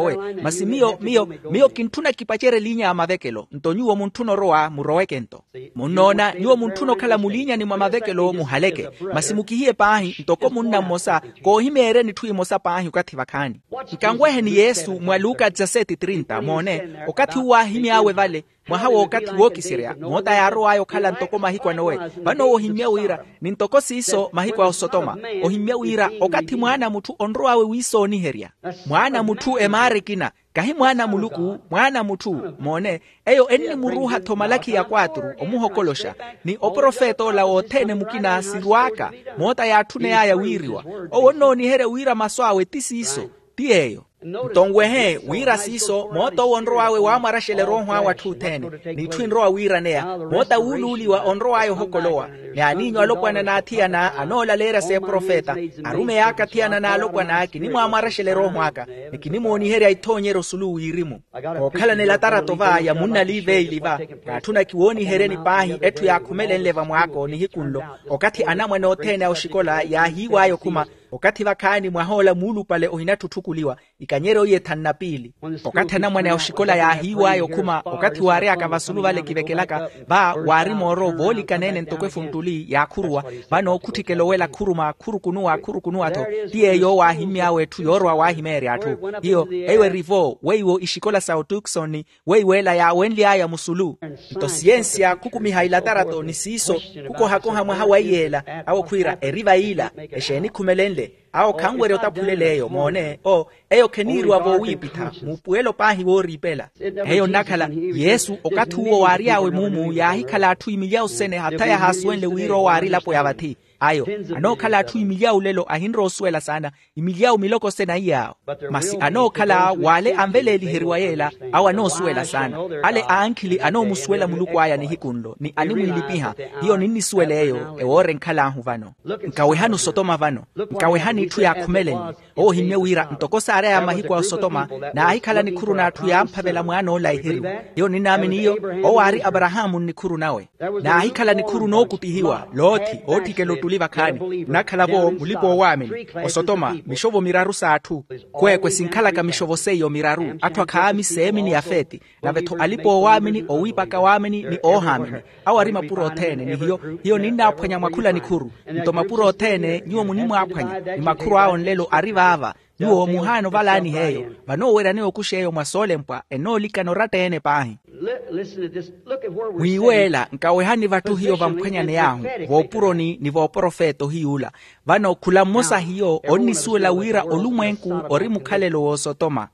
Masi miyo miyo miyo kintthuna kipacerye liinya ya mavekelo nto nyuwo muntthuna orowa muroweke-nto. Munnoona nyuwo muntthuna okhala muliinyani mwa mavekelo muhaleke. Masi mukihiye paahi ntoko munna mmosa koohimeeryeni etthu emosa paahi okathi vakhaani. Nkanweheni yesu mwa luka dezaseti trinta moone. Okathi uwo aahimy'awe vale mwaha w'okathi wookiserya moota yaarow'aya okhala ntoko mahiku a nowe. Vano owo ohimmya wira ni ntoko siiso mahiku a osotoma. Ohimmya wira okathi mwaana a mutthu onrow'awe wiisooniherya. Mwaana a mutthu emaara ekina. Kahi mwaana a muluku mwaana a mutthu. Moone eyo ennimuruuha-tho malakhi ya kwatru omuhokoloxa. Ni oprofet'ola wothene mukina sirw'aka moota yaatthuney'aya wiiriwa. Owo onnooniherya wira masu awe ti siiso. Ti yeeyo. Nto nwehe wira siiso moota owo onrow'awe waamwaraxela erooho awe atthu othene. N'itthu enrowa wiiraneya moota wuuluuliwa onrow'aya ohokolowa. Ni aniinyu alopwana n'athiyana anoolaleerya s'eprofeta. Arumeyi aka athiyana n'alopwana kinimwaamwaraxela erooho aka ni kinimooniherya ithoonyeryo osulu wirimu. Kookhalana elatarato va ya munna liveili va yaatthuna kiwooniheryeni paahi etthu yaakhumelenle vamwaako nihiku nlo. Okathi anamwane othene a oxikola yaahiiw'aya okhuma okathi vakhaani mwah'ola muulupale ohinatthi otthukuliwa ikanyeryo iye thanu na piili. Okathi anamwane a oxikola yaahiiw'aya okhuma okathi waary'aka vasulu vale kivekelaka va waari mooro voolikana-ene ntoko efuntuli yaakhuruwa. Vano khutthikela owela khuruma khurukunuwa khurukunuwa-tho. Ti yeeyo owo aahimmy'awe etthu yoorowa waahimeerya atthu. Hiyo eyo eri-vo weiwo ixikola sa otukisoni weiwo ela yaawenly'aya musulu. Nto siyensiya khukumiha ilatarato ni siiso khukohakoha mwaha wa iyeela. Awo khwiira eri vayiila exeeni khumelenle. Awo khanwerya otaphulel'eyo moone o eyo kheniiriwa voowiipitha muupuwelo paahi wooriipela. Eyo nnakhala yesu okathi uwo waary'awe muumu yaahikhala atthu imilyawu sene hatha yahaasuwenle wira owo aari elapo ya vathi. Ayo anookhala atthu imilyawu lelo ahinrowa osuwela saana. Imilyawu miloko sene aiy'awo. Masi anookhala w'ale anveleeliheriwa yeela awo anoosuwela saana. Ale aankhili anoomusuwela muluku aya nihiku nlo ni animwiilipiha. Hiyo ninnisuwela eyo ewoora enkhal'ahu vano. Nkawehani osotoma vano. Nkawehani itthu yaakhumelenle. Owo ohimmye wira ntoko saary'aya mahiku a osotoma naahikhala nikhuru n'atthu yaamphavela mwaan'ola eheriwa. Hiyo ninnaamini iyo owo aari aparahaamu nnikhuru nawe. Naahikhala nikhuru nookutihiwa loothi ootthikela ottuli vakhaani nnakhala-vo mulipa-oowaamini. Osotoma mixovo miraru s'atthu. Kweekwe sinkhalaka mixovo seiyo miraru atthu akhaami seemi ni yafeti. Nave-tho alipa-oowaamini owiipaka waamini ni oohaamini awo ari mapuro othene ni hiyo. Hiyo ninnaaphwanya mwa khula nikhuru. Nto mapuro othene nyuwo munimwaaphwanya ni makhuru awo nlelo ari vaava. Nyuwo muhaana ovalaani heeyo. Vanoowerya anookuxa eyo mwa soolempwa enoolikana oratta-ene paahi. Mwiiweela nkawehani vatthu hiyo vamphwanyaney'ahu voopuroni ni vooprofeto hiy'ula. Vano khula mmosa hiyo onnisuwela wira olumwenku ori mukhalelo w'osotoma.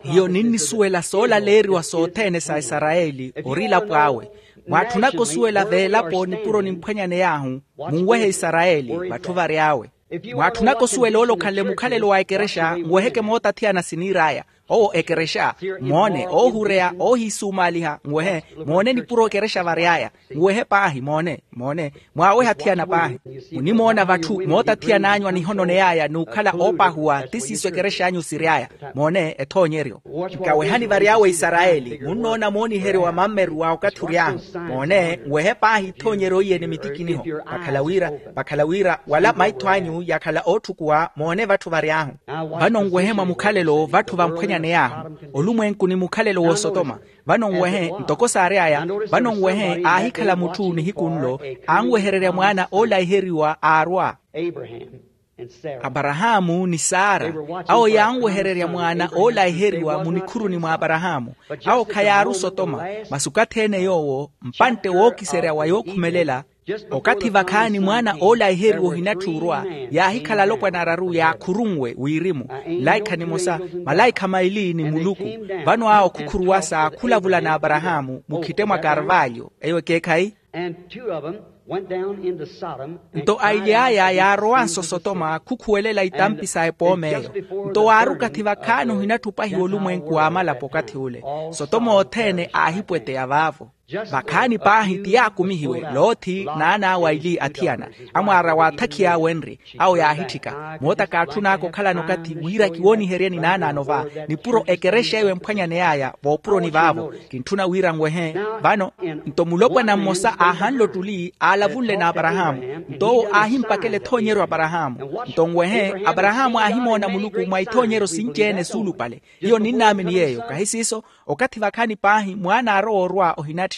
Hiyo ninnisuwela soolaleeriwa sothene sa isarayeli ori elapo awe. Mwaatthunaka osuwela veelapo nipuro nimphwanyaney'ahu, munwehe isarayeli vatthu vary'awe. Mwaatthunaka osuwela ole okhanle mukhalelo wa ekerexa nweheke mootathiyana siniir'aya. Owo ekerexa, moone oohureya oohiisumaaliha nwehe. Moone nipuro ekerexa vary'aya. Nwehe paahi moone. Moone, mwaaweha thiyana paahi. Munimoona vatthu mootathiyana anyu anihononey'aya n'ukhala oopahuwa ti siiso ekerexa anyu siry'aya. Moone ethoonyeryo. Nkawehani vary'awe isarayeli munnoona mooniheriwa mammeru wa okathi ury'ahu. Moone nwehe paahi ithoonyeryo iye ni mitikiniho. Vakhala wira vakhala wira wala maitho anyu yakhala ootthukuwa moone vatthu vary'ahu. Vano nwehe mwa mukhalelo vatthu vamphwanyaney'ahu. Olumwenku ni mukhalelo w'osotoma. Vano nwehe ntoko saary'aya. Vano nwehe aahikhala mutthu nihiku nlo anwehererya mwaana oolaiheriwa aarwa. Aparahaamu ni sara, awo yaanwehererya mwaana oolaiheriwa munikhuruni mwa aparahaamu. Awo khayaaru sotoma. Masi okathi-ene yoowo mpantte wookiserya wa yookhumelela. Okathi vakhaani mwaana oolaiheriwa ohinatthi orwa, yaahikhala alopwana araru yaakhurunwe wirimu, nlaikha nimosa, malaikha maili ni muluku. Vano awo khukhuruwasa khulavula n'aparahaamu mukhitte mwa karvalyo eyo ekeekhayi. Nto aili aya yaarowanso sotoma khukhuwelela itampi sa epooma eyo. Nto waari okathi vakhaani ohinatthi opahiwa olumwenku w'amalapo okathi ule. Sotoma othene aahipweteya vaavo. Vakhaani paahi ti yaakumihiwe, loothi naan'awe aili athiyana. Amwaara waathakhiya wenri. Awo yaahitthika moota kaatthun'aka okhalana okathi wira kiwooniheryeni naanaano va. Nipuro ekerexa eyo emphwanyaney'aya voopuroni vaavo. Kintthuna wira nwehe. Vano nto mulopwana mmosa aahanle ottuli aalavunle n'aparahaamu. Nto owo aahimpakela ethoonyeryo aparahaamu. Nto nwehe aparahaamu aahimoona muluku mwa ithoonyeryo sinci-ene suulupale. Hiyo ninnaamini yeeyo kahi siiso. Okathi vakhaani paahi mwaana aarowa orwa ohinatthi.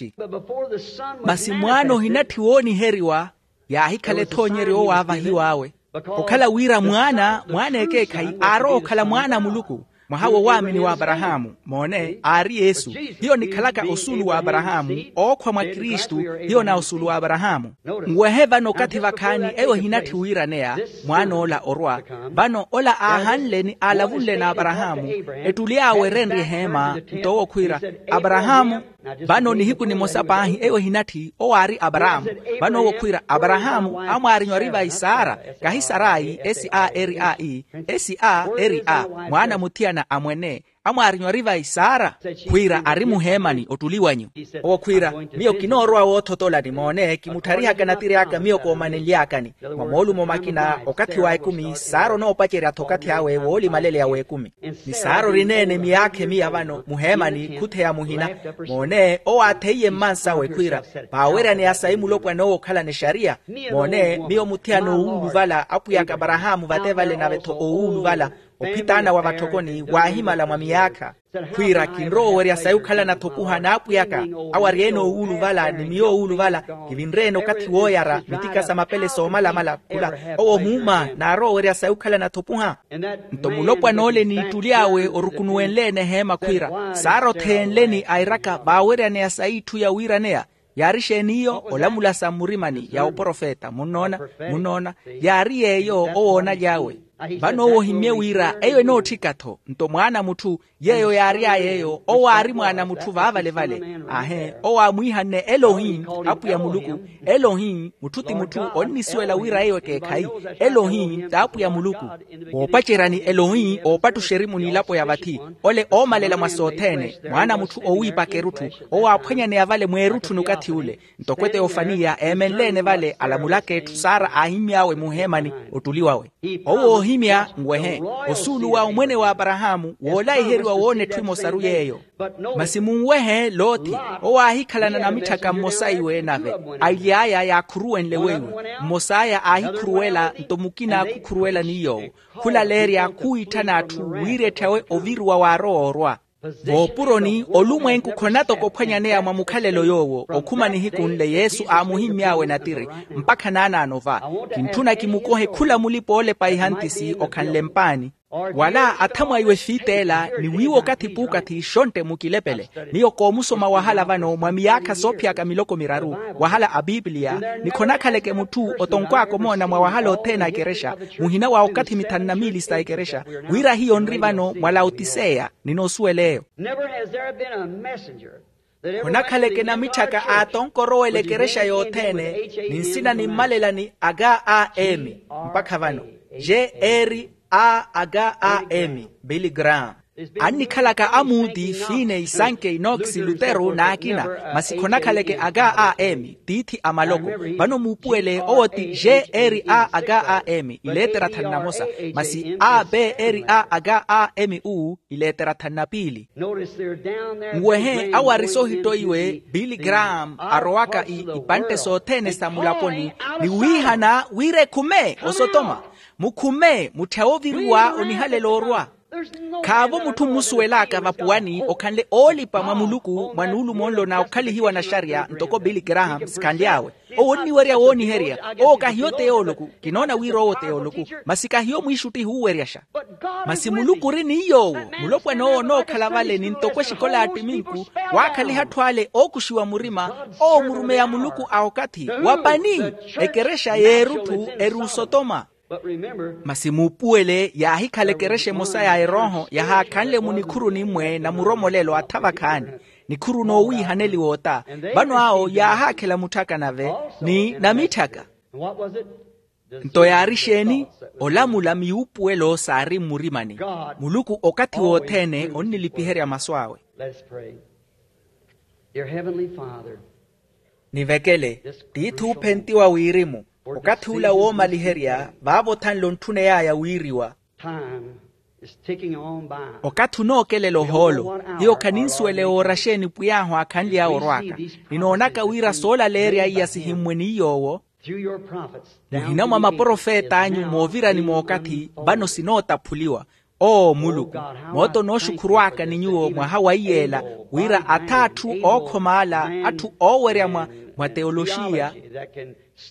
Masi mwaana ohinatthi wooniheriwa yaahikhala ethoonyeryo owo aavahiw'awe. Okhala wira mwaana mwaana ekeekhayi aarowa okhala mwaana a muluku. Mwaha wo waamini w'aparahaamu moone aari yesu. Hiyo nikhalaka osuulu w'aparahaamu ookhwa mwa kristu. Hiyo na osuulu w'aparahaamu. Nwehe vano okathi vakhaani eyo ehinatthi wiiraneya mwaan'ola orwa. Vano ola aahanle ni aalavunle n'aparahaamu. Ettuli awe erenrye eheema nto owo khwiira aparahaamu. Vano nihiku nimosa paahi eyo ehinatthi owo aari aparahaamu. Vano owo khwiira aparahaamu amwaarinywa ori vayi sara. Kahi sarayi s a r a e. S a r a mwaana muthiyana a mwene. Amwaarinywa ori vayi sara khwiira ari muheemani ottuli wanyu. Owo khwiira miyo kinoorowa woothotolani moone kimuttharihaka natiri aka miyo koomanenly'akani. Mwa moolumo makina okathi wa ekumi sara onoopacerya-tho okathi awe woolimaleleya w'ekumi. Ni sara orineene miyaakha emiya vano muheemani khutheya muhina. Moone owo aatheiye mmansawe khwiira vaaweryaneya sayi mulopwana owo okhalana exariya. Moone miyo muthiyana owuuluvala apwiyaka aparahaamu vate vale nave-tho owuuluvala ophitaana wa vatthokoni waahimala mwa miyaakha. Khwiira kinrowa owerya sayi okhalana-tho opuha n'apwiyaka. Awo ari-ene owuuluvala ni miyo owuuluvala kivinre-ene okathi wooyara mitika sa mapele soomalamala khula. Owo ohuuma naarowa owerya sayi okhalana-tho opuha. Nto mulopwana ole n'ittuli awe orukunuwenle-ene eheema khwiira sara otheenleni airaka vaaweryaneya sayi itthu yawiiraneya. Yaari xeeni iyo olamula sa mmurimani ya oprofeta munnoona. Munnoona yaari yeeyo owoonaly'awe. Vano owo ohimmye wira eyo enootthika-tho nto mwaana a mutthu yeeyo yaary'aya eyo owo aari mwaana a mutthu vaavale-vale. Aahe owo aamwiihanne elohi apwiya muluku. Elohi mutthu ti mutthu onnisuwela wira eyo ekeekhayi. Elohi t'apwiya muluku. Woopaceryani elohi oopattuxa erimu n'ilapo ya vathi ole oomalela mwa sothene mwaana a mutthu oowiipaka erutthu. Owo aaphwanyaneya vale mweerutthu n'ukathi ule. Ntoko eteyofaniya eemenle-ene vale alamulaka etthu sara aahimmy'awe muheemani ottuli wawe. Owo oohimya nwehe osuulu wa omwene w'aparahaamu woolaiheriwa woona etthu emosaru yeeyo. Masi munwehe lothi owo aahikhalana namitthaka mmosa iwe nave aili aya yaakhuruwenle weiwe. Mmos'aya aahikhuruwela nto mukina khukhuruwela ni yoowo khulaleerya khuwiitthana atthu wiiretthawe oviruwa waarowa orwa. Voopuroni olumwenku khonatoka ophwanyaneya mwa mukhalelo yoowo okhuma nihiku nle yesu aamuhimmy'awe natiri mpakha naanaano va. Kintthuna kimukohe khula mulipa oolepa ihantisi okhanle mpaani. Wala athamwaiwe fiit'ela ni wiiwa okathi p'ukathi xontte mukilepele. Miyo koomusoma wahala vano mwa miyaakha soophiyaka miloko miraru, wahala a piipiliya. Ni khonakhaleke mutthu otonkw'aka omoona mwa wahala othene a ekerexa, muhina wa okathi mithanu na miili sa ekerexa, wira hiyo nri vano mwa laotiseya. Ninoosuwela eyo. Never has there been a messenger that ever went to the khonakhaleke namitthaka aatonkorowela ekerexa yothene, ni nsina nimmalela ni aga a emi mpakha vano, g r a aga a emi, billy graham. Annikhalaka amuti, fine, isanke, inoksi, lutero n'akina, masi khonakhaleke aga a emi tiithi a maloko. Vano muupuwele owo ti g r a aga a emi ileetera thanu na mosa, masi a b r a aga a emi u ileetera thanu na piili. Nwehe awo ari soohittoiwe billy graham arowaka ipantte sothene sa mulaponi, ni wiihana wira ekhume osotoma. Mukhume mutthya ooviriwa onihalela orwa. Khaavo mutthu mmusuwel'aka vapuwani okhanle oolipa mwa muluku mwa nuulumo nlo na okhalihiwa na xariya ntoko billy graham sikhanly'awe. Owo onniwerya wooniherya. Owo kahiyo t'eyooloku. Kinoona wira owo t'eyooloku, masi kahiyo mwiixuttihi ooweryaxa. Masi muluku ori ni yoowo. Mulopwana owo onookhala vale ni ntoko exikola ya ttiminku, waakhaliha atthu ale ookuxiwa murima. Owo murumeya muluku a okathi wa pani. Ekerexa y'erutthu eri osotoma. Masi muupuwele yaahikhala ekerexa emosa ya erooho yahaakhanle mu nikhuru nimmwe na muromolelo atha vakhaani. Nikhuru noowiihaneliwa ota. Vano awo yaahaakhela mutthaka nave ni namitthaka. Nto yaari exeeni? Olamula miyuupuwelo saari mmurimani. Muluku okathi wothene onnilipiherya masu awe. Nivekele tiithi oophentiwa wirimu, okathi ula woomaliherya vaavo othanle ontthuney'aya wiiriwa. Okathi onookelela ohoolo. Hiyo khaninsuwela ewoora xeeni pwiy'ahu aakhanly'awe orw'aka. Ninoonaka wira soolaleerya iya sihimmwe ni yoowo muhina mwa maprofet'anyu moovirani mookathi. Vano sinootaphuliwa. Oo muluku, moota onooxukhurw'aka ni nyuwo mwaha wa iyeela, wira atha atthu ookhoma ala, atthu oowerya mwa teoloxiya,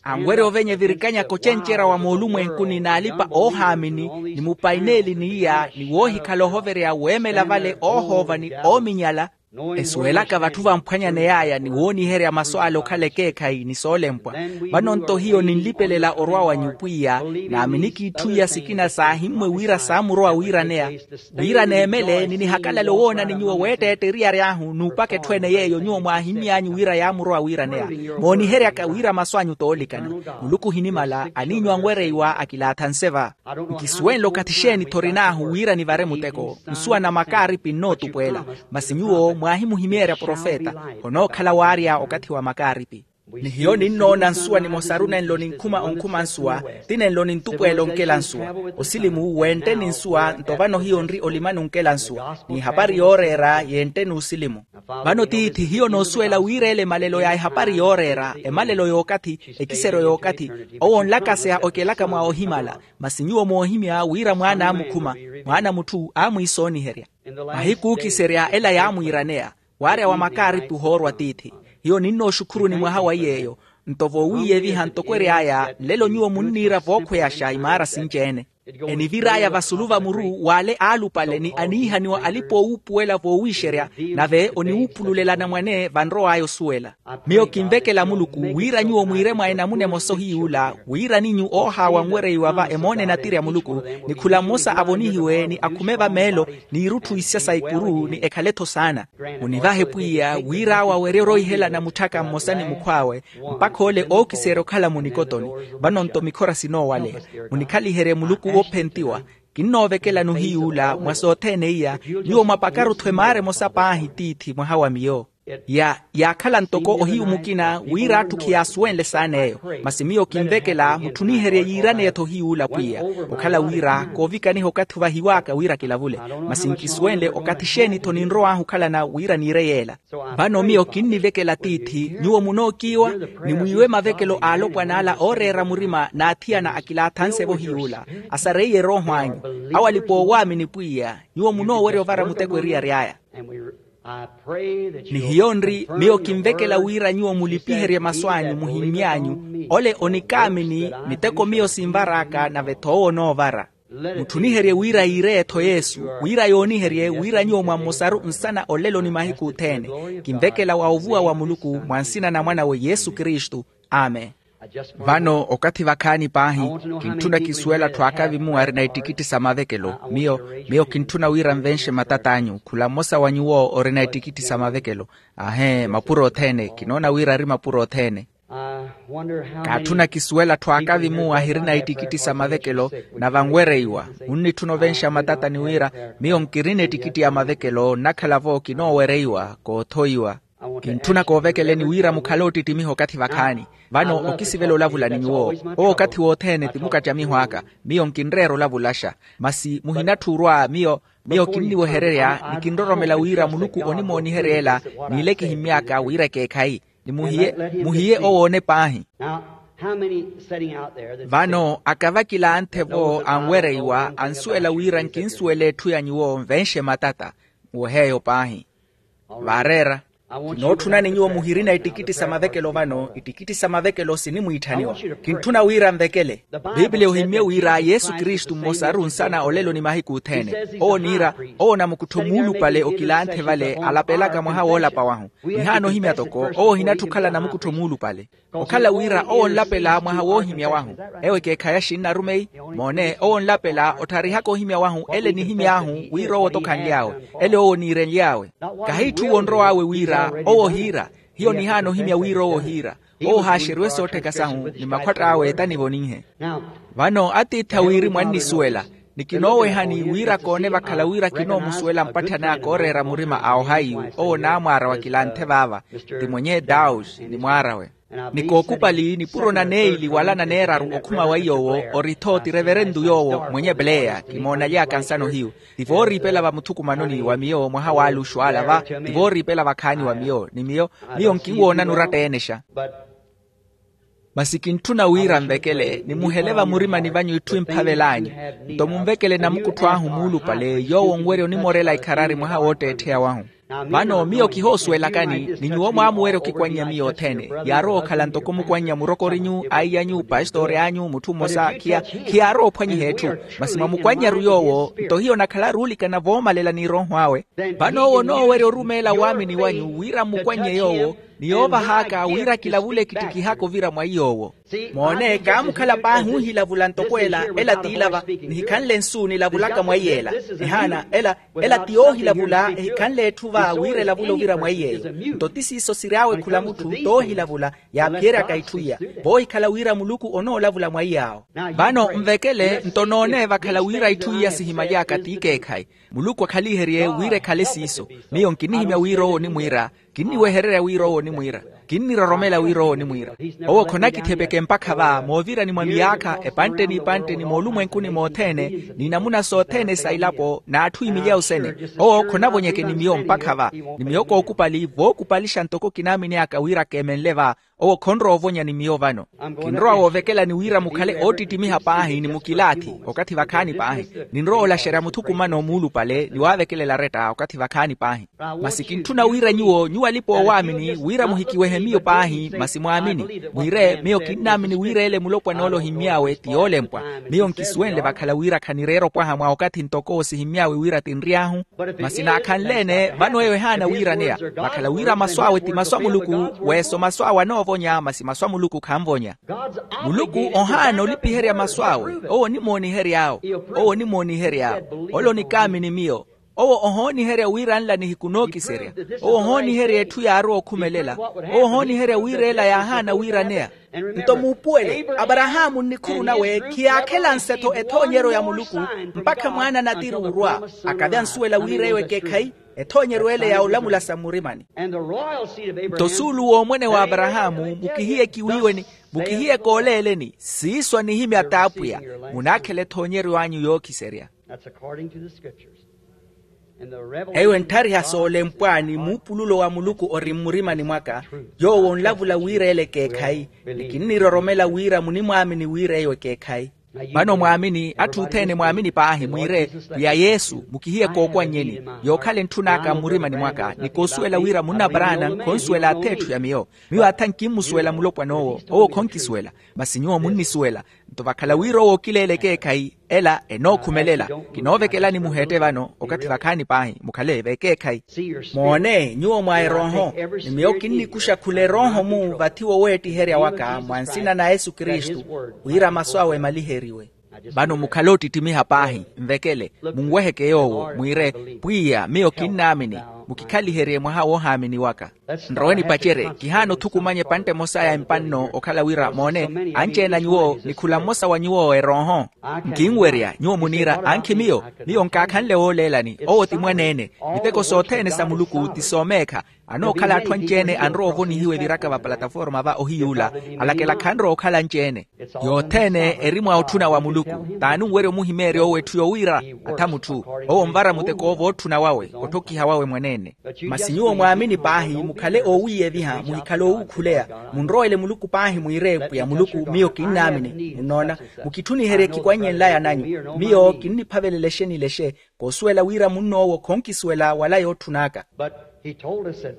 anwerya ovenye virikanyaka ocencerya wa moolumwenkuni n'alipa oohaamini ni mupaineeli n'iya ni woohikhala ohovereya weemela vale oohoova ni oominyala. Esuwelaka vatthu vamphwanyaney'aya ni wooniherya masu ale okhala ekeekhayi ni soolempwa. Vano-nto hiyo ninlipelela orwa wanyu pwiya, naamini k'itthu iya sikina saahimmwe wira saamurowa wiiraneya, wira neemele ni nihakalale owoona ni nyuwo weetteette eriyari ahu n'upaka etthu ene yeeyo nyuwo mwaahimmy'anyu wira yaamurowa wiiraneya. Mooniheryaka wira masu anyu t'oolikana. Muluku ohinimala aniinyu anwereiwa akilaathanse va. Nkisuwenle okathi xeeni-tho orin'ahu wira nivare muteko nsuwa na makaaripi nnootupweela. Masi nyuwo mwaahimuhimeerya profeta. Onookhala waarya okathi wa makaaripi. Ni hiyo ninnoona nsuwa nimosaru nenlo ninkhuma onkhuma nsuwa, ti nenlo nintupweela onkela nsuwa. Osilimu wentte ni nsuwa nto vano hiyo nri olimani onkela nsuwa n'ihapari yooreera yentte n'osilimu. Vano tiithi hiyo noosuwela wira ele emalelo ya ehapari yooreera, emalelo y'okathi, ekiseryo y'okathi, owo onlakaseya okelaka mwa ohimala. Masi nyuwo moohimya wira mwaana aamukhuma, mwaana mutthu aamwiisooniherya. Mahiku ookiserya ela yaamwiiraneya. Waarya wa makaaripi ohoorwa tiithi. Hiyo ninnooxukhuruni mwaha wa iy'eyo. Nto voowiiyeviha ntoko ery'aya nlelo nyuwo munniira vookhweyaxa imaara sinci-ene. Enivir'aya vasulu va muru w'ale aalupale ni aniihaniwa alipa oowuupuwela voowiixerya, nave oniwuupululela anamwane vanrow'aya osuwela. Miyo kinvekela muluku wira nyuwo mwiire mwa enamuna emosa ohiy'ula, wira ninyu oohaawa onwereiwa va emoona enatirya muluku, ni khula mmosa avonihiwe ni akhume va meelo, n'irutthu isya sa ikuru ni ekhale-tho saana. Munivahe pwiya wira awo awerye oroihelana mutthaka mmosa ni mukhw'awe, mpakha ole ookiserya okhala munikotoni. Vano-nto mikhora sinoowaleya. Munikhaliherye muluku woophentiwa. Kinnoovekelani ohiy'ula mwa sothene iya, nyuwo mwapakaru-tho emaara emosa paahi tiithi mwaha wa miyo. Ya yaakhala ntoko ohiyu mukina wira atthu khiyaasuwenle saana eyo. Masi miyo kinvekela mutthuniherye yiiraneya-tho ohiy'ula pwiya. Okhala wira koovikaniha okathi ovahiw'aka wira kilavule. Masi nkisuwenle okathi xeeni-tho ninrow'ahu okhalana wira niire yeela. Vano miyo kinnivekela tiithi nyuwo munookiiwa, ni mwiiwe mavekelo a alopwana ala ooreera murima n'athiyana akilaathanse-vo ohiy'ula, asareiye erooho anyu, awo alipa oowaamini pwiya. Nyuwo munoowerya ovara muteko eriyari aya. Ni hiyo nri miyo kinvekela wira nyuwo mulipiherye masu anyu muhimmy'anyu, ole onikaamini miteko miyo sinvar'aka nave-tho owo onoovara. Mutthuniherye wira yiire-tho yesu, wira yooniherye wira nyuwo mwa mmosaru nsana olelo ni mahiku othene. Kinvekela wa ovuwa wa muluku mwa nsina na mwan'awe yesu kristu. Amen. Vano okathi vakhaani paahi, kintthuna kisuwela atthu aakavimu arina ittikitti sa mavekelo. Miyo miyo kintthuna wira nvenxe matat'anyu khula mmosa wa nyuwo orina ittikitti sa mavekelo. Ahe mapuro othene kinoona wira ari mapuro othene. Kaatthuna kisuwela atthu aakavimu ahirina ittikitti sa mavekelo. Na vanwereiwa munnitthuna ovenxa matata ni wira miyo nkirina ettikitti ya mavekelo nnakhala-vo kinoowereiwa koothoiwa. Kintthuna koovekeleni wira mukhale oottittimiha okathi vakhaani. Vano okisivela olavula ni nyuwo. Owo okathi wothene ti mukattamiho aka. Miyo nkinreera olavulaxa. Masi muhinatthi orwa miyo miyo kinniwehererya ni kinroromela wira muluku onimooniherya ela. N'ile kihimmy'aka wira ekeekhayi ni muhiye muhiye owoone paahi. Vano akavakilanthe-vo anwereiwa ansuwela wira nkinsuwela etthu ya nyuwo nvenxe matata. Nwehe eyo paahi. Vaareera. Kinootthunani nyuwo muhirina ittikitti sa mavekelo vano ittikitti sa mavekelo sinimwiitthaniwa. Kintthuna wira nvekele. Piipiliya ohimmye wira yesu kristu mmosaru nsana olelo ni mahiku othene. Owo niira owo namukuttho muulupale okilanthe vale alapelaka mwaha woolapa wahu. Nihaana ohimya toko owo ohinattha okhala namukuttho muulupale. Okhala wira owo onlapela mwaha woohimya wahu. Ewo ekeekhayi axinnarumeyi. Moone owo onlapela ottharihaka ohimya wahu ele nihimy'ahu wira owo tokhanly'awe ele owo oniirenly'awe. Kahi itthu owo onrow'awe wira owo ohiira. Hiyo nihaana ohimya wira owo ohiira. Owo ohaaxeriwe soottheka sahu ni makhwatt'awe eeta nivoninhe. Vano atiithi awiirimu annisuwela ni kinoowehani wira koone vakhala wira kinoomusuwela mpatthani aka ooreera murima a ohaiyu. Owo naamwaara wa kilanthe vaava ti mwenye daush ni mwaar'awe. Ni kookupali nipuro na neili wala na neeraru okhuma wa iy'owo ori-tho ti reverentu yoowo mwenye pleya kimoonalyaaka nsano hiyu. Ti vooriipela va muthukumanoni wa miyo mwaha w'aluxu ala va ti vooriipela vakhaani wa miyo ni miyo miyo nkinwoonani oratta eenexa. Masi kintthuna wira nvekele nimuhele vamurimani vanyu itthu emphavelaanyu. Nto munvekele namukuttho ahu muulupale yoowo onwerya onimorela ikharari mwaha wootteettheya wahu. Vano miyo kihoosuwelakani ni nyuwo mwaamuwerya okikwannya miyo othene. Yaarowa okhala ntoko mukwannya murokorinyu aiyanyu pastori anyu mutthu mmosa khiya khiyaarowa ophwanyiha etthu. Masi mwamukwannyaru yoowo nto hiyo onakhalaru oolikana voomalela n'irooho awe. Vano owo onoowerya orumeela waamini wanyu wira mmukwannye yoowo ni yoovah'aka wira kilavule kittikih'aka ovira mwa iy'owo. Moone kaamukhala paahi ohilavula ntoko ela ela t'ila va nihikhanle nsu nilavulaka mwa iy'ela. Ehaana ela ela ti yoohilavula ehikhanle etthu va wira elavule ovira mwa iy'eyo. Nto ti siiso siry'awe khula mutthu t'ohilavula yaaphiyeryaka itthu iya voohikhala wira muluku onoolavula mwa iy'awo. Vano nvekele nto noone vakhala wira itthu iya sihimaly'aka t'ikeekhayi. Muluku akhaliherye wira ekhale siiso. Miyo nkinihimya wira owo onimwiira kinniwehererya wira owo onimwiira kinniroromela wira owo onimwiira. Owo khonakitthepeke mpakha va moovirani mwa miyaakha epantte n'ipantte ni moolumwenkuni mothene ni namuna sothene sa ilapo n'atthu imilyawu sene. Owo khonavonyeke ni miyo mpakha va ni miyo kookupali vookupalixa ntoko kinaamini aka wira keemenle va. Owo khonrowa ovonya ni miyo vano. Kinrowa woovekelani wira mukhale oottittimiha paahi ni mukilaathi okathi vakhaani paahi. Ninrowa olaxerya muthukumano muulupale ni waavekelela aretta okathi vakhaani paahi. Masi kintthuna wira nyuwo nyuwo alipa oowaamini wira muhikiwehe miyo paahi masi mwaamini. Mwiire miyo kinnaamini wira ele mulopwana ole ohimmy'awe ti yoolempwa. Miyo nkisuwenle vakhala wira khanireera opwaha mwa okathi ntoko owo sihimmy'awe wira tinry'ahu. Masi naakhanle-ene vano eyo ehaana wiiraneya. Vakhala wira masu awe ti masu a muluku. Weeso masu awe anoovonya masi masu a muluku khanvonya. Muluku ohaana olipiherya masu awe. Owo onimoonihery'awo. Owo onimoonihery'awo. Ole onikaamini miyo. Owo ohooniherya wira nla nihiku nookiserya. Owo ohooniherya etthu yaarowa okhumelela. Owo ohooniherya wira ela yaahaana wiiraneya. Nto muupuwele aparahaamu nnikhuru nawe khiyaakhela nse-tho ethoonyeryo ya muluku mpakha mwaana a natiri orwa akave ansuwela wira eyo ekeekhayi. Ethoonyeryo ele ya olamula sa mmurimani. Nto suulu w'omwene w'aparahaamu mukihiye kiwiiweni mukihiye kooleeleni siiso anihimya t'apwiya. Munaakhela ethoonyeryo anyu yookhiserya. Eyo entthariha soolempwa ni muupululo wa muluku ori mmurimani mwaka. Yoowo onlavula wira ele ekeekhayi ni kinniroromela wira munimwaamini wira eyo ekeekhayi. Vano mwaamini atthu othene mwaamini paahi mwiire pwiya yesu mukihiye kookwannyeni. Yookhala entthun'aka mmurimani mwaka ni koosuwela wira munna paraana khonsuwela atha etthu ya miyo. Miyo atha nkimmusuwela mulopwan'owo owo khonkisuwela. Masi nyuwo munnisuwela. Nto vakhala wira owo okileela ekeekhayi, ela enookhumelela. Kinoovekelani muheette vano okathi vakhaani paahi mukhale vekeekhayi. Moone nyuwo mwa erooho, ni miyo kinnikuxa khula erooho-mu vathi woweettiherya waka mwa nsina na yesu kristu, wira masu awe emaliheriwe. Vano mukhale ottitimiha paahi, nvekele, munweheke yoowo mwiire, pwiya miyo kinnaamini, mukikhaliherye mwaha woohaamini waka. Nrowe nipacerye kihaana othukumanya epantte emosa ya empa nno okhala wira moone, anci-ene a nyuwo ni khula mmosa wa nyuwo erooho. Nkinwerya nyuwo muniira ankhi miyo. Miyo nkaakhanle wooleelani owo ti mwaneene. Miteko sothene sa muluku ti soomeekha. Anookhala atthu anci-ene anrowa ovonihiwa eviraka va palataforma va ohiyuula, alakela khanrowa okhala anci-ene. Yothene eri mwa otthuna wa muluku. T'ani onwerya omuhimeerya owo etthu yowiira? Atha mutthu. Owo onvara muteko owo vootthuna wawe, otthokiha wawe mwaneene. Masi nyuwo mwaamini paahi mukhale oowiiyeviha muhikhale oowuukhuleya. Munrowele muluku paahi mwiire pwiya muluku miyo kinnaamini. Munnoona, mukitthuniherye ekikwanny'enlaya nanyu. Miyo kinniphavelela exe ni lexe. Koosuwela wira munn'owo khonkisuwela wala yootthun'aka. But he told us that,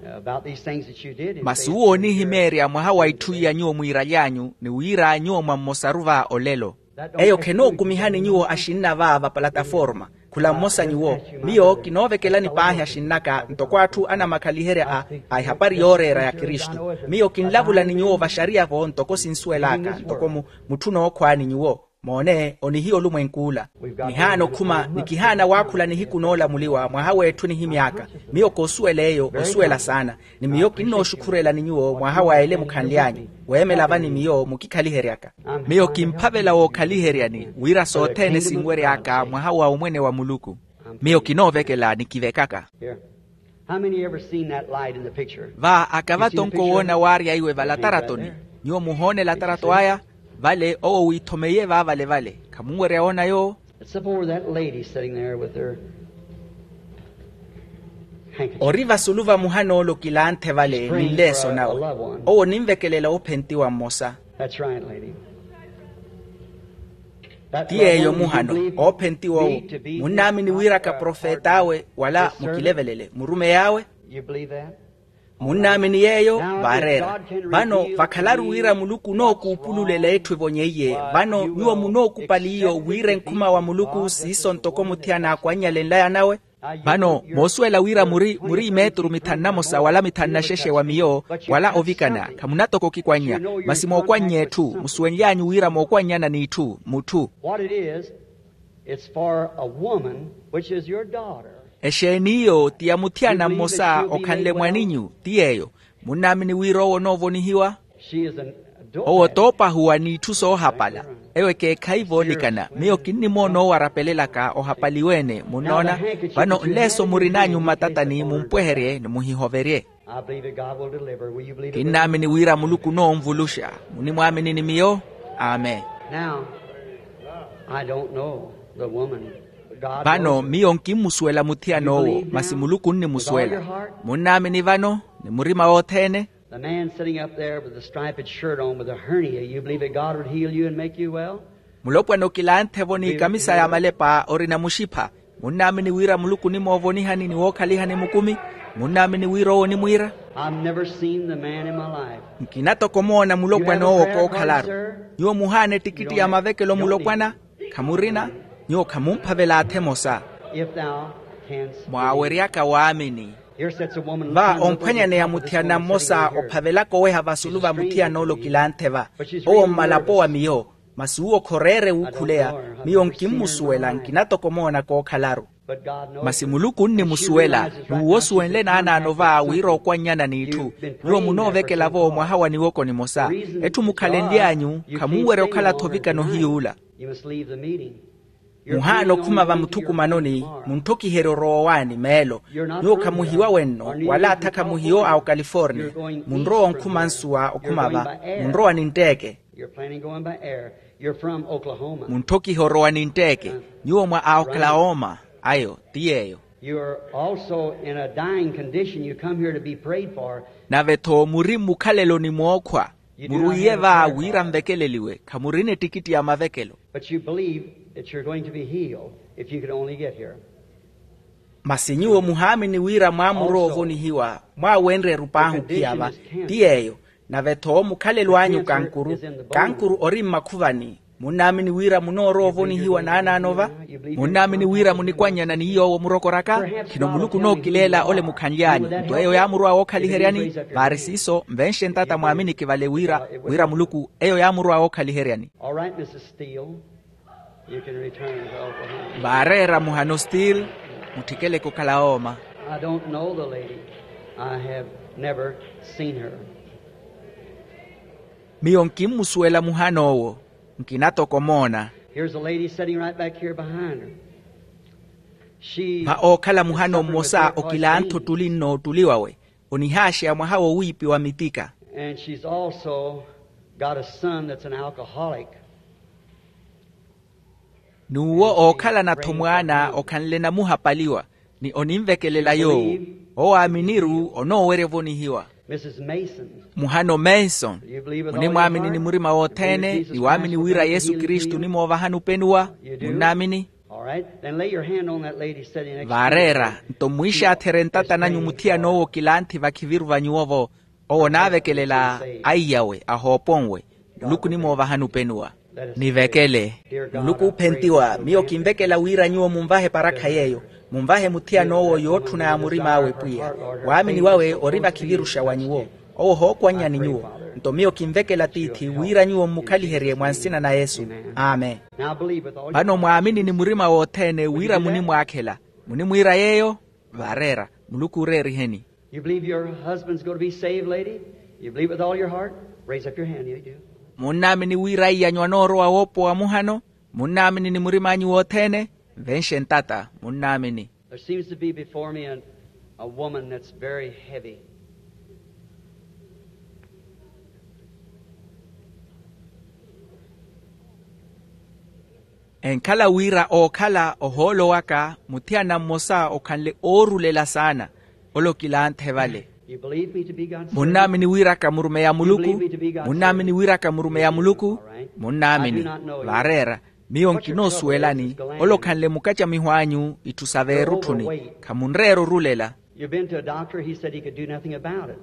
uh, about these things that you did and masi uwo oonihimeerya mwaha wa itthu iya nyuwo mwiiraly'anyu ni wira nyuwo mwa mmosaru va olelo. Eyo khenookumihani nyuwo axinna va vapalataforma. Khula mmosa nyuwo. Miyo kinoovekelani paahi axinn'aka ntoko atthu anamakhaliherya a a ehapari yooreera ya kristu. Miyo kinlavulani nyuwo vaxariya-vo ntoko sinsuwel'aka ntoko mu mutthu nookhwaani nyuwo. Moone onihiya olumwenk'ula. Nihaana okhuma ni kihaana waakhula nihiku noolamuliwa mwaha w'etthu nihimy'aka. Miyo koosuwela eyo osuwela saana. Ni miyo kinnooxukhurelani nyuwo mwaha wa ele mukhanly'anyu. Weemela va ni miyo mukikhaliheryaka. Miyo kimphavela wookhaliheryani wira sothene sinwery'aka mwaha wa omwene wa muluku. Miyo kinoovekela nikivekaka. How many ever seen that light in the picture? Va akavatonko woona waarya iwe valataratoni. Nyuwo muhoona elatarato aya? Vale owo wiithomeiye vaavale vale khamunwerya woona yoowo. It's up over that lady sitting there with her handkerchief. Ori vasulu vamuha noolo kilanthe vale ni nleeso nawe. Owo ninvekelela oophentiwa mmosa. That's right, lady. Ti yeeyo muhano oophentiwa owo. Munnaamini wira kaprofet'awe wala mukilevelele murumeyi awe? Munnaamini yeeyo? Vaareera. Vano vakhalaru wira muluku onookuupululela etthu evonyeiye. Vano nyuwo munookupali iyo wira enkhuma wa muluku siiso ntoko muthiyana aakwannyale nlaya nawe. Vano moosuwela wira muri muri imeturu mithanu na mosa wala mithanu na xexe wa miyo wala ovikana. Khamunatoko okikwannya. Masi mookwannya etthu musuwenly'anyu wira mookwannyana n'itthu mutthu. What it is, it's for a woman which is your daughter. Exeeni iyo ti ya muthiyana mmosa okhanle mwaninyu ti yeeyo. Munnaamini wira owo onoovonihiwa? Owo toopahuwa n'itthu soohapala. Eyo ekeekhayi voolikana miyo kinnimoona owo arapelelaka ohapaliwe-ene munnoona. Vano nleeso murin'anyu mmatatani mumpweherye ni muhihoverye. Kinnaamini wira muluku onoonvuluxa. Munimwaamini ni miyo? Amen. Vano miyo nkimmusuwela muthiyana owo masi muluku onnimusuwela. Munnaamini vano ni murima wothene? The man sitting up there with the striped shirt on with a hernia, you believe that God would heal you and make you well? Mulopwana okilanthe-vo n'ekamisa ya malepa orina muxipha. Munnaamini wira muluku onimoovonihani ni wookhalihani mukumi? Munnaamini wira owo onimwiira? I've never seen the man in my life. Nkina toko omoona mulopwana owo kookhalaru. Nyuwo muhaana ettikitti ya mavekelo mulopwana? Khamurina. Nyuwo khamumphavela atha emosa. Mwaaweryaka waamini. Va omphwanyaneya muthiyana mmosa ophavelaka oweha vasulu va muthiyana ole okilanthe va. Owo mmalapo wa miyo. Masi uwo khoreere wuukhuleya. Miyo nkimmusuwela nkina toko omoona kookhalaru. Masi muluku onnimusuwela. N'uwo osuwenle naanaano va wira ookwannyana n'itthu. Nyuwo munoovekela-vo mwaha wa niwoko nimosa. Etthu mukhalenly'anyu khamunwerya okhala-tho ovikana ohiyuula. Muhaana okhuma va muthukumanoni. Munthokiherye orowa owaani meelo. Nyuwo khamuhiwa wenno wala atha khamuhiwa a okaliforniya. Munrowa onkhuma nsuwa okhuma va. Munrowa nintteeke. Munthokihe orowa nintteeke. Nyuwo mwa a oklahoma. Ayo ti yeeyo. Nave-tho muri mmukhaleloni mookhwa. Murwiiye va wira nvekeleliwe khamurina ettikitti ya mavekelo. Masi nyuwo muhaamini wira mwaamurowa ovonihiwa. Mwaawenrya erup'ahu ophiya va. Ti yeeyo. Nave-tho mukhalelo anyu kankuru, kankuru ori mmakhuvani. Munnaamini wira munoorowa ovonihiwa naanaano va? Munnaamini wira munikwannyana ni yoowo murokoraka? Khino muluku onookileela ole mukhanly'anyu. Nto eyo yaamurowa wookhaliheryani. Vaari siiso nvenxe ntata mwaaminiki vale wira, wira muluku eyo yaamurowa wookhaliheryani. All right, Missus Steele. You can return to Oklahoma. Vaareera muhano steel. Mutthikeleke okhala ooma. I don't know the lady. I have never seen her. Miyo nkimmusuwela muhan'owo. Nkina toko omoona. Here's a lady sitting right back here behind her. She mwa ookhala muhano mmosa okilantha ottuli nnoottuliwawe. Onihaaxeya mwaha wowiipiwa mitika. And she's also got a son that's an alcoholic. N'uwo ookhalana-tho mwaana okhanle namuhapaliwa. Ni oninvekelela yoowo. Owo aaminiru onoowerya ovonihiwa. Missus Mason. Muhano manson. Munimwaamini ni murima wothene ni waamini wira yesu kristu onimoovahani openuwa? Munnaamini? All right. Then lay your hand on that lady sitting next to you. Vaareera nto mwiixaatherye ntata nanyu muthiyan'owo kilanthi vakhiviru va nyuwo-vo. Owo onaavekelela aiyawe ahoopwenwe. Muluku onimoovahani openuwa. Nivekele. Muluku oophentiwa miyo kinvekela wira nyuwo munvahe eparakha yeeyo. Munvahe muthiyan'owo yootthuna ya murim'awe pwiya. Waamini wawe ori vakhiviruxa wa nyuwo. Owo ohookwannyani nyuwo. Nto miyo kinvekela tiithi wira nyuwo mmukhaliherye mwa nsina na yesu. Amen. Vano mwaamini ni murima wothene wira munimwaakhela. Munimwiira yeeyo? Vaareera. Muluku ooreeriheni. You believe your husband's going to be saved, lady? You believe it with all your heart? Raise up your hand if you do. Munnaamini wira iy'anyu anoorowa woopowa muhano? Munnaamini ni murim'anyu wothene? Nvenxe ntata. Munnaamini. There seems to be before me a, a woman that's very heavy. Enkhala wira ookhala ohoolo waka muthiyana mmosa okhanle oorulela saana. Ole okilanthe vale. Munnaamini wira ka murumeyi a muluku? Munnaamini wira ka murumeyi a muluku? Munnaamini. Vaareera. Miyo nkinoosuwelani. Ole okhanle mukacamiho anyu itthu sa veerutthuni. Khamunreera orulela. You've been to a doctor, he said he could do nothing about it.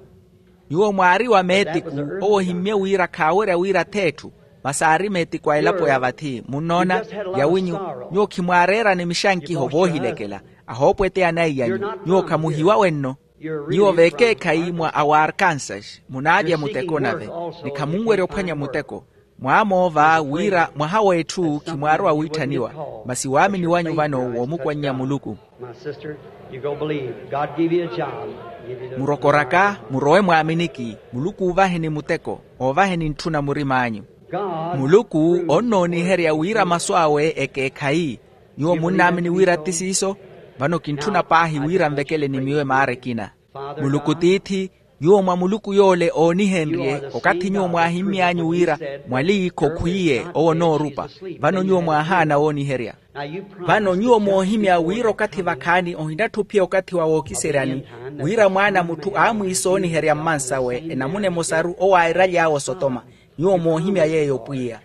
Nyuwo mwaari wa meetiku. Owo ohimmye wira khaawerya wira th'etthu. Masi aari meetiku a elapo ya vathi munnoona. Yawinyu. Nyuwo khimwaareerani mixankiho voohilekela. Ahoopweteya anaiyanyu. Nyuwo khamuhiwa wenno. Nyuwo vekeekhayi mwa awarkansas munaalya muteko nave. Ni khamunwerya ophwanya muteko. Mwaamoova wira mwaha w'etthu khimwaarowa wiitthaniwa. Masi waamini wanyu vano woomukwannya muluku. Murokoraka murowe mwaaminiki. Muluku oovaheni muteko. Oovaheni ntthuna murim'anyu. Muluku onnooniherya wira masu awe ekeekhayi. Nyuwo munnaamini wira ti siiso? Vano kintthuna paahi wira nvekele ni miyo emaara ekina. Muluku tiithi. Nyuwo mwa muluku yoole oonihenrye okathi nyuwo mwaahimmy'anyu wira mwaliikho khwiiye owo onoorupa. Vano nyuwo mwaahaana wooniherya. Vano nyuwo moohimya wira okathi vakhaani ohinatthu ophiya okathi wa wookiseryani. Wira mwaana a mutthu aamwiisooniherya mmansawe enamuna emosaru owo airaly'awe osotoma. Nyuwo moohimya yeeyo pwiya.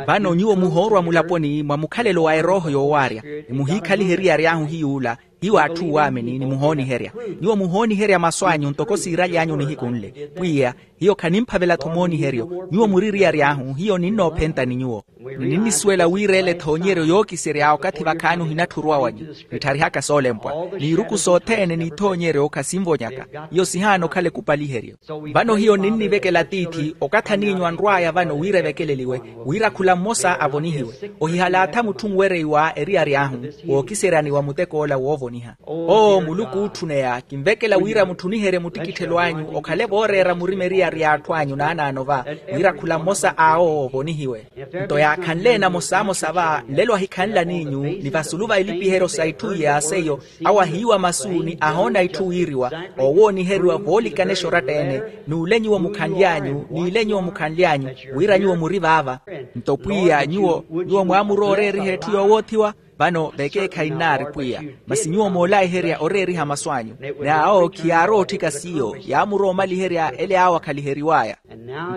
Vano nyuwo muhoorwa mulaponi mwa mukhalelo wa erooho yoowaarya. Ni muhiikhaliha eriyari ahu hiy'ula. Hiyo atthu owaamini ni muhooniherya. Nyuwo muhooniherya masu anyu ntoko siiraly'anyu nihiku nle. Pwiya. Hiyo khanimphavela-tho mooniheryo. Nyuwo muri eriyari ahu hiyo ninnoophenta ni nyuwo. Ninnisuwela wira ele ethoonyeryo yookiserya okathi vakhaani ohinatthu oruwa wanyu. Nittharihaka soolempwa. N'iruku sothene n'ithoonyeryo khasinvonyaka. Hiyo sihaana okhala ekupaliheryo. Vano hiyo ninnivekela tiithi okathi aniinyu anrw'aya vano wira evekeleliwe. Wira khula mmosa avonihiwe. Ohihalaatha mutthu onwereiwa eriyari ahu. Wookiseryani wa muteko ola woovoniha. Oo muluku ootthuneya kinvekela wira mutthuniherye muttikitthelo anyu okhale vooreera murima eriyari y'atthu anyu naanaano va. Wira khula mmosa awo ovonihiwe. Nto yaakhanle namosamosa va nlelo ahikhanlaniinyu. Ni vasulu va ilipiheryo sa itthu iya seiyo awo ahiiwa masu ni ahoona itthu wiiriwa. Owooniheriwa voolikanexa oratta-ene. N'ule nyuwo mukhanly'anyu n'ile nyuwo mukhanly'anyu. Wira nyuwo muri vaava. Nto pwiya nyuwo nyuwo mwaamurowa oreeriha etthu yoowoothiwa. Vano vekeekhayi nnaari pwiya. Masi nyuwo moolaiherya oreeriha masu anyu. N'awo khiyaarowa otthika siiyo yaamurowa omaliherya ele awo akhaliheriw'aya.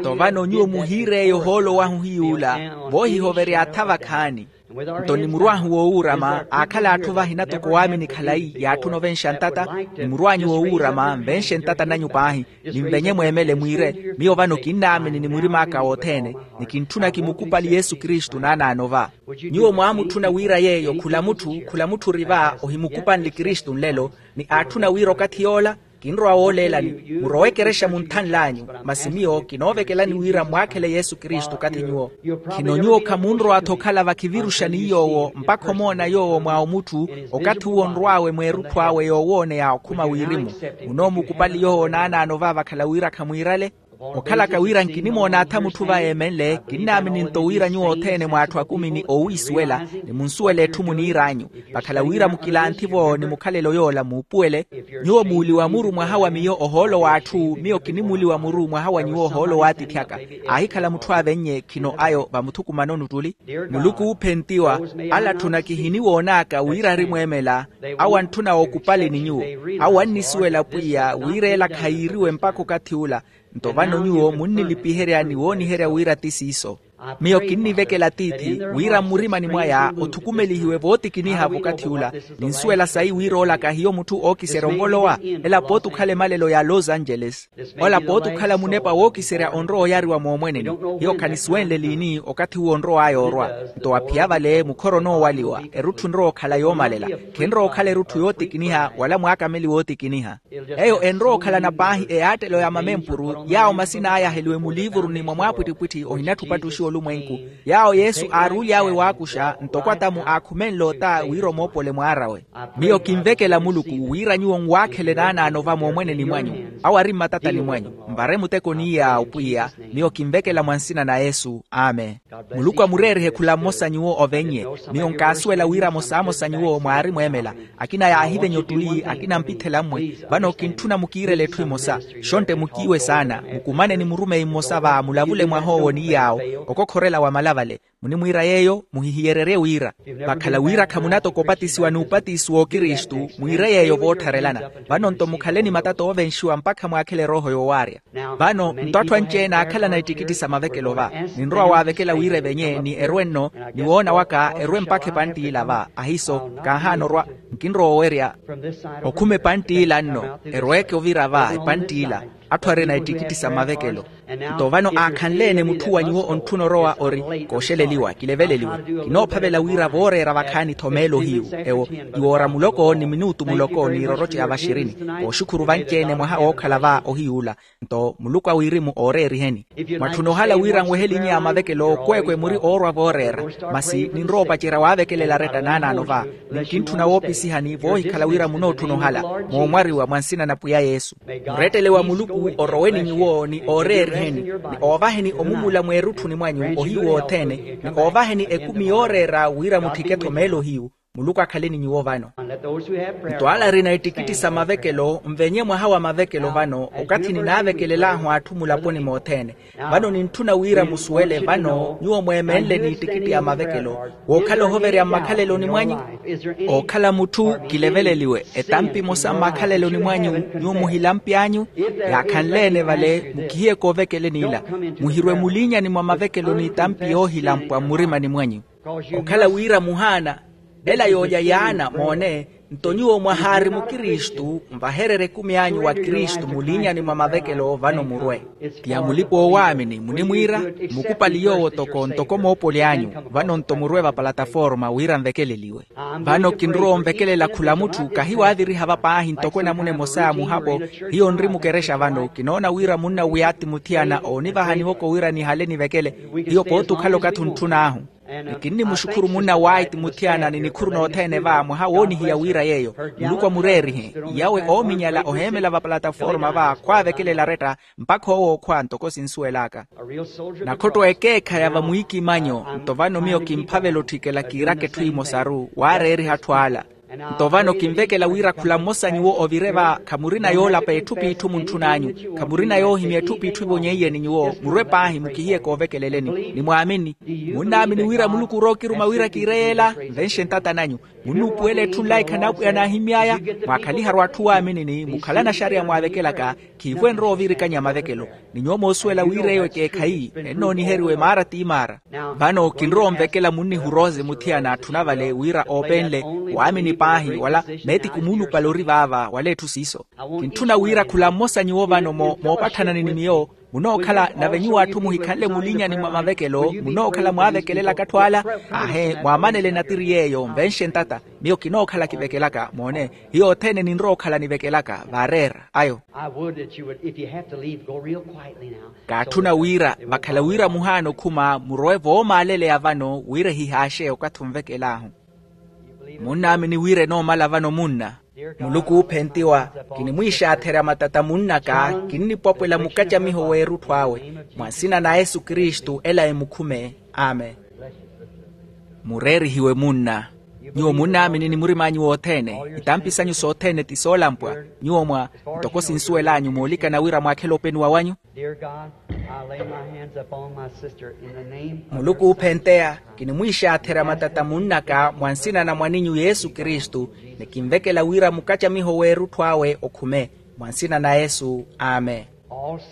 Nto vano nyuwo muhiireeye ohoolo wahu hiy'ula. Voohihovery'atha vakhaani. Nto nimurw'ahu woowuurama aakhala atthu vahina toko waamini khalayi yaatthuna ovenxa ntata. Nimurw'anyu woowuurama nvenxe ntata nanyu paahi, ninvenye mweemele mwiire, miyo vano kinnaamini ni murim'aka wothene, ni kintthuna kimukupali yesu kristu naanaano va. Nyuwo mwaamutthuna wira yeeyo khula mutthu khula mutthu ori va ohimukupanle kristu nlelo, ni aatthuna wira okathi yoola kinrowa wooleelani, murowe ekerexa munthanl'anyu. Masi miyo kinoovekelani wira mwaakhele yesu kristu okathi nyuwo. Khino nyuwo khamunrowa-tho okhala vakhiviruxani yoowo mpakha omoona yoowo mwa omutthu, okathi uwo onrw'awe mweerutthu awe yoowooneya okhuma wirimu. Munoomukupali yoowo naanaano va vakhala wira khamwiirale. Okhalaka wira nkinimoona atha mutthu va eemenle kinnaamini nto wira nyuwo othene mw'atthu akumi ni oowiisuwela, ni munsuwele etthu muniir'anyu. Vakhala wira mukilanthi-vo ni mukhalelo yoola muupuwele. Nyuwo muuli wa muru mwaha wa miyo ohoolo w'atthu miyo kinimuuli wa muru mwaha wa nyuwo ohoolo w'atiithi aka. Aahikhala mutthu aavennye khino ayo vamuthukumanoni ottuli. Muluku oophentiwa, ala atthu nakihiniwoon'aka wira arimweemela, awo antthuna ookupali ni nyuwo. Awo annisuwela pwiya wira ela khayiiriwe mpakha okathi ula. Nto vano nyuwo munnilipiherya ni wooniherya wira ti siiso. Miyo kinnivekela tiithi wira mmurimani mwaya othukumelihiwe vootikiniha v'okathi ula. Ninsuwela sayi wira ola kahiyo mutthu ookiserya onvolowa. Ela pooti okhala emalelo ya los angeles. Ola pooti okhala munepa wookiserya onrowa oyariwa moomweneni. Hiyo khanisuwenle liini okathi uwo onrow'aya orwa. Nto aphiya vale mukhoro onoowaliwa erutthu enrowa okhala yoomalela. Khenrowa okhala erutthu yootikiniha wala mwaakameli wootikiniha. Eyo enrowa okhalana paahi eyaattelo ya mamempuru yaawo masina aya aheliwe muliivuruni mwa mwaapwittipwitthi ohinatthi opattuxiwa olumwenku. Yaawo yesu aaruly'awe waakuxa ntoko atamu aakhumenle ota wira omoopole mwaar'awe. Miyo kinvekela muluku wira nyuwo nwaakhele naanaano va moomweneni mwanyu, awo ari mmatatani mwanyu, nvare muteko ni yaawo pwiya. Miyo kinvekela mwa nsina na yesu. Amen. Muluku amureerihe khula mmosa nyuwo ovennye. Miyo nkaasuwela wira amosamosa nyuwo mwaarimweemela. Akina yaahivenya ottuli akina mpithela mmwe. Vano kintthuna mukiirele etthu emosa. Xontte mukiiwe saana mukumane ni murumeyi mmosa va mulavule mwah'owo ni yaawo. Okokhorela wamala vale. Munimwiira yeeyo muhihiyererye wira vakhala wira khamunatoka opatisiwa n'upatisi w'okristu mwiire yeeyo voottharelana. Vano nto mukhale ni matata oovenxiwa mpakha mwaakhele erooho yoowaarya. Vano nto atthu anci-ene aakhalana ittikitti sa mavekelo va. Ninrowa waavekela wira evenye ni erwe nno ni woona waka erwe mpakha epantt'ila va ahiiso. Kaahaana orwa nkinrowa owerya okhuma epantt'ila nno erweeke ovira va epantt'ila. Atthu arina ittikitti sa mavekelo. Nto vano aakhanle-ene mutthu wa nyuwo ontthuna orowa ori kooxeleliwa kileveleliwe. Kinoophavela wira vooreera vakhaani-tho meelo hiyu ewo iwoora muloko ni minutu muloko n'iiroroci ya vaxirini. Kooxukhuru vanci-ene mwaha wookhala va ohiy'ula. Nto muluku a wirimu ooreeriheni. Mwatthuna ohala wira nwehelinye a mavekelo okweekwe muri oorwa vooreera. Masi ninrowa opacerya waavekelela aretta naanaano va. Ni nkintthuna woopisihani voohikhala wira munootthuna ohala moomwariwa mwa nsina na pwiya yesu. Murettele wa muluku orowe ni nyuwo ni ooreeriheni ni oovaheni omumula mweerutthuni mwanyu ohiyu wothene ni oovaheni ekumi yooreera wira mutthike-tho meelo hiyu. Muluku akhale ni nyuwo vano. Nto ala arina ittikitti sa mavekelo nvenye mwaha wa mavekelo vano okathi ninaavekelel'ahu atthu mulaponi mothene. Vano nintthuna wira musuwele vano nyuwo mweemenle n'ittikitti a mavekelo wookhala ohoverya mmakhaleloni mwanyu. Ookhala mutthu kileveleliwe etampi emosa mmakhaleloni mwanyu nyuwo muhilampi anyu. Yaakhanle-ene vale mukihiye koovekeleni ila muhirwe muliinyani mwa mavekelo n'itampi yoohilampwa mmurimani mwanyu. Okhala wira muhaana ela yoolya yaana moone. Nto nyuwo mwahaari mukristu nvahererye ekumi anyu wa kristu muliinyani mwa mavekelo vano murwe. Ti ya mulipa oowaamini munimwiira mmukupali yoowo toko ntoko moopoli anyu. Vano nto murwe vapalataforma wira nvekeleliwe. Vano kinrowa onvekelela khula mutthu kahiwaaviriha va paahi ntoko enamuna emosa ya muhapo. Hiyo nri mukerexa vano kinoona wira munna wiyati muthiyana oonivahani woko wira nihale nivekele. Hiyo pooti okhala okathi ontthun'ahu ni kinnimuxukhuru munna waiti muthiyana ni nikhuru nothene va mwaha woonihiya wira yeeyo. Muluku amureerihe yawe oominyala oheemela vapalataforma va khwaavekelela aretta mpakha owo okhwa ntoko sinsuwel'aka. Nakhotto ekeekha ya vamwiikimanyo nto vano miyo kimphavela otthikela kiiraka etthu emosaru waareeriha atthu ala. Nto vano kinvekela wira khula mmosa nyuwo ovire va khamurina yoolapa etthu p'itthu muntthun'anyu. Khamurina yoohimya etthu p'itthu evonyeiyeni ni nyuwo murwe paahi mukihiye koovekeleleni ni mwaamini. Munnaamini wira muluku orowa okiruma wira kiire yeela nvenxe ntata nanyu. Munnuupuwela etthu nlaikha n'apwiya naahimy'aya. Mwaakhaliharu atthu waaminini mukhalana axariya mwaavekelaka. Khiivo enrowa ovirikanya mavekelo. Ni nyuwo moosuwela wira eyo ekeekhayi ennooniheriwe maara ti maara. Vano kinrowa onvekela munnihu rose muthiyana atthuna vale wira oopenle waamini paahi wala meetiku muulupale ori vaava wala etthu siiso. Kintthuna wira khula mmosa nyuwo vano moopatthana ni miyo. Munookhala nave nyuwo atthu muhikhanle mulinyani mwa mavekelo munookhala mwaavekelelaka atthu ala. Aahe mwaamanele natiri yeeyo nvenxe ntata. Miyo kinookhala kivekelaka moone. Hiyo othene ninrowa okhala nivekelaka vaareera ayo. Kaatthuna wira vakhala wira muhaana okhuma murowe voomaaleleya vano wira ehihaaxe okathi onvekel'ahu. Munnaamini wira enoomala vano munna. Muluku oophentiwa, kinimwiixaatherya matata munnaka kinnipwapwela mukacamiho w'erutthu awe. Mwa nsina na yesu kristu ela emukhume. Amen. Mureerihiwe munna. Nyuwo munnaamini ni murim'anyu wothene. Itampi sanyu sothene ti soolampwa. Nyuwo mwa ntoko sinsuwel'anyu moolikana wira mwaakhela openiwa wanyu. Muluku oophenteya, kinimwiixaatherya matata munnaka mwa nsina na mwaninyu yesu kristu, ni kinvekela wira mukacamiho w'erutthu awe okhume. Mwa nsina na yesu. Amen.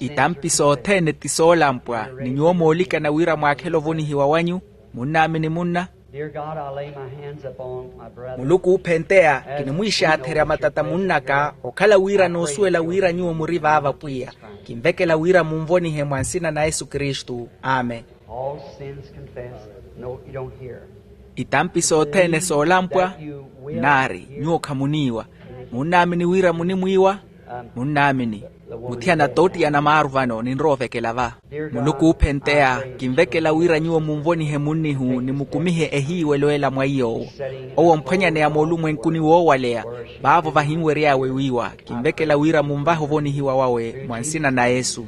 Itampi sothene ti soolampwa. Ni nyuwo moolikana wira mwaakhela ovonihiwa wanyu. Munnaamini munna. Muluku oophenteya, kinimwiixaatherya matata munnaka okhala wira noosuwela wira nyuwo muri vaava pwiya. Kinvekela wira munvonihe mwa nsina na yesu kristu. Amen. Itampi sothene soolampwa. Naari nyuwo khamuniiwa. Munnaamini wira munimwiiwa. Munnaamini. Muthiyana toottiyana maaru vano ninrowa ovekela va. Muluku oophenteya, kinvekela wira nyuwo munvonihe munnihu ni mukumihe ehiiwelo ela mwa iy'owo. Owo omphwanyaneya moolumwenkuni woowaleya. Vaavo vahinwery'awe wiiwa. Kinvekela wira munvahe ovonihiwa wawe mwa nsina na yesu.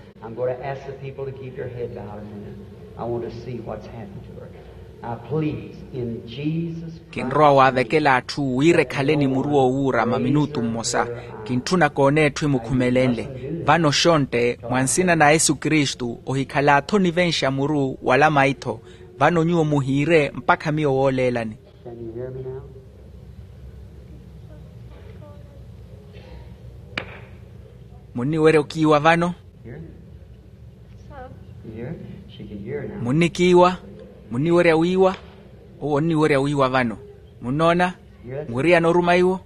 Kinrowa waavekela atthu wira ekhale ni muru woowuura maminutu mmosa. Kintthuna koona etthu emukhumelenle. Vano xontte mwa nsina na yesu kristu ohikhala-tho nivenxa muru wala maitho. Vano nyuwo muhiire mpakha miyo wooleelani. Munniwerya okiiwa vano. Munnikiiwa. Munniwerya wiiwa. Owo onniwerya wiiwa vano. Munnoona? Mwiriyana oruma iwo.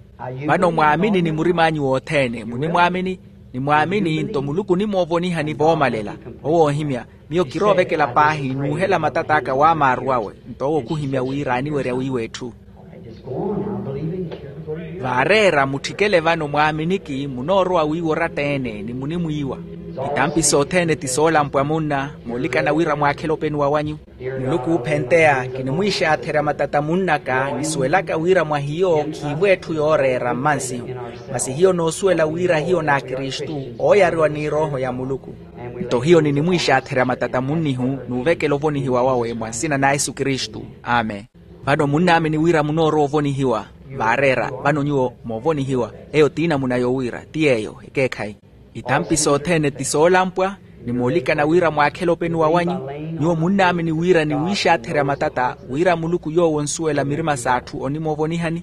Vano mwaamini ni murim'anyu wothene munimwaamini. Nimwaamini nto muluku onimoovonihani voomalela. Owo oohimya. Miyo kiroovekela paahi nuuhela matat'aka waamaaru awe. Nto owo khuhimya wira aniwerya wiiwa etthu. Vaareera mutthikele vano mwaaminiki munoorowa wiiwa oratta-ene ni munimwiiwa. Itampi sothene ti soolampwa munna. Moolikana wira mwaakhela openiwa wanyu. Muluku oophenteya, kinimwiixaatherya matata munnaka nisuwelaka wira mwa hiyo khiivo etthu yooreera mmansihu. Masi hiyo noosuwela wira hiyo n'akristu ooyariwa ni erooho ya muluku. Nto hiyo ninimwiixaatherya matata munnihu nuuvekela ovonihiwa wawe mwa nsina na yesu kristu. Amen. Vano munnaamini wira munoorowa ovonihiwa. Vaareera vano nyuwo moovonihiwa. Eyo ti namuna yowira ti yeeyo ekeekhayi. Itampi sothene ti soolampwa. Nimoolikana wira mwaakhela openiwa wanyu. Nyuwo munnaamini wira niwiixaatherya matata wira muluku yoowo onsuwela mirima s'atthu onimoovonihani.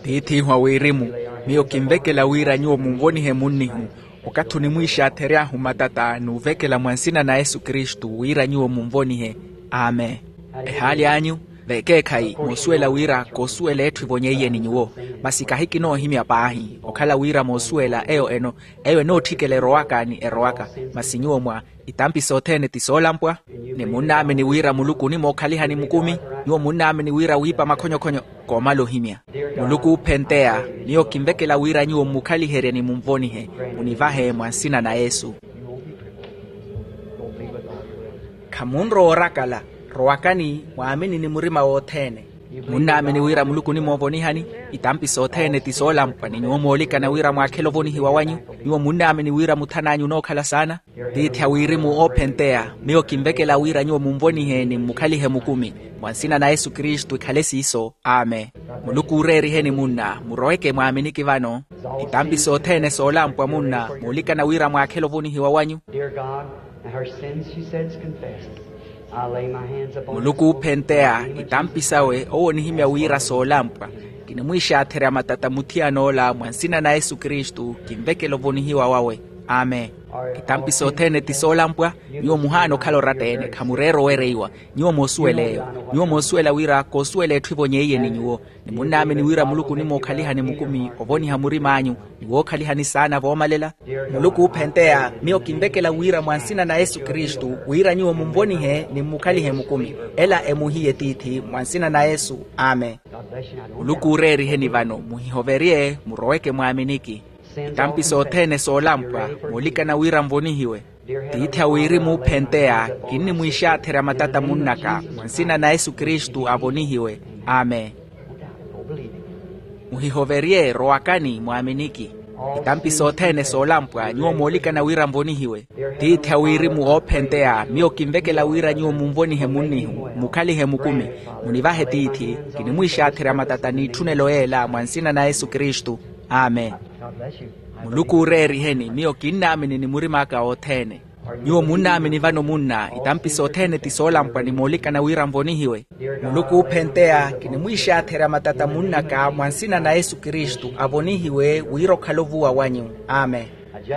Tiith'ihu a wirimu, miyo kinvekela wira nyuwo munvonihe munnihu. Okathi onimwiixaathery'ahu matata nuuvekela mwa nsina na yesu kristu wira nyuwo munvonihe. Amen. Ehaali anyu vekeekhayi moosuwela wira koosuwela etthu evonyeiye ni nyuwo. Masi kahi kinoohimya paahi okhala wira moosuwela eyo eno eyo enootthikela erowaka ni erowaka. Masi nyuwo mwa itampi sothene ti soolampwa. Ni munnaamini wira muluku onimookhalihani mukumi. Nyuwo munnaamini wira wiipa makhonyokhonyo. Koomala ohimya. Muluku oophenteya, miyo kinvekela wira nyuwo mmukhaliherye ni munvonihe. Munivahe mwa nsina na yesu. Khamunrowa orakala. Rowakani mwaamini ni murima wothene. Munnaamini wira muluku onimoovonihani. Itampi sothene ti soolampwa ni nyuwo moolikana wira mwaakhela ovonihiwa wanyu. Nyuwo munnaamini wira muthan'anyu onookhala saana. Tiithi a wirimu oophenteya, miyo kinvekela wira nyuwo munvonihe ni mmukhalihe mukumi. Mwa nsina na yesu kristu ekhale siiso. Amen. Muluku uureeriheni munna muroweke mwaaminiki vano. Itampi sothene soolampwa munna moolikana wira mwaakhela ovonihiwa wanyu. Dear God, her sins she says confessed. Muluku oophenteya itampi sawe owo onihimya wira soolampwa. Kinimwiixaatherya matata muthiyan'ola mwa nsina na yesu kristu kinvekela ovonihiwa wawe. Amen. Itampi sothene ti soolampwa. Nyuwo muhaana okhala oratta-ene khamureera owereiwa. Nyuwo moosuwel'eyo. Nyuwo moosuwela wira koosuwela etthu evonyeiye ni nyuwo. Ni munnaamini wira muluku onimwookhalihani mukumi ovoniha murim'anyu ni wookhalihani saana voomalela. Muluku oophenteya miyo kinvekela wira mwa nsina na yesu kristu wira nyuwo munvonihe ni mmukhalihe mukumi. Ela emuhiye tiithi mwa nsina na yesu. Amen. Muluku ooreeriheni vano muhihoverye muroweke mwaaminiki. Itampi sothene soolampwa moolikana wira nvonihiwe. Tiithi a wirimu oophenteya kinnimwiixaatherya matata munnaka mwa nsina na yesu kristu avonihiwe. Amen. Muhihoverye rowakani mwaaminiki. Itampi sothene soolampwa nyuwo moolikana wira nvonihiwe. Tiithi a wirimu oophenteya miyo kinvekela wira nyuwo munvonihe munnihu mmukhalihe mukumi. Munivahe tiithi. Kinimwiixaatherya matata n'itthunelo yeela mwa nsina na yesu kristu. Amen. Muluku ooreeriheni miyo kinnaamini ni murim'aka othene. Nyuwo munnaamini vano munna itampi sothene ti soolampwa ni moolikana wira nvonihiwe. Muluku oophenteya kinimwiixaatherya matata munnaka mwa nsina na yesu kristu avonihiwe wira okhala ovuwa wanyu. Amen.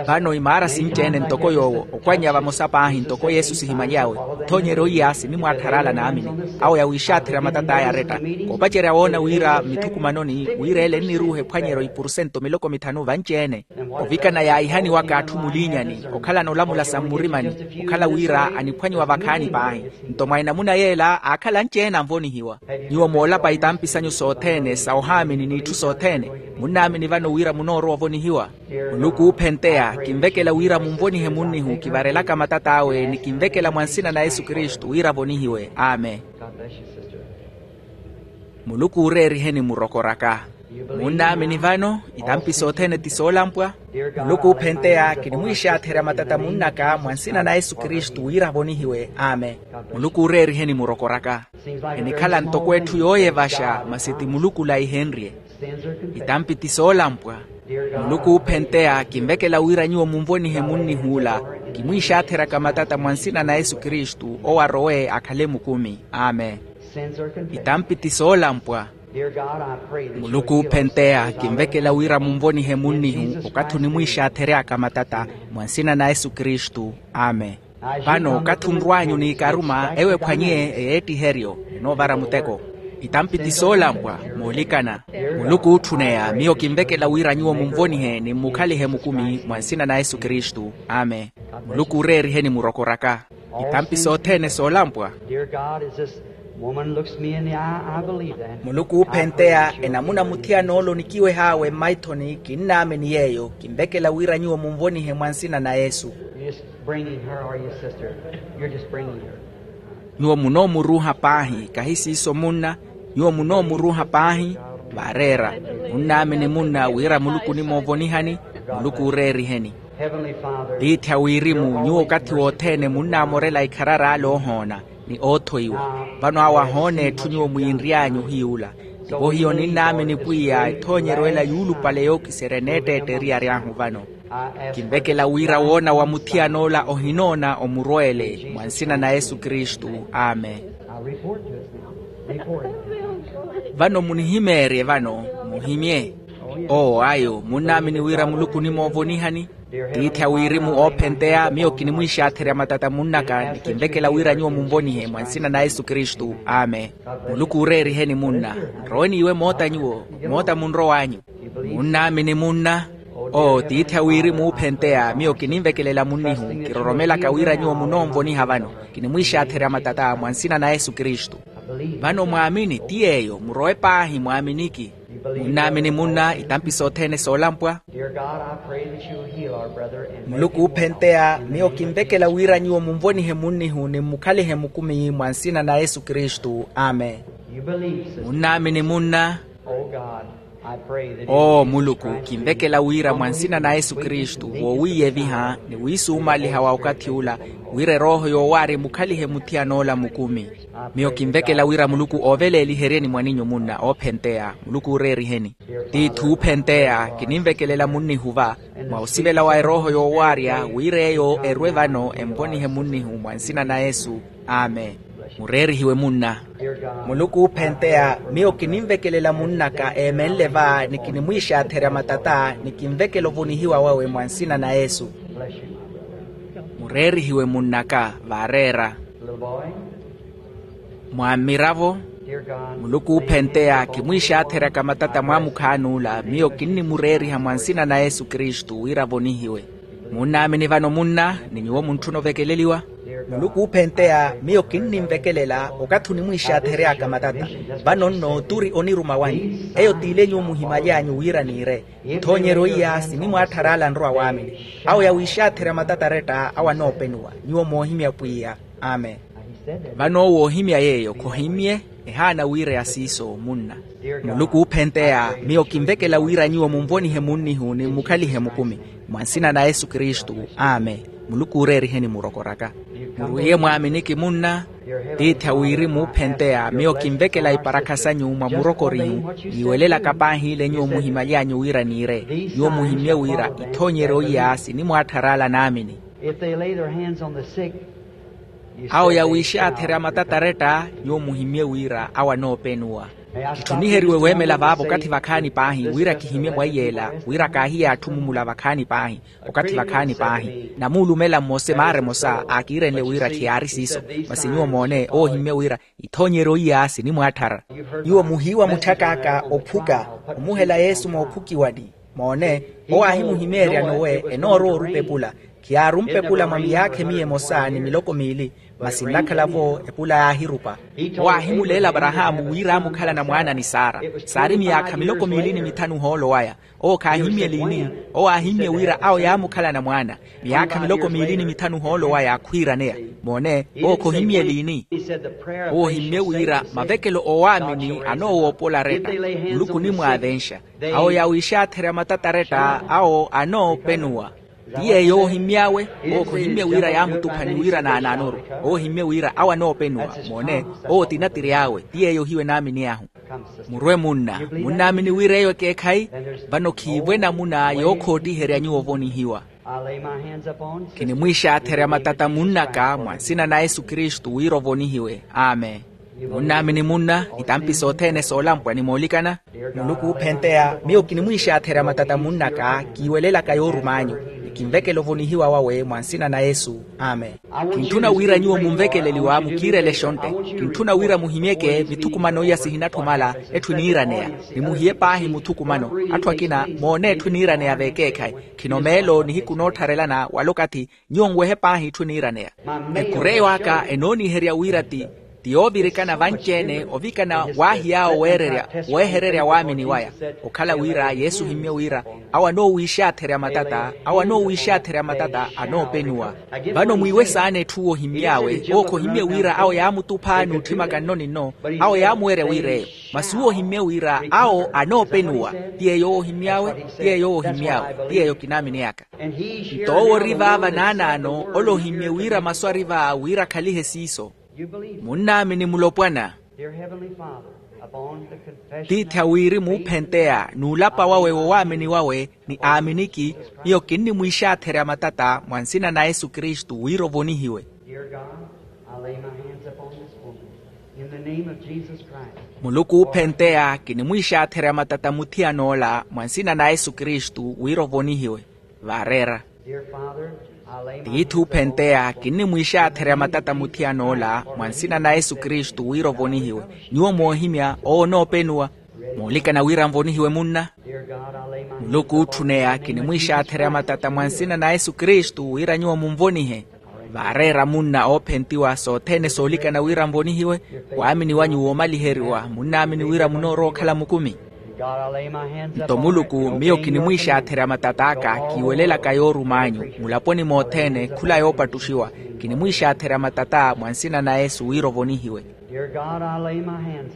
Vano imaara sinci-ene ntoko yoowo okwanya vamosa paahi ntoko yesu sihimanyawe. Othoonyeryo iya sinimwaattharala naamini awo yawiixaatherya matata aya aretta. Koopacerya woona wira mithukumanoni wira ele enniruuha ephwanyeryo ipurusento miloko mithanu vanci-ene. Ovikana yaahihaniwaka atthu muliinyani okhalana olamula sa mmurimani okhala wira aniphwanyiwa vakhaani paahi. Nto mwa enamuna yeela aakhala anci-ene anvonihiwa. Nyuwo moolapa itampi sanyu sothene sa ohaamini n'itthu sothene. Munnaamini vano wira munoorowa ovonihiwa. Muluku oophenteya kinvekela wira munvonihe munnihu kivarelaka matat'awe ni kinvekela mwa nsina na yesu kristu wira avonihiwe. Amen. Muluku ooreeriheni murokoraka. Munnaamini vano itampi sothene ti soolampwa. Muluku oophenteya kinimwiixaatherya matata munnaka mwa nsina na yesu kristu wira avonihiwe. Amen. Muluku ooreeriheni murokoraka. Enikhala ntoko etthu yooyevaxa masi ti muluku olaihenrye. Itampi ti soolampwa. Muluku oophenteya kinvekela wira nyuwo munvonihe munnihuula kimwiixaatheraka matata mwa nsina na yesu kristu owo arowe akhale mukumi. Amen. Itampi ti soolampwa. Muluku oophenteya kinvekela wira munvonihe munnihu okathi onimwiixaathery'aka matata mwa nsina na yesu kristu. Amen. Vano okathi onrw'anyu n'ikaruma ewo ephwanye eyeettiheryo enoovara muteko. Itampi ti soolampwa moolikana. Muluku ootthuneya miyo kinvekela wira nyuwo munvonihe ni mmukhalihe mukumi mwa nsina na yesu kristu. Amen. Muluku ooreeriheni murokoraka. Itampi sothene soolampwa. Muluku oophenteya enamuna muthiyan'ola onikiweh'awe mmaithoni kinnaamini yeeyo kinvekela wira nyuwo munvonihe mwa nsina na yesu. Nyuwo munoomuruuha paahi kahi siiso munna. Nyuwo munoomuruuha paahi. Vaareera. Munnaamini munna wira muluku onimoovonihani. Muluku ooreeriheni. Tiithi a wirimu nyuwo okathi wothene munnaamorela ikharari ale oohoona ni oothoiwa. Vano awo ahoona etthu nyuwo mwiinry'anyu ohiyuula. Tivo hiyo ninnaamini pwiya ethoonyeryo ela yuulupale yookiserya eneetteetta eriyari ahu vano. Kinvekela wira woona wa muthiyan'ola ohinoona omurweele mwa nsina na yesu kristu. Amen. Vano munihimeerye vano. Muhimye. Oo ayo munnaamini wira muluku onimoovonihani. Tiithi a wirimu oophenteya miyo kinimwiixaatherya matata munnaka ni kinvekela wira nyuwo munvonihe mwa nsina na yesu kristu. Amen. Muluku ooreeriheni munna. Nrowe n'iwe moota nyuwo. Moota munrow'anyu. Munnaamini munna. Oo tiithi a wirimu oophenteya miyo kininvekelela munnihu kiroromelaka wira nyuwo munoonvoniha vano. Kinimwiixaatherya matata mwa nsina na yesu kristu. Vano mwaamini ti yeeyo murowe paahi mwaaminiki. Munnaamini munna itampi sothene soolampwa. Muluku oophenteya miyo kinvekela wira nyuwo munvonihe munnihu ni mmukhalihe mukumi mwa nsina na yesu kristu. Amen. Munnaamini munna. Oo muluku kinvekela wira mwa nsina na yesu kristu woowiiyeviha ni wiisuumaliha wa okathi ula wira erooho yoowaarya emukhalihe muthiyan'ola mukumi. Miyo kinvekela wira muluku ooveleeliheryeni mwaninyu munna oophenteya muluku ooreeriheni. Tiithi oophenteya kininvekelela munnihu va mwa osivela wa erooho yoowaarya wira eyo erwe vano envonihe munnihu mwa nsina na yesu. Amen. Mureerihiwe munna. Muluku oophenteya, miyo kininvekelela munn'aka eemenle va ni kinimwiixaatherya matata ni kinvekela ovonihiwa wawe mwa nsina na yesu. Mureerihiwe munn'aka vaareera. Mwammiravo. Muluku oophenteya kimwiixaatheryaka matata mwaamukhaani ola miyo kinnimureeriha mwa nsina na yesu kristu wira avonihiwe. Munnaamini vano munna ni nyuwo muntthuna ovekeleliwa. Muluku oophenteya miyo kinninvekelela okathi onimwiixaathery'aka matata. Vano nno turi oniruma wanyu. Eyo t'ile nyuwo muhimaly'anyu wira niire. Ithoonyeryo iya sinimwaatthar'ala nrowa waamini. Awo yawiixaatherya matata aretta awo anoopenuwa. Nyuwo moohimya pwiya. Amen. Vano woohimya yeeyo khohimmye. Ehaana wiireya siiso munna. Muluku oophenteya miyo kinvekela wira nyuwo munvonihe munnihu ni mmukhalihe mukumi. Mwa nsina na yesu kristu. Amen. Muluku ooreeriheni murokor'aka. Murwiiye mwaaminiki munna. Tiithi a wirimu oophenteya miyo kinvekela iparakha sanyu mwa murokorihu. Yiiwelelaka paahi ile nyuwo muhimaly'anyu wira niire. Nyuwo muhimmye wira ithoonyeryo iya sinimwaatthar'ala naamini. Awo yawiixaatherya matata aretta nyuwo muhimmye wira awo anoopenuwa. Kitthuniheriwe weemela vaavo okathi vakhaani paahi wira kihimmye mwaiy'ela wira kaahiye atthu mumula vakhaani paahi. Okathi vakhaani paahi namuulumela mmosa emaara emosa aakiirenle wira khiyaari siiso. Masi nyuwo moone owo ohimmye wira ithoonyeryo iya sinimwaatthara. Nyuwo muhiiwa mutthak'aka ophuka omuhela yesu moophukiwani. Moone owo aahimuhimeerya nowe enoorowa orupa epula. Khiyaarumpa epula mwa miyaakha emiya emosa ni miloko miili. Masi nnakhala-vo epula yaahirupa. Owo aahimuleela aparahaamu wira aamukhalana mwaana ni sara. Saari miyaakha miloko miili ni mithanu ohoolo waya. Owo khaahimmye liini. Owo aahimmye wira awo yaamukhalana mwaana miyaakha miloko miili ni mithanu ohoolo waya khwiiraneya. Moone owo khohimmye liini. Owo ohimmye wira mavekelo oowaamini anoowoopola aretta. Muluku onimwaavenxa. Awo yawiixaatherya matata aretta awo anoopenuwa. Ti yeeyo owo ohimmy'awe. Owo khohimmye wira yaamutuphani wira naanaanoru. Owo ohimmye wira awo anoopenuwa. Moone owo ti natiri awe ti yeeyo ohiwe naamini ahu. Murwe munna. Munnaamini wira eyo ekeekhayi. Vano khiivo enamuna yookhootiherya nyuwo ovonihiwa. Kinimwiixaatherya matata munn'aka mwa nsina na yesu kristu wira ovonihiwe. Amen. Munnaamini munna itampi sothene soolampwa ni moolikana. Muluku oophenteya miyo kinimwiixaatherya matata munn'aka kiiwelelaka yoorum'anyu ni kinvekela ovonihiwa wawe mwa nsina na yesu. Amen. Kintthuna wira nyuwo munvekeleliwa mukiirele exontte. Kintthuna wira muhimyeke mithukumano iya sihinatthu omala. Etthu eniiraneya ni muhiye paahi muthukumano. Atthu akina moone etthu eniiraneya veekeekhayi. Khino meelo nihiku noottharelana wala okathi nyuwo nwehe paahi itthu eniiraneya. Ekureyo aka enooniherya wira ti ti yoovirikana vanci-ene ovikana waahi yaawo weererya weehererya waamini waya. Okhala wira yesu ohimmye wira awo anoowiixaatherya matata awo anoowiixaatherya matata anoopenuwa. Vano mwiiwe saana etthu owo ohimmy'awe owo khohimmye wira awo yaamutupha n'utthimaka nno ni nno. Awo yaamuwerya wira eyo masi uwo ohimmye wira awo anoopenuwa. Ti yeeyo owo ohimmy'awe ti yeeyo owo ohimmy'awe ti yeeyo kinaamini aka. Nto owo ori vaava naanaano ole ohimmye wira masu ari va wira akhalihe siiso. Munnaamini mulopwana. Tiithi a wirimu oophenteya n'ulapa wawe wowaamini wawe ni aaminiki. Miyo kinnimwiixaatherya matata mwa nsina na yesu kristu wira ovonihiwe. Muluku oophenteya kinimwiixaatherya matata muthiyan'ola mwa nsina na yesu kristu wira ovonihiwe. Vaareera. Tiithi oophenteya kinnimwiixaatherya matata muthiyan'ola mwa nsina na yesu kristu wira ovonihiwe. Nyuwo moohimya owo onoopenuwa. Moolikana wira nvonihiwe munna. Muluku ootthuneya kinimwiixaatherya matata mwa nsina na yesu kristu wira nyuwo munvonihe. Vaareera munna oophentiwa sothene soolikana wira nvonihiwe. Waamini wanyu woomaliheriwa munnaamini wira munoorowa okhala mukumi. Nto muluku miyo kinimwiixaatherya matat'aka kiiwelelaka yoorum'anyu mulaponi mothene khula yoopattuxiwa. Kinimwiixaatherya matata mwa nsina na yesu wira ovonihiwe.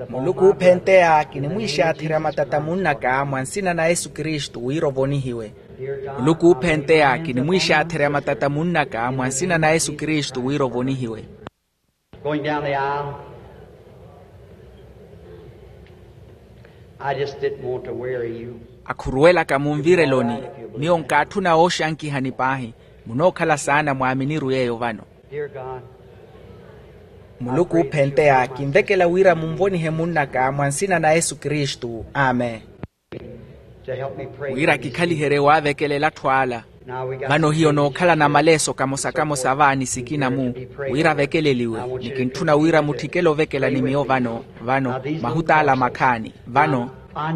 Muluku oophenteya kinimwiixaatherya matata munn'aka mwa nsina na yesu kristu wira ovonihiwe. Muluku oophenteya kinimwiixaatherya matata munn'aka mwa nsina na yesu kristu wira ovonihiwe. Going down the aisle, I just didn't want to weary you. Akhuruwelaka munvireloni. Miyo nkaatthuna wooxankihani paahi. Munookhala saana mwaaminiru yeeyo vano. Dear God, Muluku oophenteya kinvekela wira munvonihe munn'aka mwa nsina na yesu kristu amen. Wira kikhaliherye waavekelela atthu ala. Vano hiyo nookhalana maleeso kamosa-kamosa va ni sikina-mu wira avekeleliwe. Ni kintthuna wira mutthikele ovekela ni miyo vano vano mahut'ala makhaani. Vano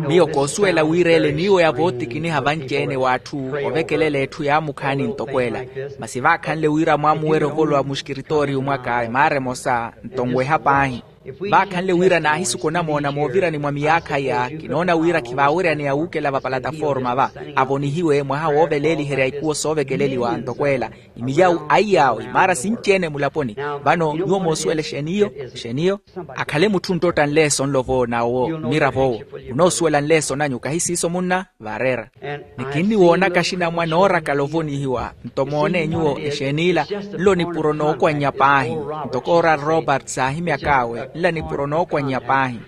miyo koosuwela wira ele miyo ya vootikiniha vanci-ene w'atthu ovekelela etthu yaamukhaani ntoko ela. Masi vaakhanle wira mwaamuwerya ovolowa muxkiritooriyu mwaka emaara emosa nto nweha paahi. Vaakhanle wira naahisuku onamoona moovirani mwa miyaakha iya kinoona wira khivaaweryaneya wuukela vapalataforma va avonihiwe mwaha wooveleeliherya ikuwo soovekeleliwa ntoko ela. Imiyawu aiyaawo imaara sinci-ene mulaponi. Vano nyuwo moosuwela exeeni iyo? Exeeni iyo? Akhale mutthu onttotta nleeso nlo vo n'awo mmirav'owo. Munoosuwela nleeso nanyu kahi siiso munna? Vaareera. Ni kinniwoonaka axinamwane oorakala ovonihiwa. Nto moone nyuwo exeen'ila nlo nipuro nookwannya paahi. Ntoko oral roberts aahimyak'awe nla nipuro nookwannya paahi.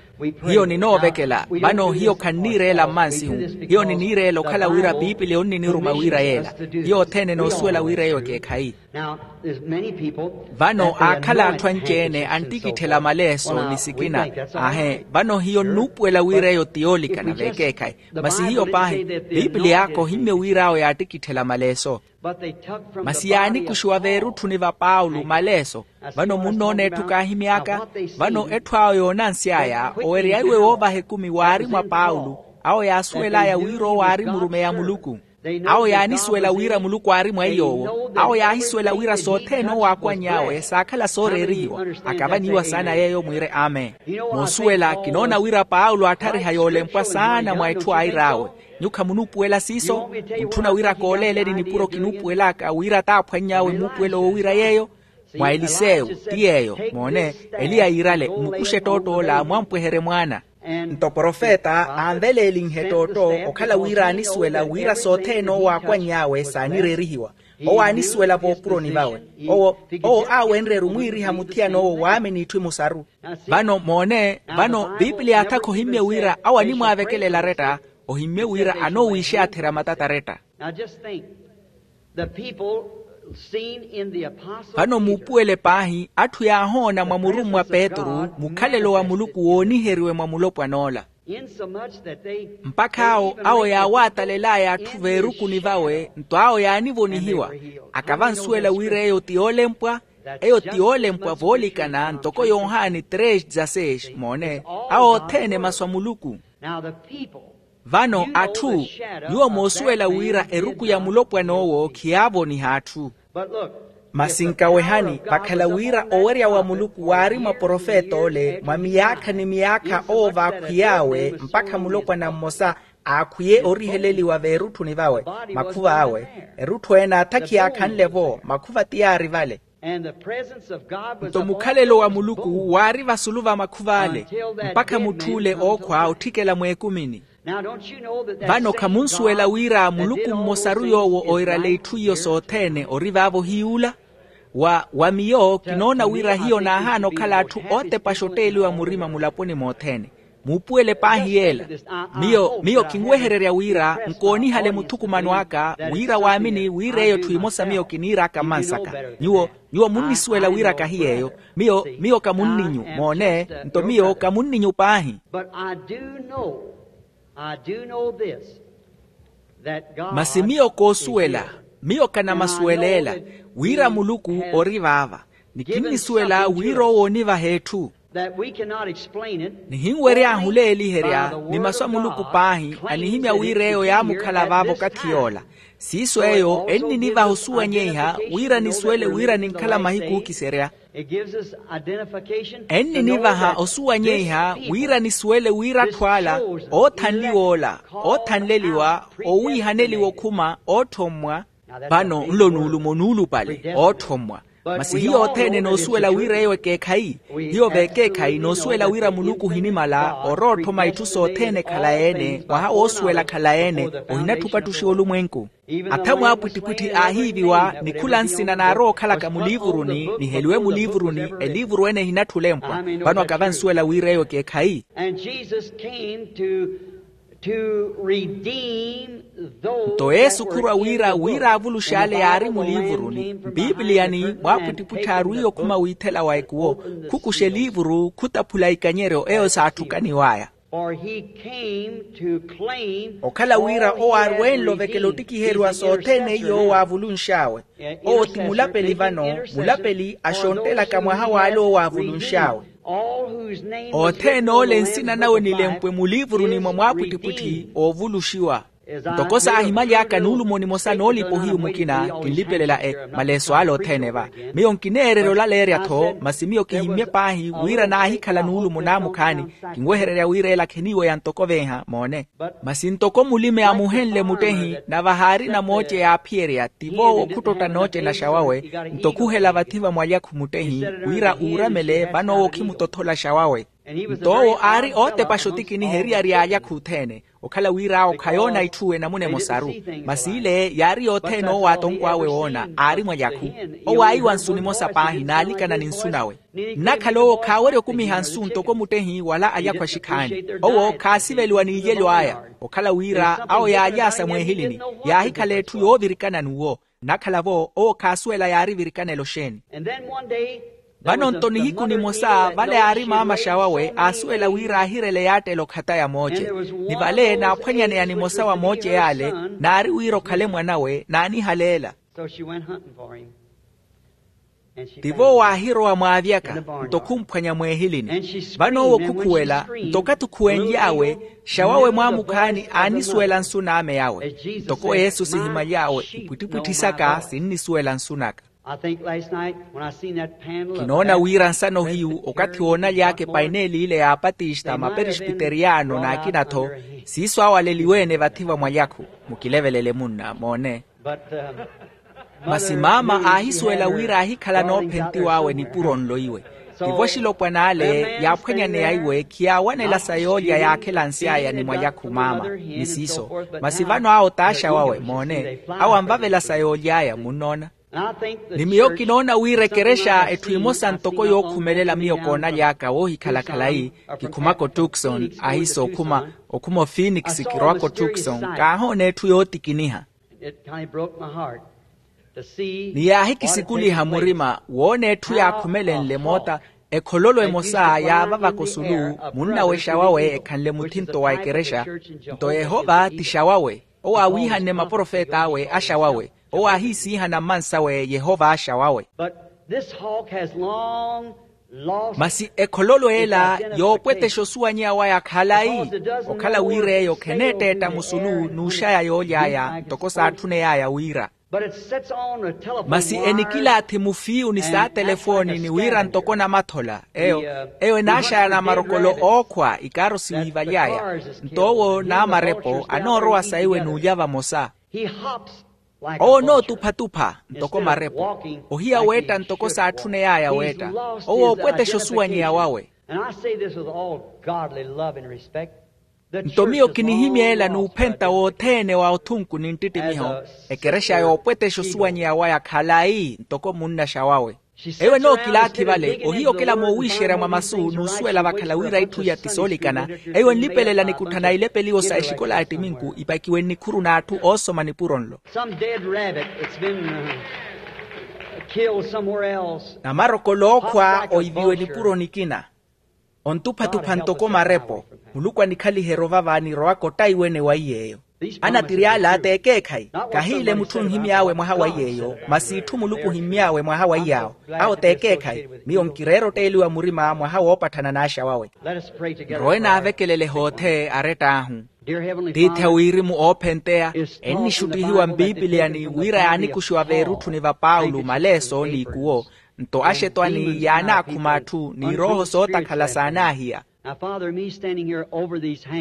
Hiyo ninoovekela vano hiyo khanniireela mmansihu. Hiyo niniireela okhala wira piipiliya onniniruma wira yeela. Hiyo othene noosuwela wira eyo ekeekhayi. Vano aakhala atthu anci-ene anttikitthela maleeso ni sikina. Aahe vano hiyo nnuupuwela wira eyo ti yoolikana veekeekhayi. Masi hiyo paahi piipiliy'aka ohimmye wira awo yaattikitthela maleeso. Masi yaanikuxiwa veerutthuni va paulo maleeso. Vano munnoona etthu kaahimy'aka. Vano etthu awo yoonansy'aya owerya iwe woovaha ekumi waari mwa paulo. Awo yaasuwel'aya wira owo aari murumeyi a muluku. Awo yaanisuwela wira muluku aari mwa iy'owo. Awo yaahisuwela wira sothene owo aakwanny'awe saakhala sooreerihiwa. Akavaniwa saana yeeyo mwiire amen. Moosuwela kinoona wira paulo aatthariha yoolempwa saana mwa etthu air'awe. Nyuwo khamunuupuwela siiso? Mutthu na wira kooleeleni nipuro kinuupuwel'aka wira t'aphwanny'awe muupuwelo woowira yeeyo. Mwa eliseyo ti yeeyo. Moone, eliya yiirale mmukuxe ettoott'ola mwampweherye mwaana. Nto profeta aanveleelinhe ettootto okhala wira aanisuwela wira sothene owo aakwanny'awe saanireerihiwa. Owo aanisuwela voopuroni vawe. Owo owo aawenrye-ru mwiiriha muthiyan'owo waamini itthu imusaru. Vano moone vano piipiliya athaka ohimmye wira awo animwaavekelela aretta. Ohimmye wira anoowiixaatherya matata aretta. Vano muupuwele paahi atthu yaahoona mwa murummwa petru mukhalelo wa muluku wooniheriwe mwa mulopwan'ola. Mpakha awo awo yaawatalel'aya atthu veerukuni vawe nto awo yaanivonihiwa. Akavansuwela wira eyo ti yoolempwa. Eyo ti yoolempwa voolikana ntoko yohani tres dezasseis moone. Awo othene masu a muluku. Vano atthu nyuwo moosuwela wira eruku ya mulopwan'owo khiyaavoniha atthu. Masi nkawehani vakhala wira owerya wa muluku waari mwa profet'ole mwa miyaakha ni miyaakha owo vaakhwiy'awe mpakha mulopwana mmosa aakhwiye oriheleliwa veerutthuni vawe. Makhuv'awe erutthu ene aathakiya akhanle-vo makhuva ti yaari vale. Nto mukhalelo wa muluku waari vasulu va makhuv'ale mpakha mutth'ule ookhwa otthikela mweekumini. Vano khamunsuwela wira muluku mmosaru yoowo oirale itthu iyo sothene ori vaavo hiy'ula? Wa wa miyo kinoona wira hiyo naahaana okhala atthu ootepaxa otteeliwa murima mulaponi mothene. Muupuwele paahi yeela. Miyo miyo kinwehererya wira nkoonihale muthukumano aka wira waamini wira eyo etthu emosa miyo kiniir'aka mmansaka. Nyuwo nyuwo munnisuwela wira kahi yeeyo. Miyo miyo kamunninyu moone. Nto miyo kamunninyu paahi. Masi miyo koosuwela miyo kanamasuweleela wira muluku ori vaava. Ni kinnisuwela wira owo oonivaha etthu. Nihinwery'ahu oleeliherya ni masu a muluku paahi anihimya wira eyo yaamukhala vaavo okathi yoola. Siiso eyo enninivaha osuwanyeiha wira nisuwele wira ninkhala mahiku ookiserya. Enninivaha osuwanyeiha wira nisuwele wira atthu ala oothanliwa ola oothanleliwa owiihaneliwa okhuma ootthommwa. Vano nlo nuulumo nuulupale ootthommwa. Masi hiyo othene enoosuwela wira eyo ekeekhayi. Hiyo vekeekhayi enoosuwela wira muluku ohinimala orowa otthoma itthu sothene ekhalayi-ene mwaha woosuwela khalayi-ene. Ohinatthupa ttuxiwa olumwenku. Atha mwaapwittipwitthi aahiiviwa ni khula nsina naarowa okhalaka muliivuruni niheliwe muliivuruni eliivuru ene ehinatthi olempwa. Vano akavansuwela wira eyo ekeekhayi. To redeem those. Nto yesu khurwa wira wira avulux'ale yaari muliivuruni mpipiliyani mwaapwittipwitthi aarwiiye okhuma wiithela wa ekuwo. Khukuxa eliivuru khutaphula ikanyeryo eyo saatthukaniw'aya. For he came to claim. Okhala wira owo aarwenle ovekela ottikiheriwa sothene iyo owo aavulunx'awe. Owo ti mulapeli vano, mulapeli axonttelaka mwaha w'ale owo aavulunx'awe. Othene ole nsina nawe nilempwe muliivuruni mwa mwaapwittipwitthi oovuluxiwa. Ntoko saahimaly'aka nuulumo nimosa noolipa ohiyu mukina kinlipelela e maleeso ale othene va. Miyo nkineererya olaleerya-tho masi miyo kihimmye paahi wira naahikhala nuulumo naamukhaani. Kinwehererya wira ela kheniiweya ntoko venha moone. Masi ntoko mulime amuhenle muttehi nave ahaari namooce yaaphiyerya ti voowo khuttotta nooce naxa wawe. Nto khuhela vathi va mwalyakhu muttehi wira uuramele vano owo khimutothola xa wawe. Nto owo aari ootepaxa otikiniha eriyari y'alyakhu othene. Okhala wira awo khayoona itthu enamuna emosaru. Masi ile yaari yothene owo atonkwawe woona aari mwalyakhu. Owo aayiwa nsu nimosa paahi naalikana ni nsu nawe. Nnakhala owo khaawerya okumiha nsu ntoko muttehi wala alyakhu axikhaani. Owo khaasiveliwa n'ilyelo aya. Okhala wira awo yaalyaasa mweehilini yaahikhala etthu yoovirikana n'uwo. Nnakhala-vo owo khaasuwela yaari virikanelo xeeni. Vano nto nihiku nimosa vale aari maamaxa wawe aasuwela wira aahirele yaattela okhata ya mooce. Ni vale naaphwanyaneya nimosa wa mooce yaale naari wira okhale mwan'awe naanihaleela. Tivo waahirowa mwaavyaka nto khumphwanya mweehilini. Vano owo khukhuwela nto okathi okhuwenly'awe xa wawe mwaamukhaani aanisuwela nsu n'ame yawe. Ntoko yesu sihimaly'awe ipwittipwitthi saka sinnisuwela nsu naka. Kinoona wira nsano hiyu okathi woonaly'aka epaineeli ile y'apatista maperespiteriyano n'akina-tho siiso awaleliwe-ene vathi va mwalyakhu. Mukilevelele munna moone. Masi maama aahisuwela wira aahikhala noophentiw'awe nipuro nlo iwe. Tivo axilopwan'ale yaaphwanyaneya iwe khiyaawanela sa yoolya yaakhelansy'aya ni mwalyakhu maama ni siiso. Masi vano awo t'axa wawe moone. Awo anvavela sa yooly'aya munnoona. Ni miyo kinoona wira ekerexa etthu emosa ntoko yookhumelela miyo koonaly'aka woohikhala khalayi. Kikhumaka otukson ahiso okhuma okhuma ophinix kirowaka otukson kaahoona etthu yootikiniha. Ni yaahikisikuliha murima woona etthu yaakhumelenle moota. Ekhololo emosa yaavavaka osulu munnawexa wawe ekhanle muthinto wa ekerexa. Nto yehova ti xa wawe. Owo aawiihanne maprofet'awe axa wawe. Owo aahiisiihana mmansawe yehova axa wawe. Masi ekhololo ela yoopwetexa osuwanyeya waya khalayi. Okhala wira eyo kheneetteetta musulu n'uxaya yooly'aya ntoko saatthuney'aya wira. Masi enikilaathi mufiyu ni saatelefooni ni wira ntoko namathola eyo eyo enaaxayana marokolo ookhwa ikaaro siwiivaly'aya. Nto owo n'amarepo anoorowa saiwe n'ulya vamosa. Owo onootupha-tupha ntoko marepo. Ohiya weetta ntoko saatthuney'aya weetta. Owo oopwetexa osuwanyeya wawe. Nto miyo kinihimya ela n'uphenta wothene wa othunku ni nttittimiho. Ekerexa yoopwetexa osuwanyeya waya khalayi ntoko munnaxa wawe. Eyo enookilaathi vale ohiya okela moowiixerya mwa masu n'usuwela vakhala wira itthu iya ti soolikana. Eyo enlipelela nikutthana ilepeliwo sa exikola ya ttiminku ipakiwe nnikhuru n'atthu oosoma nipuro nlo. Namarokolo ookhwa oiviwe nipuro nikina. Ontupha-tupha ntoko marepo. Muluku anikhaliherya ovava anirowaka ottaiwene wa iy'eyo. Anatiri ala t'ekeekhayi. Kahiile mutthu onhimy'awe mwaha wa iy'eyo masi itthu muluku ohimmy'awe mwaha wa iy'awo. Awo t'ekeekhayi. Miyo nkireera otteeliwa murima mwaha woopatthana n'axa wawe. Nrowe naavekelele hoothe arett'ahu. Tiithi a wirimu oophenteya ennixuttihiwa mpipiliyani wira yaanikuxiwa veerutthuni va paulo maleeso n'ikuwo. Nto axetwani yaanaakhuma atthu n'irooho sootakhala saanaahiya.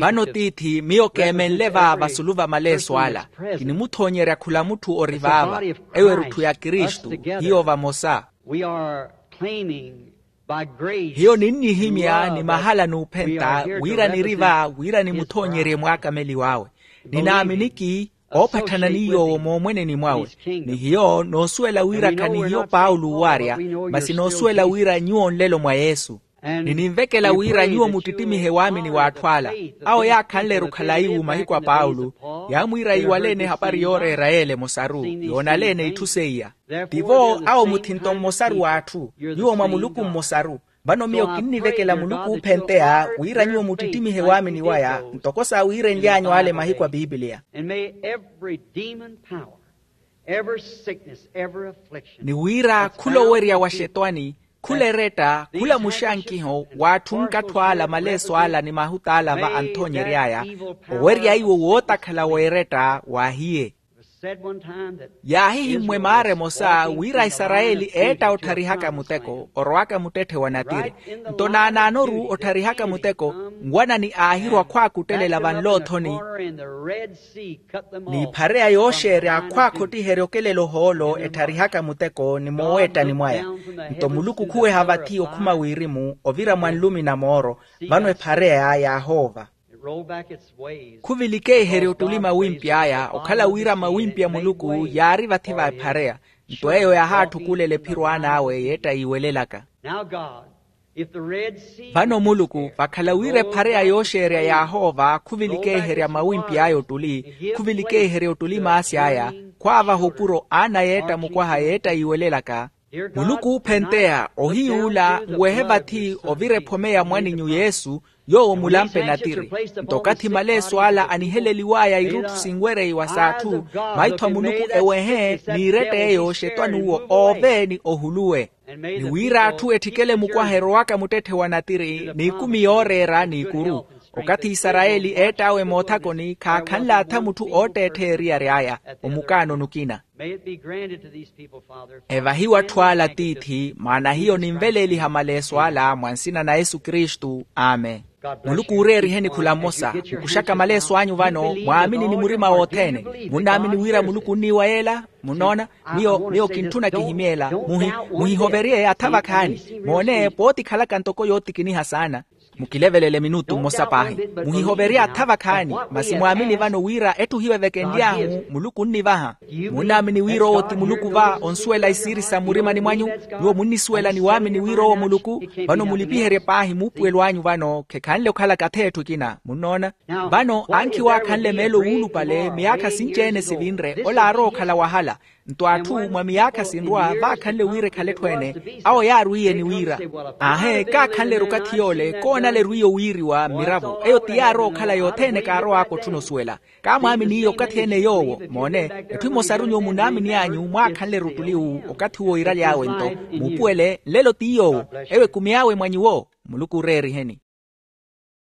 Vano tiithi miyo keemenle va vasulu va maleeso ala. Kinimuthoonyerya khula mutthu ori vaava. Eyo erutthu ya kristu. Hiyo vamosa. Hiyo ninnihimya ni mahala n'uphenta wira niri va wira nimuthoonyerye mwaakameliw'awe. Ninaaminiki oopatthana ni yoowo moomweneni mwawe. Ni hiyo noosuwela wira khanihiyo paulo uwaarya masi noosuwela wira nyuwo nlelo mwa yesu. Ni ninvekela wira nyuwo muttittimihe waamini w'atthu ala. Awo yaakhanle-ru khalayi-wu mahiku a paulo, yaamwiira yiwale-ene ehapari yooreera yeela emosaru, yoonale-ene itthu seiya. Tivo awo muthinto mmosaru w'atthu. Nyuwo mwa muluku mmosaru. Vano miyo kinnivekela muluku oophenteya wira nyuwo muttittimihe waamini waya, ntoko saawiirenly'anyu ale mahiku a pipiliya. And may every demon power, every sickness, every affliction, ni wira khula owerya wa xetwani, khula eretta, khula muxankiho w'atthu nkattho ala, maleeso ala ni mahuta ala va anthoonyery'aya, owerya iwo wootakhala w'eretta waahiye. Yaahihimmwe maara emosa wira aisarayeli eetta ottharihaka muteko orowaka muttetthe wa natiri. Nto naanaanoru ottharihaka muteko, nwanani aahirwa khwaakuttelela vanlo othoni, n'iphareya yooxeerya khwaakhottiherya okelela ohoolo ettharihaka muteko ni mooweettani mwaya. Nto muluku khuweha vathi okhuma wirimu ovira mwa nlumi na mooro, vano ephareya yaahoova. Khuvilikeiherya ottuli mawimpi aya okhala wira mawimpi a muluku yaari vathi va ephareya. Nto eyo yahaattukulela ephiro aan'awe yeetta yiiwelelaka. Vano muluku vakhala wira ephareya yooxeerya yaahoova khuvilikeiherya mawimpi aya ottuli, khuvilikeiherya ottuli maasi aya, khwaavaha opuro aana yeetta mukwaha yeetta yiiwelelaka. Muluku oophenteya ohiy'ula nwehe vathi ovira ephome ya mwaninyu yesu, yoowo mulampe natiri. Nto okathi maleeso ala aniheleliw'aya irutthu sinwereiwa s'atthu, maitho a muluku ewehe n'iretta eyo xetwani uwo oove ni ohuluwe. Ni wira atthu etthikele mukwaha erowaka muttetthe wa natiri n'ikumi yooreera n'ikuru. Okathi isarayeli eett'awe moothakoni khaakhanle atha mutthu ootteettheya eriyari aya. Omukaano nukina. Evahiwe atthu ala tiithi maana hiyo ninveleeliha maleeso ala mwa nsina na yesu kristu. Amen. Muluku uureeriheni khula mmosa. Mukuxaka maleeso anyu vano mwaamini ni murima wothene. Munnaamini wira muluku onniiwa yeela? Munnoona, miyo miyo kintthuna kihimyeela. Muhihoverye atha vakhaani. Moone pootikhalaka ntoko yootikiniha saana. Mukilevelele minutu mmosa paahi. Muhihoverye atha vakhaani. Masi mwaamini vano wira etthu hiyo evekenly'ahu muluku onnivaha. Munnaamini wira owo ti muluku va onsuwela isiiri sa mmurimani mwanyu? Nyuwo munnisuwela ni waamini wira owo muluku. Vano mulipiherye paahi muupuwelo anyu vano khekhanle okhalaka atha etthu ekina munnoona. Vano ankhi waakhanle meelo wuulupale miyaakha sinci-ene sivinre ola aarowa okhala wahala. Nto atthu mwa miyaakha sinrwa vaakhanle wira ekhale etthu ene. Awo yaarwiiye ni wira, aahe kaakhanle-ru okathi yoole koonale erwiiye owiiriwa mmiravo eyo ti yaarowa okhala yothene kaarow'aka otthuna osuwela. Kaamwaaminiye okathi ene yoowo moone. Etthu emosaru nyuwo munaamini anyu mwaakhanle-ru ottuli owu okathi uwo iiraly'awe nto muupuwele nlelo ti yoowo. Ewo ekumi awe mwa nyuwo. Muluku uureeriheni.